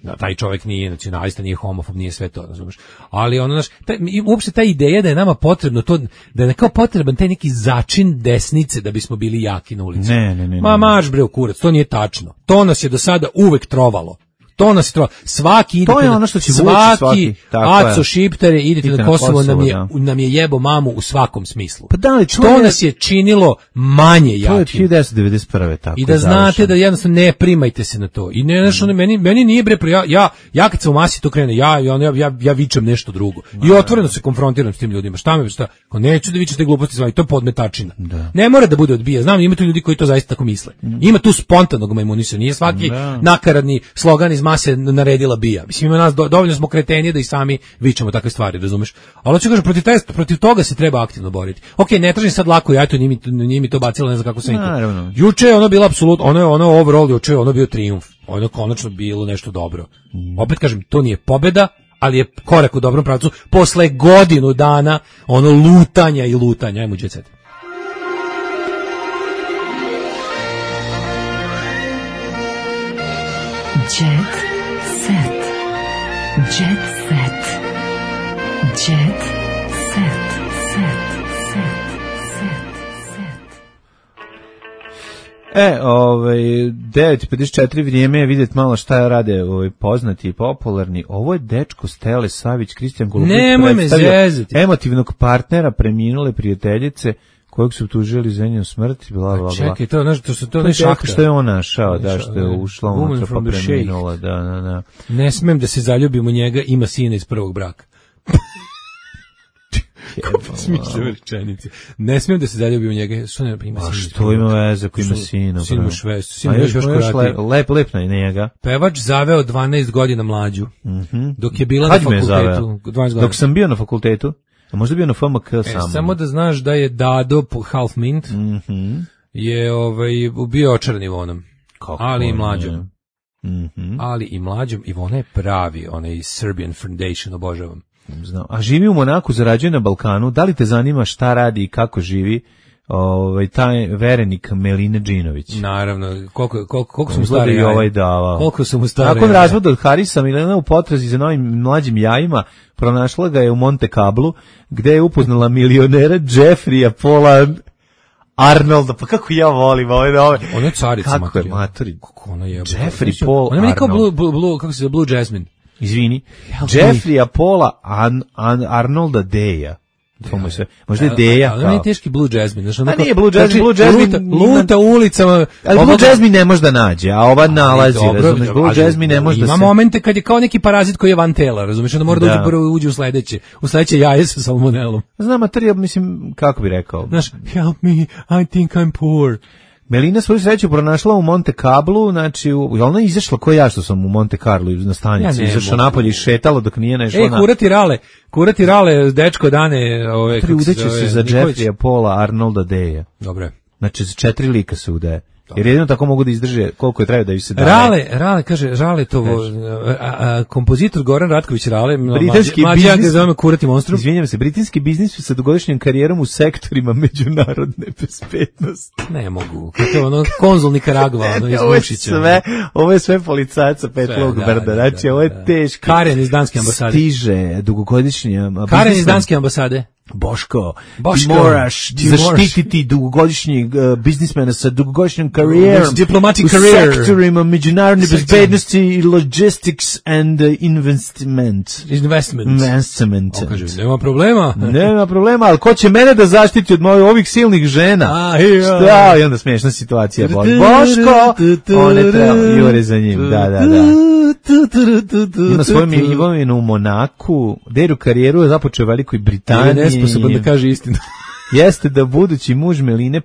Da, taj čovjek nije nacionalista, nije homofob, nije sve to, razumeš. Ali ono, znaš, taj, i uopšte ta ideja da je nama potrebno to, da je kao potreban taj neki začin desnice da bismo bili jaki na ulici. Ne, ne, ne, Ma ne. marš bre u kurac, to nije tačno. To nas je do sada uvek trovalo. To nas je trovalo. Svaki idete To je na- ono što će vući svaki, svaki, tako je. aco šiptere, idete Idite na na Kosovo, nam, Kosovo, je, da. nam je jebo mamu u svakom smislu. Pa da li, to to je- nas je činilo manje To je od jakim. hiljadu devetsto devedeset prve tako I da je znate završeno. da jednostavno ne primajte se na to. I ne, znaš, ono, meni, meni nije bre, ja, ja, ja kad sam u masi to krene, ja, ja, ja, ja, ja vičem nešto drugo. I otvoreno se konfrontiram s tim ljudima. Šta me, šta? Ko neću da vičete gluposti s vama, i to je podmetačina. Ne mora da bude odbija. Znam, ima tu ljudi koji to zaista tako misle. Ima tu spontanog majmunisa. Nije svaki Da. nakaradni slogan iz mase naredila bija. Mislim, ima nas, do, dovoljno smo kretenije da i sami vičemo takve stvari, razumeš? Ali hoću kažem, protiv, taj, protiv toga se treba aktivno boriti. Ok, ne tražim sad lako, ja to nije mi, nije mi to bacilo, ne znam kako senku. Naravno. Juče je ono bilo apsolutno, ono je ono overall, juče je ono bio trijumf. Ono je konačno bilo nešto dobro. Opet kažem, to nije pobeda, ali je korak u dobrom pravcu posle godinu dana ono lutanja i lutanja. Ajmo Jet Set. Jet Set. Jet Set. Jet Set. Set. Set. Set. E, ovaj, devet i pedeset četiri vrijeme je vidjeti malo šta rade ovaj, poznati i popularni. Ovo je dečko Stele Savić, Kristijan Golubović. Nemoj me zezati. Emotivnog partnera preminule prijateljice kojeg su tužili za njenu smrt. Bla, bla, bla. Čekaj, to, znaš, to, to, to je ne šahta. Što je on našao, da, što je ušla unutra pa preminula. Da, da, da. Ne smem da se zaljubim u njega, ima sina iz prvog braka. Smišljava rečenice. Ne smijem da se zaljubim u njega. Što ne, ima a što ima veze ko ima sina? Sin mu švest. Sin mu još korati. Lep, lep na njega. Pevač zaveo dvanaest godina mlađu. Mm-hmm. Dok je bila Kad na fakultetu. Dok sam bio na fakultetu. A možda bio na F M K e, samo. Samo da znaš da je Dado po Half Mint mm-hmm. je ovaj, bio očaran Ivonom. Kako ali i mlađom. Mm-hmm. Ali i mlađom. Ivona je pravi, onaj Serbian Foundation, obožavam. Znam. A živi u Monaku, zarađuje na Balkanu. Da li te zanima šta radi i kako živi ovaj taj verenik Meline Džinović? Naravno, koliko koliko koliko su mu stari i ovaj davao. Koliko su mu stari. Nakon razvoda od Harisa, Milena u potrazi za novim mlađim jajima pronašla ga je u Monte Carlo, gde je upoznala milionera Jeffreya Paula Arnolda. Pa kako ja volim ove ove. On je carica kako je maturi. Kako ona je. Jeffrey Paul. Ona je kao Blue, Blue, Blue, kako se zove, Blue Jasmine. Izvini, Jeffreya Paula An, An, Arnolda Deja. To mu se, možda je Deja kao. Ali nije teški Blue Jasmine. Znaš, a nije Blue Jasmine, Blue Jasmine. Luta, luta ulicama. Ali Blue Jasmine ne može da nađe, a ova nalazi, razumiješ, Blue Jasmine ne može da se. Ima momente kad je kao neki parazit koji je van tela, razumiješ, onda mora da uđe prvo uđe u sledeće. U sledeće jaje sa salmonelom. Znam, materija, mislim, kako bi rekao. Znaš, help me, I think I'm poor. Melina svoju sreću pronašla u Monte Carlo, znači, u, ona je izašla ko ja što sam u Monte Carlo na stanici, ja izašla napolje i šetala dok nije nešla e, na... E, kurati rale, kurati rale, dečko dane... Ove, udeće se za Jeffreya Paula Arnolda Deja. Dobre. Znači, za četiri lika se udaje. Jer jedino tako mogu da izdrže koliko je treba da ih se daje. Rale, Rale, kaže, Rale to, a, a, kompozitor Goran Ratković Rale, britanski mlađi, biznis, ja ga zovem kurati monstrum. Izvinjam se, britanski biznis sa dugogodišnjom karijerom u sektorima međunarodne bezbednosti. Ne mogu, kako ono, konzul Nikaragva, ono, iz Mušića. Sve, ovo je sve policajaca Petlog Brda, znači, ovo je teško. Karen iz Danske ambasade. Stiže, dugogodišnja... Karen iz Danske ambasade. Boško, Boško, ti moraš ti zaštititi dugogodišnjeg uh, biznismena sa dugogodišnjom karijerom diplomatic u career. sektorima međunarodne bezbednosti i logistics and uh, investment. Investment. Investment. O, kaže, nema problema. Nema problema, ali ko će mene da zaštiti od mojih ovih silnih žena? A, ja. Šta? I onda smiješna situacija. Boško, one treba, jure za njim, da, da, da. Ima svoju imovinu u Monaku, deru karijeru je započeo u Velikoj Britaniji. Je nesposoban da kaže istinu. Jeste da budući muž Meline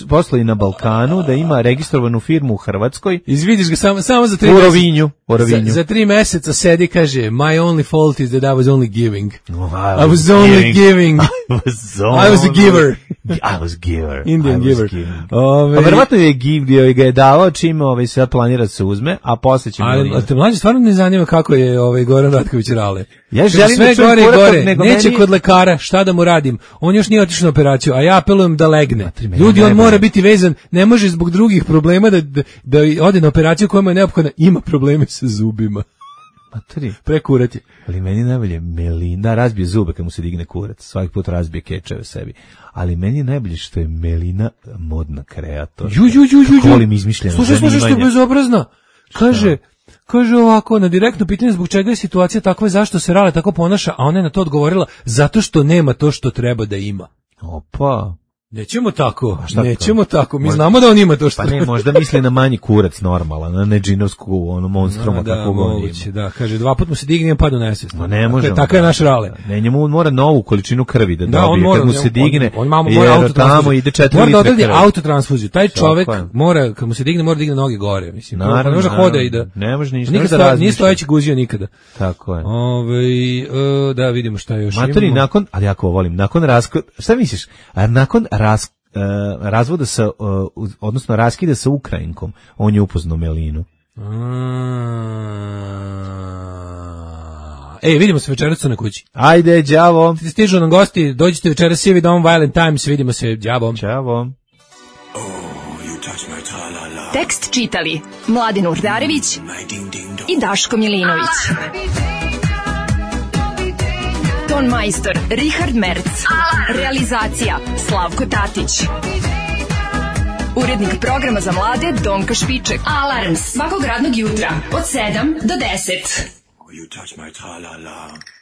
poslali na Balkanu, da ima registrovanu firmu u Hrvatskoj. Izvidiš ga samo, samo za tri u Rovinju. U Rovinju. Za, za tri meseca sedi, kaže, my only fault is that I was only giving. Oh, I, was I was only giving. I was only. I was a giver. I was giver. Indian I giver. Ove... Pa verovatno je givio i ga je davao čim ovaj sad planira da se uzme, a posle će Ali a te mlađe stvarno ne zanima kako je ovaj Goran Ratković Rale. Ja želim sve da gore i gore, neće meni... kod lekara, šta da mu radim? On još nije otišao na operaciju, a ja apelujem da legne. Ljudi, on mora biti vezan, ne može zbog drugih problema da, da, da ode na operaciju koja mu je neophodna, ima probleme sa zubima. Matri. Prekurati. Ali meni najbolje Melina razbije zube kad mu se digne kurac, svaki put razbije kečeve sebi. Ali meni je najbolje što je Melina modna kreator. Ju, ju, ju, ju, ju. Volim izmišljeno zanimanje. Slušaj, slušaj, što je bezobrazna. Kaže, kaže ovako, na direktno pitanje zbog čega je situacija takva, zašto se Rale tako ponaša, a ona je na to odgovorila, zato što nema to što treba da ima. Opa. Nećemo tako, nećemo to? tako, mi možda, znamo da on ima to što... Pa ne, možda misli na manji kurac normalan, na ne džinovsku, ono, monstroma, no, kako god ima. Da, kaže, dva put mu se digne i padu nesvjesno. No, ne može. Tako je naš Rale. Ne, njemu on mora novu količinu krvi da, da dobije, on mora, kad mu se digne, on, on, on mora jer tamo ide četiri litre krvi. Mora da autotransfuziju, taj čovek mora, kad mu se digne, mora da digne noge gore, mislim. Naravno, ne može hoda i da... Ne može ništa, nikada da razmišlja. Nije stojeći guzio nikada. Tako je. Ove, da, vidimo šta još imamo. Matori, nakon, ali jako volim, nakon raskod, šta misliš, a nakon raskod, Uh, razvoda sa, uh, odnosno raskida sa Ukrajinkom, on je upoznao Melinu. Ej, vidimo se večeras na kući. Ajde, đavo. Stižu nam gosti, dođite večeras svi dom Violent Times, vidimo se, đavo. Ćao. Tekst čitali Mladin Urdarević i Daško Milinović. Ton majstor Richard Merc. Realizacija Slavko Tatić. Urednik programa za mlade Donka Špiček. Alarms svakog radnog jutra od sedam do deset. You touch my tra-la-la.